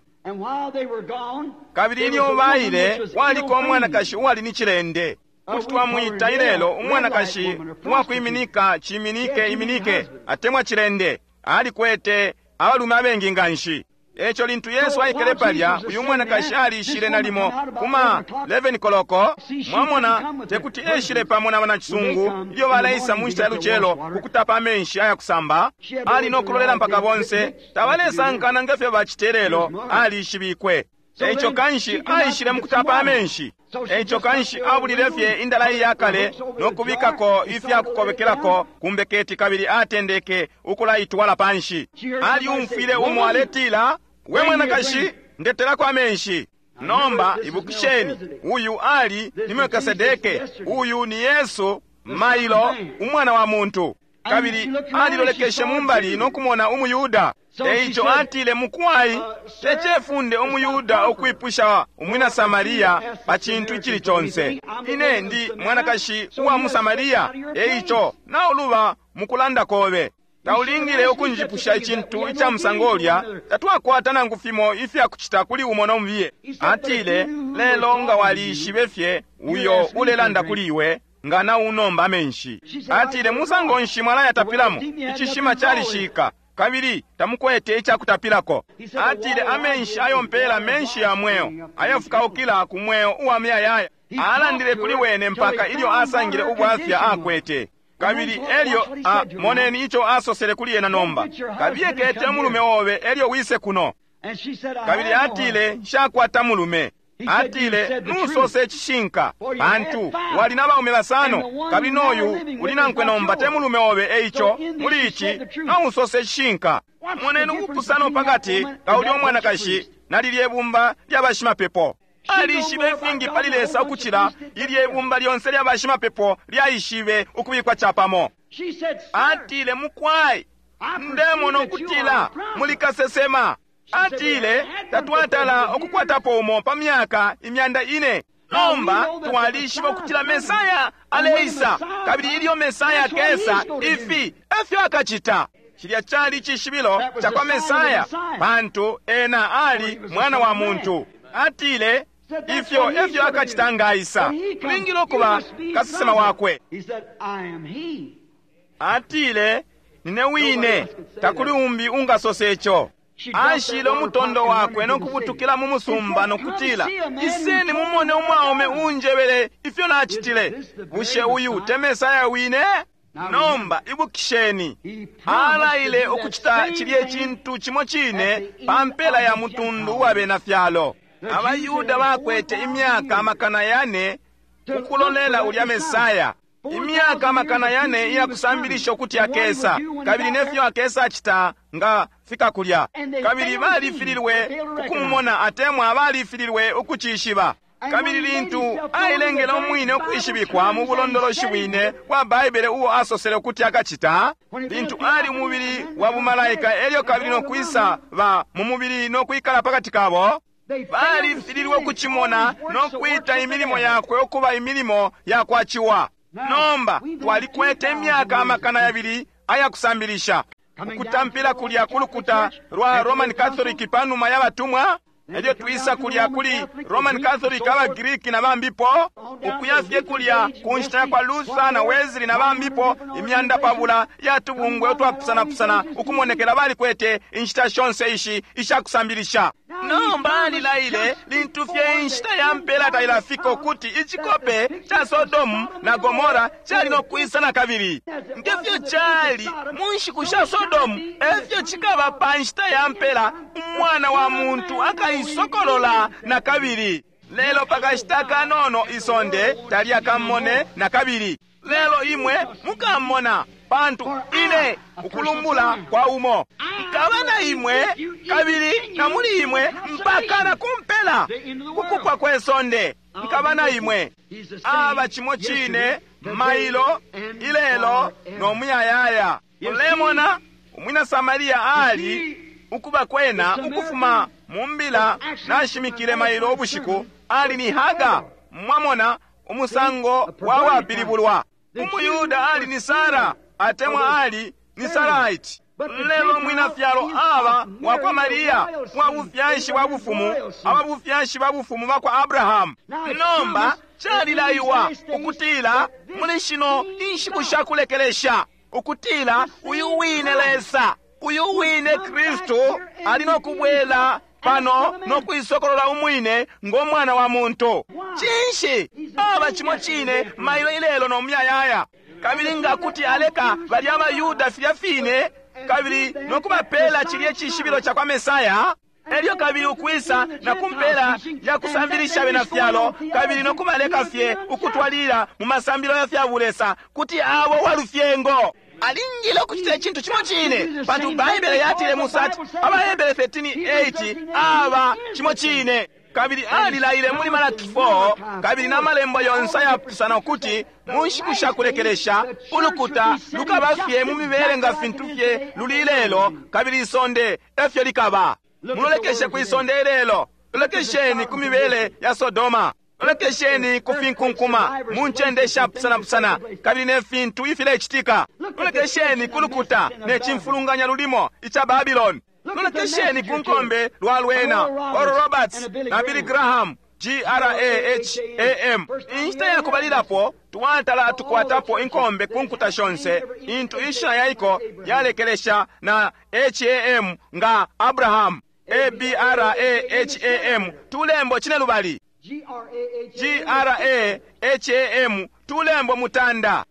Kabili ilyo baile, kwaliko umwanakashi uwali ni cilende. Kuti twamwita ilelo umwanakashi uwakwiminika ciminike iminike atemwa cilende. Alikwete abalume abengi nganshi. Eco lintu Yesu aikele palya, uyu mwanakashi alishile nalimo kuma eleven koloko. Mwamona, tekuti eshile pamo na banacisungu ilyo baleisa mu nshita ya lucelo kukutapa amenshi ayakusamba. Ali nokulolela mpaka bonse tabalesankana nge fyo bacite lelo, alishibikwe. Eico kanshi aishile mukutapa amenshi. Eico kanshi abulile fye indala iyakale nokubikako ifyakukobekelako kumbeketi, kabili atendeke ukulaitwala panshi. Aliumfwile umo aletila, we mwanakashi, ndetelako amenshi. Nomba ibukisheni, uyu ali ni Melkisedeke, uyu ni Yesu mailo, umwana wa muntu. Kabili alilolekeshe mumbali nokumona umuyuda. Eico atile, mukwai, tecefunde umuyuda ukwipusha umwina Samaria pa cintu icili conse. Ine ndi mwanakashi uwa mu Samaria, eico nauluba mukulanda kobe. Taulingile ukunjipusha icintu ica musango ulya, tatwakwata nangu fimo ifyakucita kuli umo nomubiye. Atile, lelo nga walishibe fye uyo ulelanda kuli iwe, nga naunomba amenshi. Atile, musango nshi mwalayatapilamo? Icishima calishika, kabili tamukwete icakutapilako. Atile, amenshi ayompela menshi ya mweo, ayafukaukila ku mweo uwa muyayaya. Alandile kuli wene mpaka ilyo asangile ubwafya akwete. Kabili elyo a, moneni ico asosele kuli ena nomba, kabiye kete mulume obe elyo wise kuno. Kabili atile, nshakwata mulume. Atile, nusose icishinka, pantu wali na baume basano, kabili noyu uli nankwe nomba te mulume obe. Eico muli ici nausose icishinka. Moneni ubupusano pakati ka ulya umwanakashi na lilye ibumba lya bashimapepo. Alishibe ifingi pali Lesa ukucila ilye ibumba lyonse lya bashimapepo lyaishibe ukubikwa capamo. Atile, mukwai, ndemona ukutila muli kasesema. Atile, tatwatala ukukwatapo umo pa myaka imyanda ine. Nomba twalishiba ukutila Mesaya aleisa, kabili ilyo Mesaya akesa, ifi efyo akacita. Cilya cali icishibilo ca kwa Mesaya, pantu ena ali mwana wa muntu. Atile, ifyo efyo akacita nga aisa. Tulingile ukuba kasesema wakwe. Atile, nine wine, takuli umbi ungasose ico. Ashile umutondo wakwe nokubutukila mu musumba nokutila, iseni mumone umwaume unjebele ifyo nacitile. Bushe uyu te Mesaya wine? Nomba ibukisheni, alaile ukucita cilye cintu cimo cine pa mpela ya mutundu wa bena fyalo. Abayuda bakwete imyaka amakana yane ukulolela ulya Mesaya, imyaka amakana yane iyakusambilisha ukuti akesa, kabili nefyo akesa acita nga fika kulya. Kabili balifililwe ukumumona, atemwa balifililwe ukucishiba. Kabili lintu ailengele umwine ukwishibikwa mu bulondoloshi bwine bwa Baibele uo asosele ukuti akacita, lintu ali umubili wa bumalaika elyo kabili nokwisa ba mu mubili nokwikala pakati kabo, balifililwe ukucimona nokwita imilimo yakwe ukuba imilimo yakwaciwa. Nomba twalikwete imyaka amakana yabili ayakusambilisha, ukutampila kulya kulukuta lwa Roman Catholic panuma ya batumwa, elyo twisa kulya kuli Roman Catholic abaGriki na bambipo, ukuya fye kulya ku nshita yakwa Luther na Wesley na bambipo, imyanda pabula yatubungwe utwapusanapusana ukumonekela balikwete inshita shonse ishi ishakusambilisha. Nomba alilaile lintu fye inshita ya mpela tailafika ukuti icikope ca Sodomu na Gomora cali nokwisa na kabili. Ngefyo cali mu nshiku sha Sodomu, efyo cikaba pa nshita ya mpela, umwana wa muntu akaisokolola na kabili. Lelo pakashita kanono isonde talyakamone na kabili. Lelo imwe mukamona, pantu ine ukulumbula kwa umo nkaba na imwe kabili na muli imwe mpaka na kumpela kukupwa kwe sonde, nkaba na imwe. Aba cimo cine mailo, ilelo no muyayaya. Ulemona umwina Samaria ali ukuba kwena ukufuma mu mbila nashimikile mailo ubushiku, ali ni Haga. Mwamona umusango wa wapilibulwa. Umuyuda ali ni Sara, atemwa ali ni Saraiti. Lelo mwina fyalo aba wakwa Maria, wa bufyashi bwa bufumu, aba bufyashi bwa bufumu bakwa Abrahamu. Nomba calilaiwa ukutila muli shino inshiku shakulekelesha, ukutila uyu wine Lesa Uyu wine Kristu ali no kubwela pano no kuisokolola umwine ngo mwana wa muntu. Cinshi? Aba cimo cine mailo ilelo no muyayaya. Kabili nga kuti aleka balya abaYuda filya fine kabili no kubapela cilye cishibilo ca kwa Mesaya, elyo kabili ukwisa na kumpela ya kusambilisha bena fyalo kabili no kubaleka fye ukutwalila mu masambilo ya fya bulesa, kuti abo walufyengo. Alingile ukucita icintu cimo cine, pantu Baibele yatile Musa ati AbaHebere thirteen eight aba cimo cine. Kabili alilaile muli Malaki four kabili na malembo yonse ayapusana ukuti mu nshiku sha kulekelesha ulukuta lukaba fye mu mibele nga fintu fye luli ilelo, kabili isonde efyo likaba. Mulolekeshe ku isonde ilelo, lolekesheni ku mibele ya Sodoma, lolekesheni ku finkunkuma mu ncende ishapusanapusana kabili ne fintu ifilecitika. Lolekesheni ku lukuta ne cimfulunganya lulimo ica Babiloni. Lolekesheni ku nkombe lwa lwena Oral Roberts na Billy Graham, G R A H A M. Inshita ya kubalilapo twatala atukwatapo inkombe ku nkuta shonse intu ishina yaiko yalekelesha na H A M nga Abraham, A B R A H A M, tulembo cine lubali. G R A H A M, tulembo mutanda.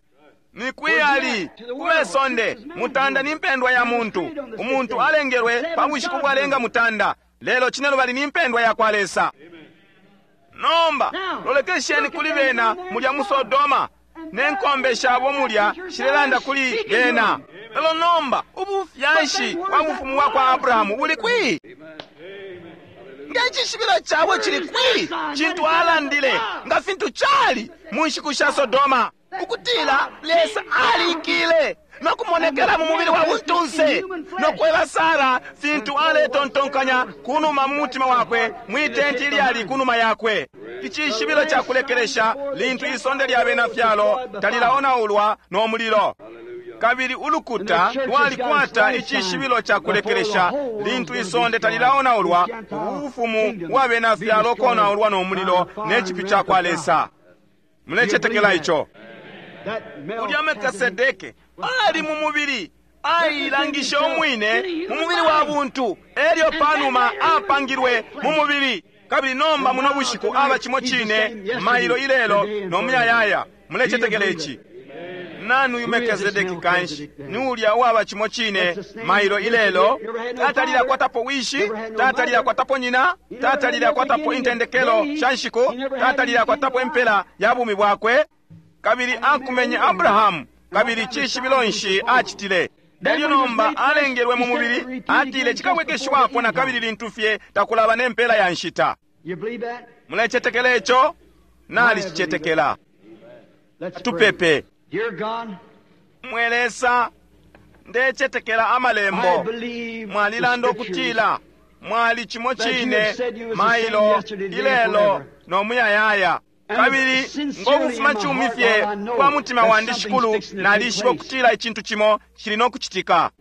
Ni kwiyali kumesonde mutanda ni mpendwa ya muntu. Umuntu alengelwe pa bushiku bwalenga mutanda, lelo cine lubali ni mpendwa ya kwa Lesa. Nomba lolekesheni kuli bena mulya mu Sodoma ne nkombe shabo mulya shilelanda kuli bena. Lelo nomba ubufyashi bwa bufumu bwa kwa Abrahamu buli kwi? Nga icishibilo cabo cili kwi? Cintu alandile nga fintu cali mu nshiku sha Sodoma, ukutila Lesa alikile no kumonekela mu mubili wa buntunse no kweba Sara fintu aletontonkanya kunuma mu mutima wakwe mwitenti ilyali kunuma yakwe. Icishibilo ca kulekelesha lintu isonde lya bena fyalo talilaonaulwa no mulilo. Kabili ulukuta lwalikwata icishibilo ca kulekelesha lintu isonde talilaonaulwa, ubufumu bwa bena fyalo konaulwa no mulilo ne cipyu ca kwa Lesa. Mulecetekela ico? Ulya Melkisedeke ali mu mubili, ailangishe umwine mu mubili wa buntu, elyo panuma apangilwe mu mubili. Kabili nomba muno bushiku aba cimo cine mailo ilelo no muyayaya. Mulecetekela ici? Nani uyu Melkisedeki kanshi? Ni ulya uwaba cimo cine mailo ilelo, tatalile akwatapo wishi, tatalile akwatapo nyina, tatalile akwatapo intendekelo sha nshiku, tatalile akwatapo impela ya bumi bwakwe. Kabili akumenye Abrahamu, kabili cishibilo nshi acitile? Elyo nomba alengelwe mu mubili, atile cikabwekeshiwapo na kabili lintu fye takulaba ne mpela ya nshita. Mulecetekela ico? Nalicicetekela. Tupepe. Mwe Lesa, ndecetekela amalembo. Mwalilanda ukutila mwali cimo cine mailo ilelo no muyayaya. Kabili ngokufuma cumi fye kwa mutima wandi shikulu, nalishiba ukutila icintu cimo cili no kucitika.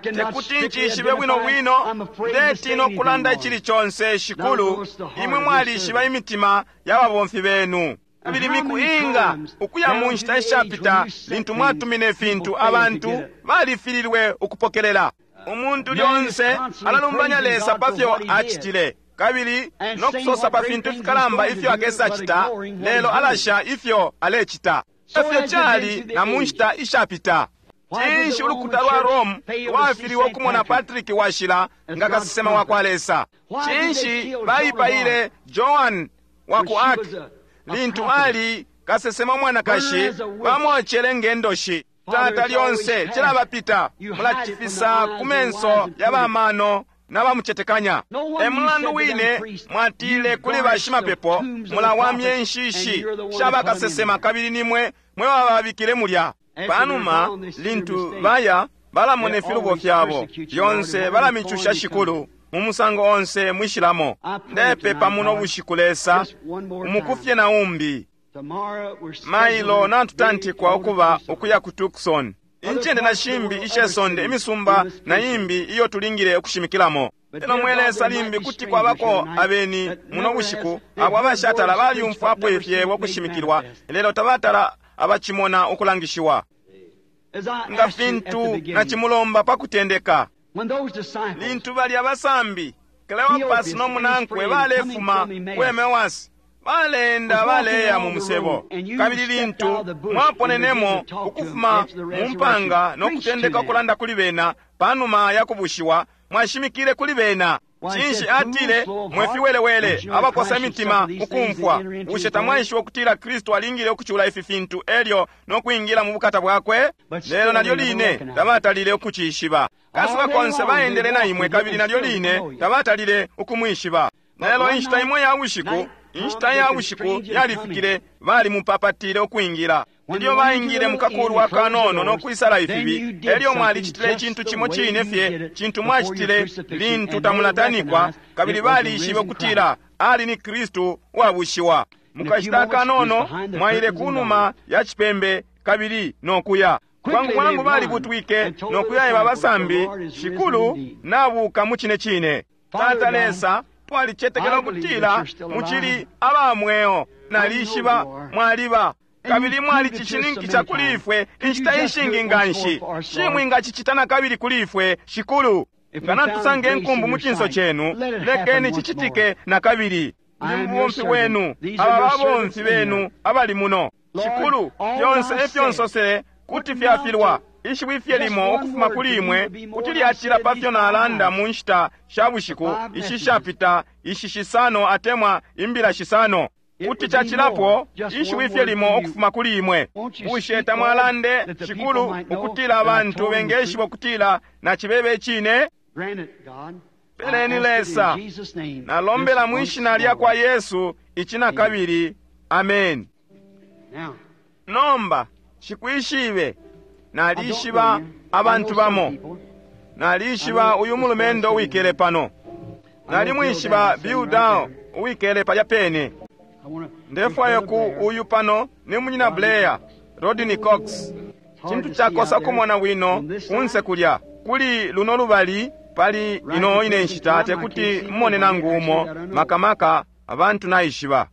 Tekuti ncishibe bwino bwino, ndetina ukulanda icili conse shikulu, imwe mwalishiba imitima ya babomfi benu. Kabili miku inga ukuya mu nshita ishapita lintu mwatumine fintu abantu balifililwe ukupokelela. Umuntu lyonse alalumbanya Lesa pa fyo acitile, kabili no kusosa pa fintu fikalamba ifyo akesacita, lelo alasha ifyo alecita. Efyo cali na mu nshita ishapita. Cinshi ulukuta lwa Rome lwafiliwe ukumona Patrick washila nga kasesema wa kwa Lesa? Cinshi baipaile Joan wa ku Arc lintu ali kasesema mwanakashi, bamwocele ngendoshi? Tata lyonse cilabapita, mulacifisa ku menso ya bamano na bamucetekanya. E mulandu wine mwatile kuli bashimapepo, mulawamye nshishi sha bakasesema, kabili nimwe mwe bababikile mulya. Panuma lintu baya balamona ifilubo fyabo lyonse, balamicusha shikulu mu musango onse mwishilamo. Ndepepa muno bushiku Lesa umukufye na umbi. Mailo natutantikwa ukuba ukuya ku Tucson, incende na shimbi ishesonde, imisumba na imbi iyo tulingile ukushimikilamo. Lelo mwe Lesa, limbi kuti kwabako abeni muno bushiku abo abashatala balyumfwapo ifyebo ukushimikilwa, lelo tabatala abacimona ukulangishiwa. Nga fintu nacimulomba pa kutendeka, lintu balya basambi Cleopas no munankwe balefuma ku Emmaus, baleenda baleya mu musebo, kabili lintu mwaponenemo ukufuma mu mpanga no kutendeka ukulanda kuli bena panuma ya kubushiwa, mwashimikile kuli bena. Cinshi atile, mwe fiwelewele abakosa imitima ukumfwa, bushe tamwaishiba ukutila Kristu alingile ukucula ifi fintu elyo no kwingila mu bukata bwakwe? Lelo nalyo line tabatalile ukucishiba. Kasuba konse baendele na imwe, kabili nalyo line tabatalile ukumwishiba. Lelo inshita imo ya bushiku, inshita ya bushiku yalifikile, balimupapatile ukwingila. Ilyo baingile mukakulwa kanono no kwisala ifibi, elyo mwalicitile icintu cimo cine fye cintu mwacitile lintu tamulatanikwa, kabili balishibe ukutila ali ni Kristu uwabushiwa. Mukashita kanono mwaile kunuma ya cipembe kabili no kuya. Bwangu bwangu balibutwike no kuyaeba abasambi, Shikulu nabuka mu cine cine. Tata Lesa, twalicetekela ukutila mucili aba mweo, nalishiba mwaliba, kabili mwalicishininkisha kuli ifwe inshita ishingi nganshi. Shimwingacicita na kabili kuli ifwe, Shikulu. Nga natusanga inkumbu mu cinso cenu, lekeni cicitike na kabili. Ndi mubomfi wenu, aba babomfi benu abali muno. Shikulu, fyonse ifyo nsosele kuti fyafilwa. Ishiwi fye limo ukufuma kuli imwe kuti lyacila pa fyo nalanda mu nshita sha bushiku ishi shapita, ishi shisano atemwa imbila shisano. Kuti cacilapo ishiwi fye limo ukufuma kuli imwe. Bushe tamwalande, Shikulu, ukutila abantu bengeshiba ukutila nacibebe icine? Peleni Lesa, nalombela mwishina lya kwa Yesu ici na kabili. Amen. Nomba shikwishibe, nalishiba abantu bamo. Nalishiba uyu mulumendo uwikele pano. Nalimwishiba Bill Dow uwikele palya pene. Ndefwaya ku uyu pano ni munyina Blair, Rodney Cox. Cintu cakosa kumona bwino kunse kulya. Kuli luno lubali pali ino ine nshita tekuti mmone nangu umo, makamaka abantu naishiba.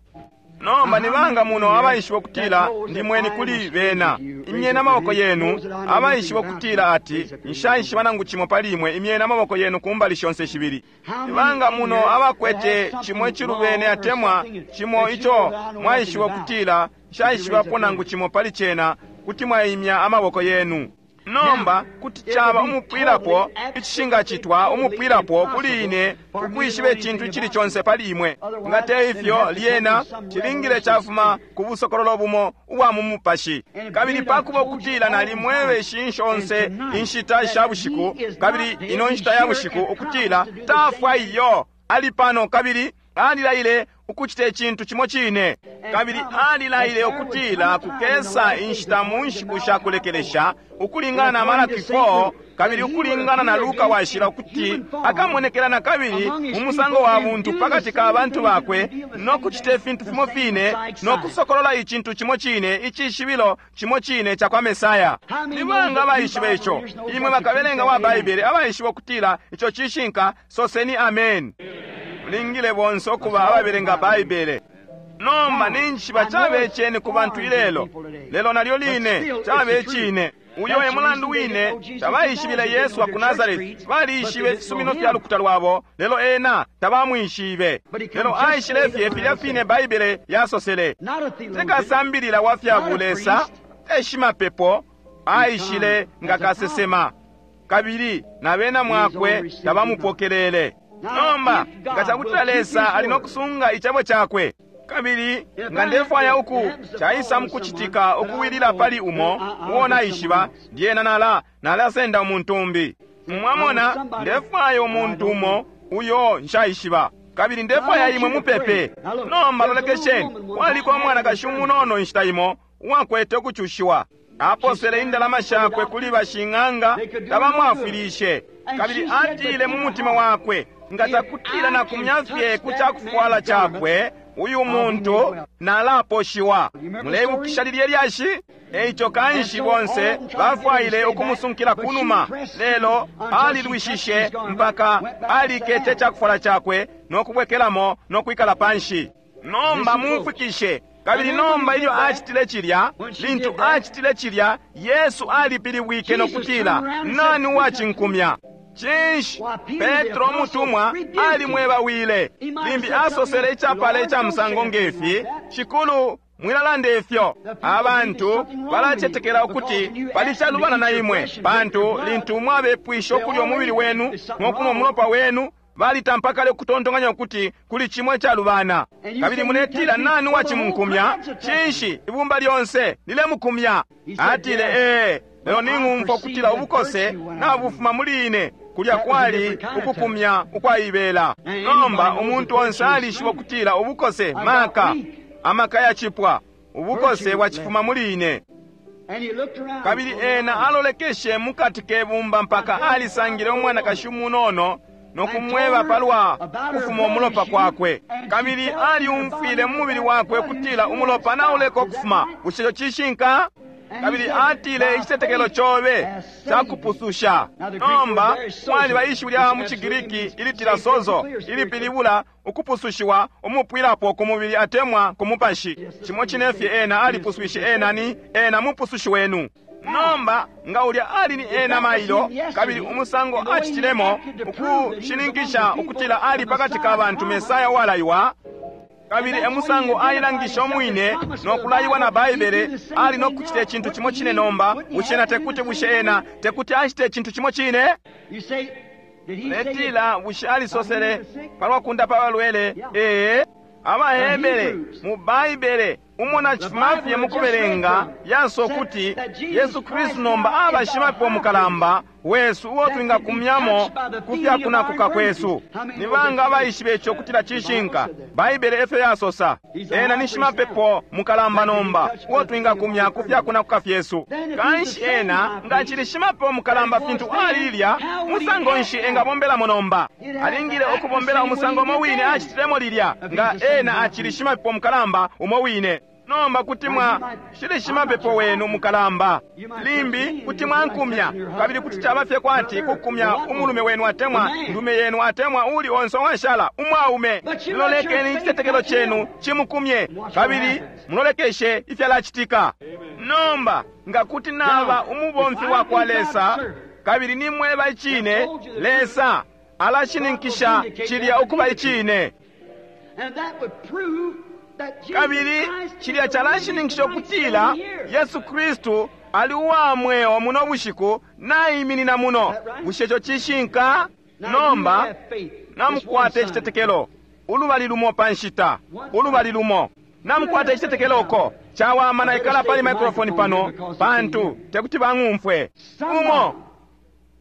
Nomba nibanga muno abaishiba ukutila ndi mweni kuli bena? Imyeni amaboko yenu. Abaishiba ukutila ati nshaishiba nangu cimo pali imwe, imyeni amaboko yenu kumbali shonse shibili. Nibanga muno abakwete cimo icilubene atemwa cimo ico mwaishiba ukutila nshaishibapo nangu cimo pali cena, kuti mwaimya amaboko yenu. Nomba kuti caba umupwilapo icishingacitwa umupwilapo kuli ine ukwishiba icintu icili conse pali imwe. Nga te ifyo, lyena cilingile cafuma ku busokololo bumo ubwa mu mupashi. Kabili pakuba ukutila nalimwebe ishi shonse inshita sha bushiku, kabili ino nshita ya bushiku ukutila tafwa iyo, ali pano kabili alilaile ukucita icintu cimo cine. Kabili alilaile ukutila kukesa inshita mu nshiku sha kulekelesha ukulingana na Malaki four kabili ukulingana na Luka washila ukuti akamonekela na kabili mu musango wa buntu pakati ka bantu bakwe no kucita ifintu fimo fine no kusokolola icintu cimo cine, icishibilo cimo cine ca kwa Mesaya. Ni banga abaishiba ico? Imwe bakabelenga wa Baibele abaishiba ukutila ico cishinka, soseni amen. Mulingile bonse ukuba ababelenga Baibele. Nomba ninjishiba cabe cene ku bantu ilelo, lelo nalyo line cabe cine. Uyo e mulandu wine tabaishibile Yesu wa ku Nazareti. Balishibe ifisumino fya lukuta lwabo, lelo ena tabamwishibe. Lelo aishile fye filya fine Baibele yasosele. Tekasambilila wa fya bulesa, te shimapepo, aishile nga kasesema, kabili na bena mwakwe tabamupokelele. Nomba nga cakutila Lesa ali no kusunga icebo cakwe, kabili nga ndefwaya uku caisa mukucitika ukuwilila pali umo uo naishiba, lyena nala nalasenda umuntu umbi. Mwamona, ndefwaya umuntu umo uyo nshaishiba, kabili ndefwaya imwe mupepe. Nomba lolekesheni, kwaliko umwanakashi umunono inshita imo uwakwete ukucushiwa. Aposele indalama shakwe kuli bashing'anga, tabamwafwilishe. Kabili atile mu mutima wakwe, nga takutila na kumyafye ku cakufwala cakwe uyu muntu nalaposhiwa. Muleibukisha lilye lyashi? Eico kanshi bonse bafwaile ukumusunkila kunuma, lelo alilwishishe mpaka alikete cakufwala cakwe no kubwekelamo no kwikala panshi. Nomba mumfwikishe, Kabili nomba ilyo acitile cilya, lintu acitile cilya, Yesu alipilibwike no kutila, nani uwacinkumya? Cinshi? Petro umutumwa alimwebawile. Limbi asosele icapala ica musango ngefi, Shikulu, mwilalanda ifyo. Abantu balacetekela ukuti pali calubana na imwe, pantu lintu mwabepwisha ukulya umubili wenu no kunwa umulopa wenu, balitampa kale ukutontonkanya ukuti kuli cimwe calubana. Kabili muletila, nani uwacimunkumya? Cinshi, ibumba lyonse lilemukumya. Atile, ee, lelo ning'umfwa ukutila ubukose nabufuma muli ine. Kulya kwali ukukumya ukwaibela. Nomba umuntu onse alishiba ukutila ubukose maka, amaka yacipwa, ubukose bwacifuma muli ine. Kabili ena alolekeshe mukati kebumba mpaka alisangile umwanakashi umunono no kumweba palwa kufuma umulopa kwakwe. Kabili aliumfwile mu mubili wakwe kutila umulopa nauleka ukufuma. Bushe ico cishinka? Kabili atile, icitetekelo cobe cakupususha. Nomba kwaliba ishiwi lya mu Cigiriki ilitila sozo, ilipilibula ukupusushiwa umupwilapo ku mubili atemwa ku mupashi. Cimo cine fye ena alipuswishe ena ni ena mupusushi wenu. Nomba nga ulya ali ni ena mailo, kabili umusango acitilemo ukushininkisha ukutila ali pakati ka bantu Mesaya walaiwa, kabili emusango ailangisha umwine no kulaiwa na Baibele, ali no kucita icintu cimo cine. Nomba bushe ena tekuti, bushe ena tekuti acite icintu cimo cine? Letila, bushe alisosele palwa kundapa abalwele? Ee, Abahebere mu Baibele umona cifuma fye mukubelenga yaso kuti Yesu Kristu nomba aba shimapepo mukalamba wesu uo twingakumyamo ku fyakunakuka kwesu. Ni banga abaishibe ico kutila cishinka? Baibele efyo yasosa. Ena ni shimapepo mukalamba nomba uo twingakumya ku fyakunakuka fyesu. Kanshi ena nga cili shimapepo mukalamba fintu ali lilya, musango nshi engabombelamo nomba? Alingile ukubombela umusango umo wine acitilemo lilya, nga ena acili shimapepo mukalamba umo wine. Nomba kuti mwa shili shimapepo wenu mukalamba, limbi kuti mwankumya, kabili kuti caba fye kwati kukumya umulume wenu atemwa ndume yenu atemwa uli onse washala umwaume. Lolekeni icitetekelo chenu chimukumye, kabili mulolekeshe ifyalacitika. Nomba nga kuti naba umubomfi wa kwa Lesa, kabili nimweba icine, Lesa alashininkisha cilya ukuba icine. Kabili cilya calashininkisha ukutila Yesu Kristu ali uwa mweo muno bushiku naiminina muno. Bushe ico cishinka? Nomba namukwata icitetekelo ulubali lumo pa nshita, ulubali lumo. Namukwata icitetekelo uko cawama naikala pali microphone pano pantu tekuti bang'umfwe. Umo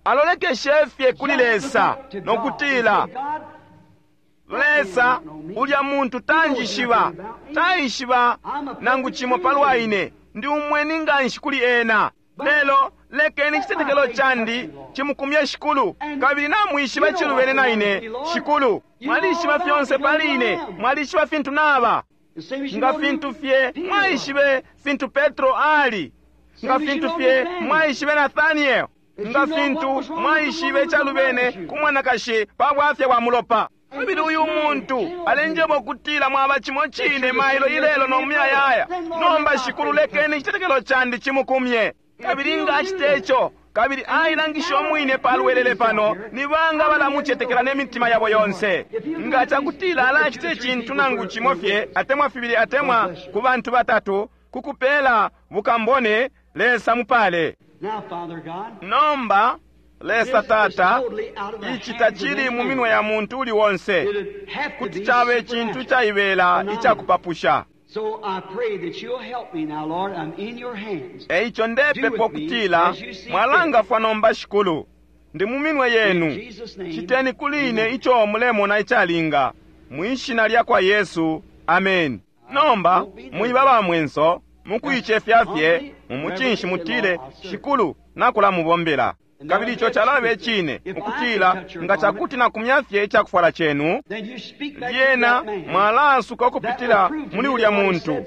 alolekeshe fye kuli Lesa nokutila, Lesa, ulya muntu tanjishiba, taishiba nangu cimo palwa ine, ndi umweni nganshi kuli ena. Lelo lekeni icitetekelo candi cimukumye Shikulu, kabili namwishiba cilubene na ine. Shikulu, mwalishiba fyonse pali ine, mwalishiba fintu naba, nga fintu fye mwaishibe fintu Petro ali, nga fintu fye mwaishibe Nathaniel, nga fintu mwaishibe calubene ku mwanakashi pa bwafya bwa mulopa. Kabili uyu muntu alenjeba ukutila mwaba cimo cine mailo ilelo no muyayaya. Nomba Shikulu, lekeni icitetekelo candi cimukumye. Kabili nga acite ico, kabili ailangisha umwine palwelele pano, ni banga balamucetekela ne mitima yabo yonse. Nga cakutila alacita icintu nangu cimo fye atemwa fibili atemwa ku bantu batatu kukupela bukambone, Lesa mupale. Nomba Lesa Tata, ici tacili mu minwe ya muntu uli wonse, kuti cabe icintu caibela icakupapusha. Eico ndepepa ukutila mwalangafwa nomba Shikulu, ndi mu minwe yenu. Citeni kuli ine ico mulemona icalinga, mwishina lya kwa Yesu, ameni. Nomba mwiba ba mwenso, mukuicefya fye mumucinshi mutile, Shikulu, nakulamubombela. Kabili ico calabe icine ukutila nga cakuti nakumya fye icakufwala chenu, lyena mwalaasuka ukupitila muli ulya muntu.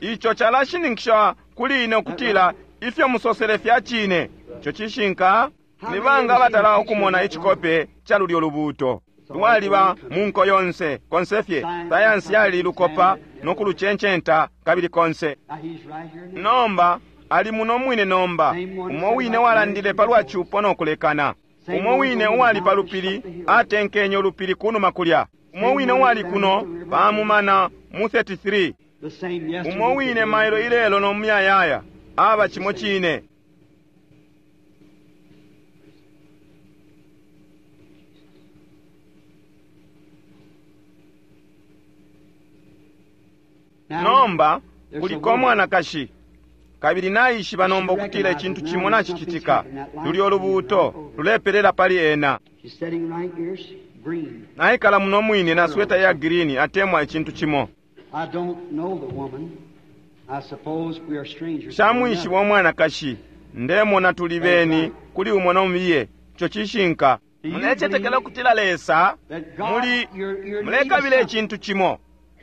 Ico calashininkisha kuli ine ukutila ifyo musosele fya cine. Ico cishinka. Ni banga abatala ukumona icikope ca lulyo lubuuto? Lwaliba mu nko yonse, konse fye. Sayansi yali lukopa no kulucencenta kabili konse. Nomba ali muno mwine nomba, umo wine walandile palwa cupo no kulekana. Umo wine uwali pa lupili atenkenye ulupili kunuma kulya. Umo wine uwali kuno pamumana mu thirty-three. Umo wine mailo ilelo no muyayaya aba cimo cine. Nomba kuliko mwanakashi kabili naishiba nomba ukutila icintu cimo nacicitika. Lulyo lubuuto lulepelela pali ena. Naikala muno mwine na sweta ya green atemwa icintu cimo. Shamwishiba umwanakashi, ndemona tuli beni kuli umo nomubiye. Ico cishinka. Mulecetekela ukutila Lesa muli mulekabila icintu cimo,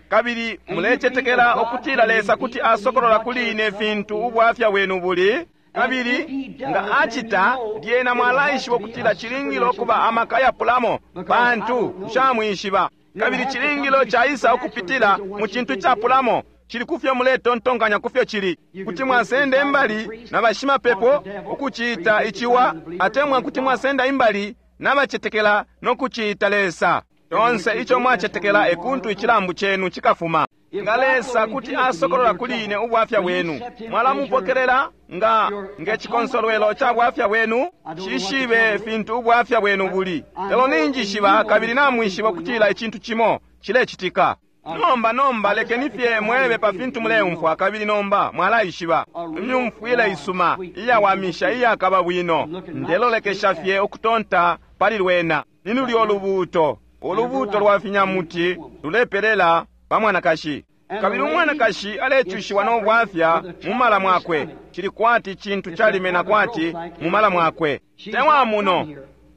kabili mulecetekela ukutila Lesa kuti asokolola kuli ine fintu ubwafya bwenu buli, kabili nga acita lyena mwalaishiba ukutila cilingile ukuba amaka yapulamo, pantu nshamwishiba. Kabili cilingile caisa ukupitila mu cintu capulamo, cili kufyo muletontonkanya kufyo cili. Kuti mwasenda imbali na bashimapepo ukuciita iciwa, atemwa kuti mwasenda imbali n'abacetekela no kuciita Lesa. Tonse ico mwacetekela ekuntu icilambu cenu cikafuma. Nga Lesa kuti asokolola kuli ine ubwafya bwenu, mwalamupokelela nga ngechikonsolwelo ca bwafya bwenu. Shishibe fintu ubwafya bwenu buli, lelo ninjishiba kabili namwishiba ukutila icintu cimo cilecitika. Nomba nomba lekeni fye mwebe pa fintu muleumfwa, kabili nomba mwalaishiba. Imyumfwile isuma iyawamisha iyakaba bwino, ndelolekesha fye ukutonta pali lwena. Ni lulyo lubuuto, ulubuuto lwa finyamuti lulepelela pa mwanakashi. Kabili umwanakashi alecushiwa no bwafya mu mala mwakwe, cili kwati cintu calimena kwati mu mala mwakwe. Tewa muno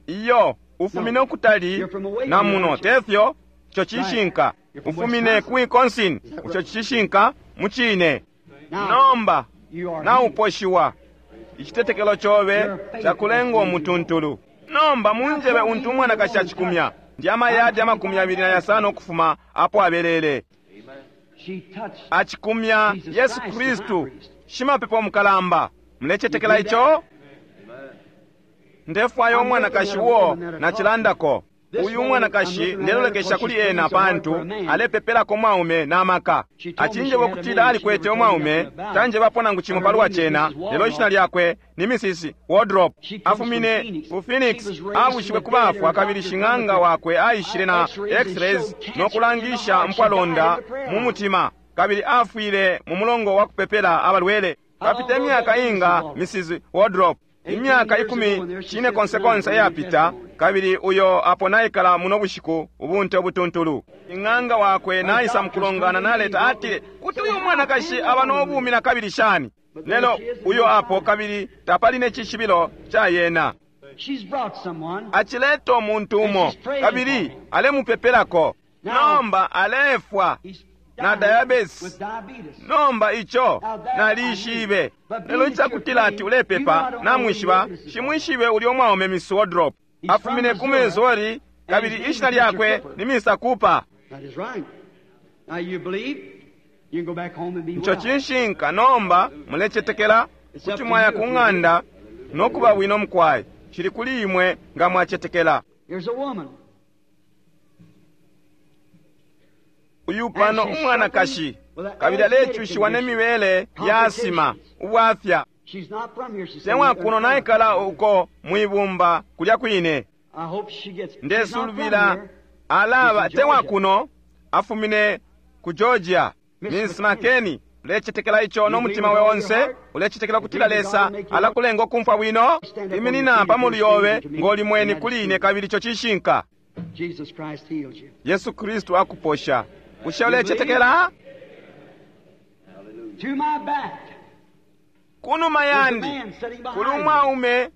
iyo ufumine ukutali na muno, tefyo? Ico cishinka. Ufumine ku Wisconsin, ico cishinka mucine. Nomba nauposhiwa, icitetekelo cobe cakulenga umutuntulu. Nomba munjebe untu umwanakashi acikumya, ndi amayadi amakumi abiri na yasano ukufuma apo abelele. Acikumya Yesu Kristu, shimapepo mukalamba. Mulecetekela ico? Ndefwaya umwanakashi uo nacilandako. Uyu umwanakashi ndelolekesha kuli ena pantu alepepelako mwaume na maka. Acinjeba ukutila alikwete umwaume, tanjebapo nangu cimo palwa cena, lelo ishina lyakwe ni Missus Wardrop. Afumine ku Phoenix, abushiwe ku bafwa, kabili shing'anga wakwe aishile na x-rays no kulangisha mpwalonda mu mutima, kabili afwile mu mulongo wa kupepela abalwele. Papita imyaka inga Missus Wardrop? Imyaka ikumi cine konse konse yapita, kabili uyo apo naikala muno bushiku ubunte obutuntulu. Ing'anga wakwe naisa mukulongana naleta atile kuti uyu mwanakashi aba n'obumi na kabili shani, lelo uyo apo kabili tapali necishibilo ca yena. Acileta umuntu umo kabili alemupepelako. Nomba alefwa na diabetes. Nomba ico nalishibe, lelo icakutila ati ulepepa namwishiba, shimwishibe ulyo mwaume Miss Wardrop. Afumine ku Missouri kabili ishina lyakwe ni Mister Cooper. Ico cishinka. Nomba mulecetekela kuti mwaya ku ng'anda no kuba bwino mukwai. Cili kuli imwe nga mwacetekela. Uyu pano umwanakashi kabili alecushiwa nemibele ya asima ubwafya. Temwa kuno naikala uko mwibumba kulya kwine. Ndesulubila alaba temwa kuno afumine ku Georgia. Miss McKinney, ulecetekela ico no mutima we onse? Ulecetekela kutila Lesa alakulenga ukumfwa bwino? Iminina pamulu yobe ng'oli mweni kuli ine kabili ico cishinka. Yesu Kristu akuposha. Bushe ulecetekela? Kunuma yandi kuli umwaume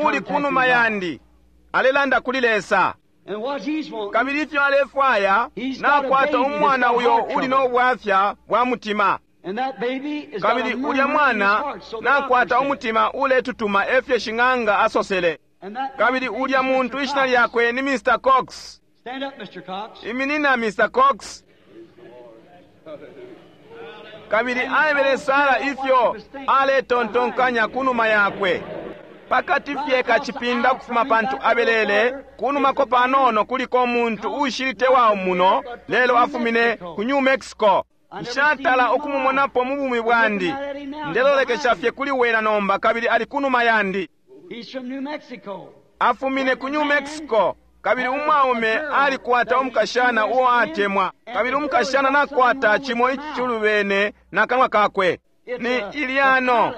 uli kunuma yandi alelanda kuli Lesa, kabili ifyo alefwaya nakwata umwana uyo uli n'obwafya bwa mutima, kabili ulya mwana nakwata umutima uletutuma efyo shing'anga asosele, kabili ulya muntu ishina lyakwe ni Mister Cox. Stand up, Mister Cox. Iminina, Mister Cox. Kabili aebele Sara ifyo aletontonkanya kunuma yakwe. Pakati fye kacipinda kufuma pantu abelele, kunumako panono kuliko umuntu ushilite wawo muno, lelo afumine ku New Mexico. Nshatala ukumumonapo mu bumi bwandi. Ndelolekesha fye kuli wena nomba, kabili ali kunuma yandi. He's from New Mexico. Afumine ku New Mexico. Kabili umwaume alikwata umukashana uo atemwa, kabili umukashana nakwata cimo icilubene na kanwa kakwe. Ni ilyano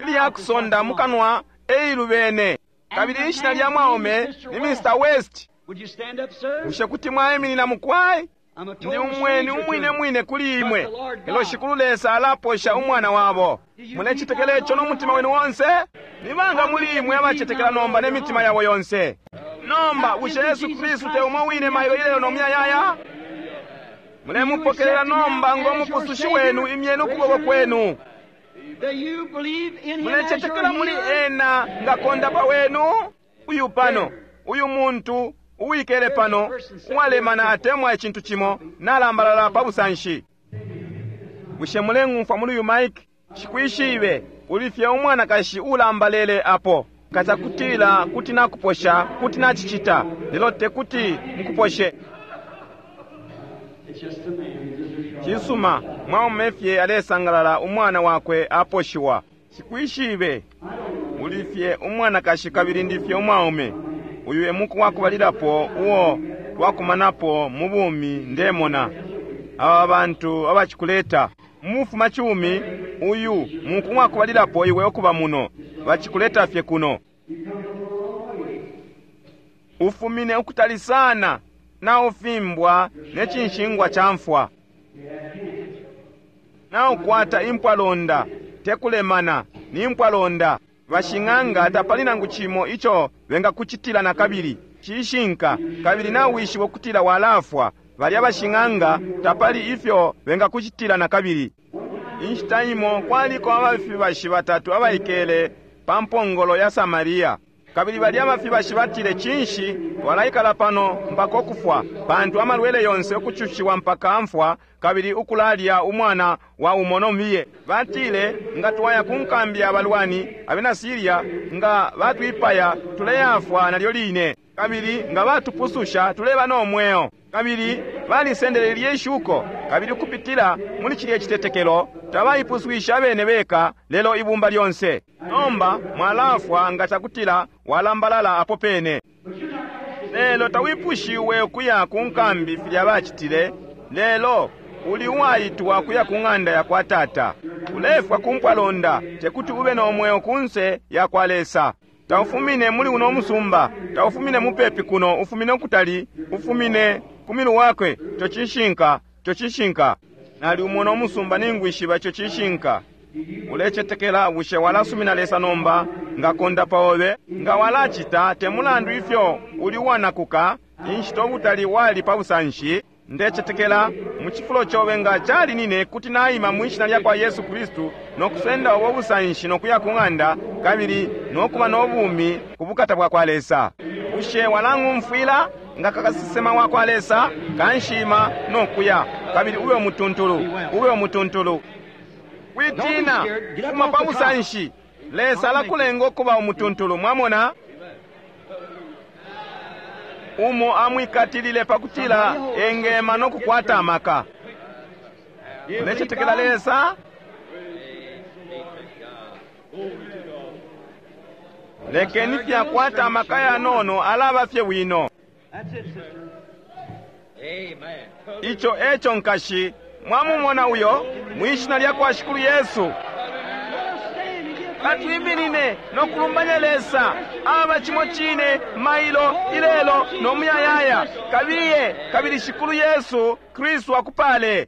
ilyakusonda mu kanwa eilubene. Kabili ishina lya mwaume ni Mister West. Would you stand up, sir? Bushe kuti mwaiminina mukwai? I'm a Ndi total umweni stranger umwine to you. mwine kuli imwe. Lelo Shikulu Lesa alaposha umwana wabo. Mulechitekela ico n'umutima wenu wonse? Ni banga muli imwe abachetekela nomba n'emitima yabo yonse? Nomba bushe Yesu Kristu te umo wine mailo ilelo nomuyayaya? Mulemupokelela nomba ng'omupusushi wenu, imyeni ukuboko kwenu. Do you believe in him as your Mulechetekela muli healer? ena nga kondapa wenu? Uyu pano, uyu muntu uwikele pano, uwalemana atemwa icintu cimo, nalambalala pa busanshi. Bushe muleng'umfwa muli uyu mike? Shikwishibe, uli fye umwanakashi ulambalele apo. Kacakutila kuti nakuposha, kuti nachicita, lelo tekuti mukuposhe. It's just a man. Just a Cisuma, mwaume fye alesangalala umwana wakwe aposhiwa. Shikwishibe, uli fye umwanakashi kabili ndi fye umwaume. Uyu e muku wakubalilapo uo twakumanapo mu bumi ndemona. Aba bantu abacikuleta mufuma chumi, uyu muku wakubalilapo iwe okuba muno, bacikuleta fye kuno. Ufumine ukutali sana na ufimbwa ne cinshingwa cha mfwa. Na ukwata impwalonda, tekulemana, ni impwalonda. Bashing'anga tapali nangu cimo ico bengakucitila na kabili, cishinka, kabili nawishiba ukutila walafwa. Balya bashing'anga tapali ifyo bengakucitila na kabili. Inshita imo kwaliko abafibashi batatu abaikele pa mpongolo ya Samaria. Kabili balya abafibashi batile, cinshi twalaikala pano mpaka ukufwa, pantu amalwele yonse ukucushiwa mpaka mfwa, kabili ukulalya umwana wa umo miye. Batile, nga twaya ku nkambi ya balwani abena Siria, nga batwipaya tuleyafwa nalyo line, kabili nga batupususha tuleba no mweo. Kabili balisendele lye shuko, kabili ukupitila muli cilye citetekelo tabaipuswisha abene beka, lelo ibumba lyonse. Nomba mwalafwa nga cakutila walambalala apo pene. Lelo tawipushiwe ukuya ku nkambi filya bacitile, lelo uli uwaitwa kuya ku ng'anda ya kwa tata. Ulefwa ku mpwalonda, tekuti ube no mweo kunse ya kwa Lesa. Taufumine muli uno musumba, taufumine mupepi kuno, ufumine ukutali, ufumine ku milu wakwe. Ico cishinka, ico cishinka. Nali umo no musumba ningwishiba ico cishinka. Ulecetekela, bushe walasumina Lesa nomba nga kondapa obe? Nga walacita, te mulandu ifyo uli uwanakuka, inshita ubutali wali pa busanshi, ndecetekela mu cifulo cobe nga cali nine kuti naima mwishina lya kwa Yesu Kristu no kusenda ubo busanshi no kuya ku ng'anda kabili no kuba no bumi ku bukata bwa kwa Lesa. Bushe walang'umfwila nga kakasesema wa kwa Lesa? Kanshima no kuya kabili ube umutuntulu, ube umutuntulu. Witina, fuma pa busanshi. Lesa alakulenga ukuba umutuntulu, mwamona? Umo amwikatilile pakutila engema no kukwata amaka. Ulecetekela Lesa? Lekeni fyakwata amaka yanono alaba fye wino. That's it, sister. Amen. Icho echo nkashi, mwamumona uyo mwishina lya kwa Shikulu Yesu. Let us stand and give praise. Katwiminine no kulumbanya Lesa aba chimo chine mailo ilelo no muyayaya. Kabiye kabili Shikulu Yesu Kristu akupale.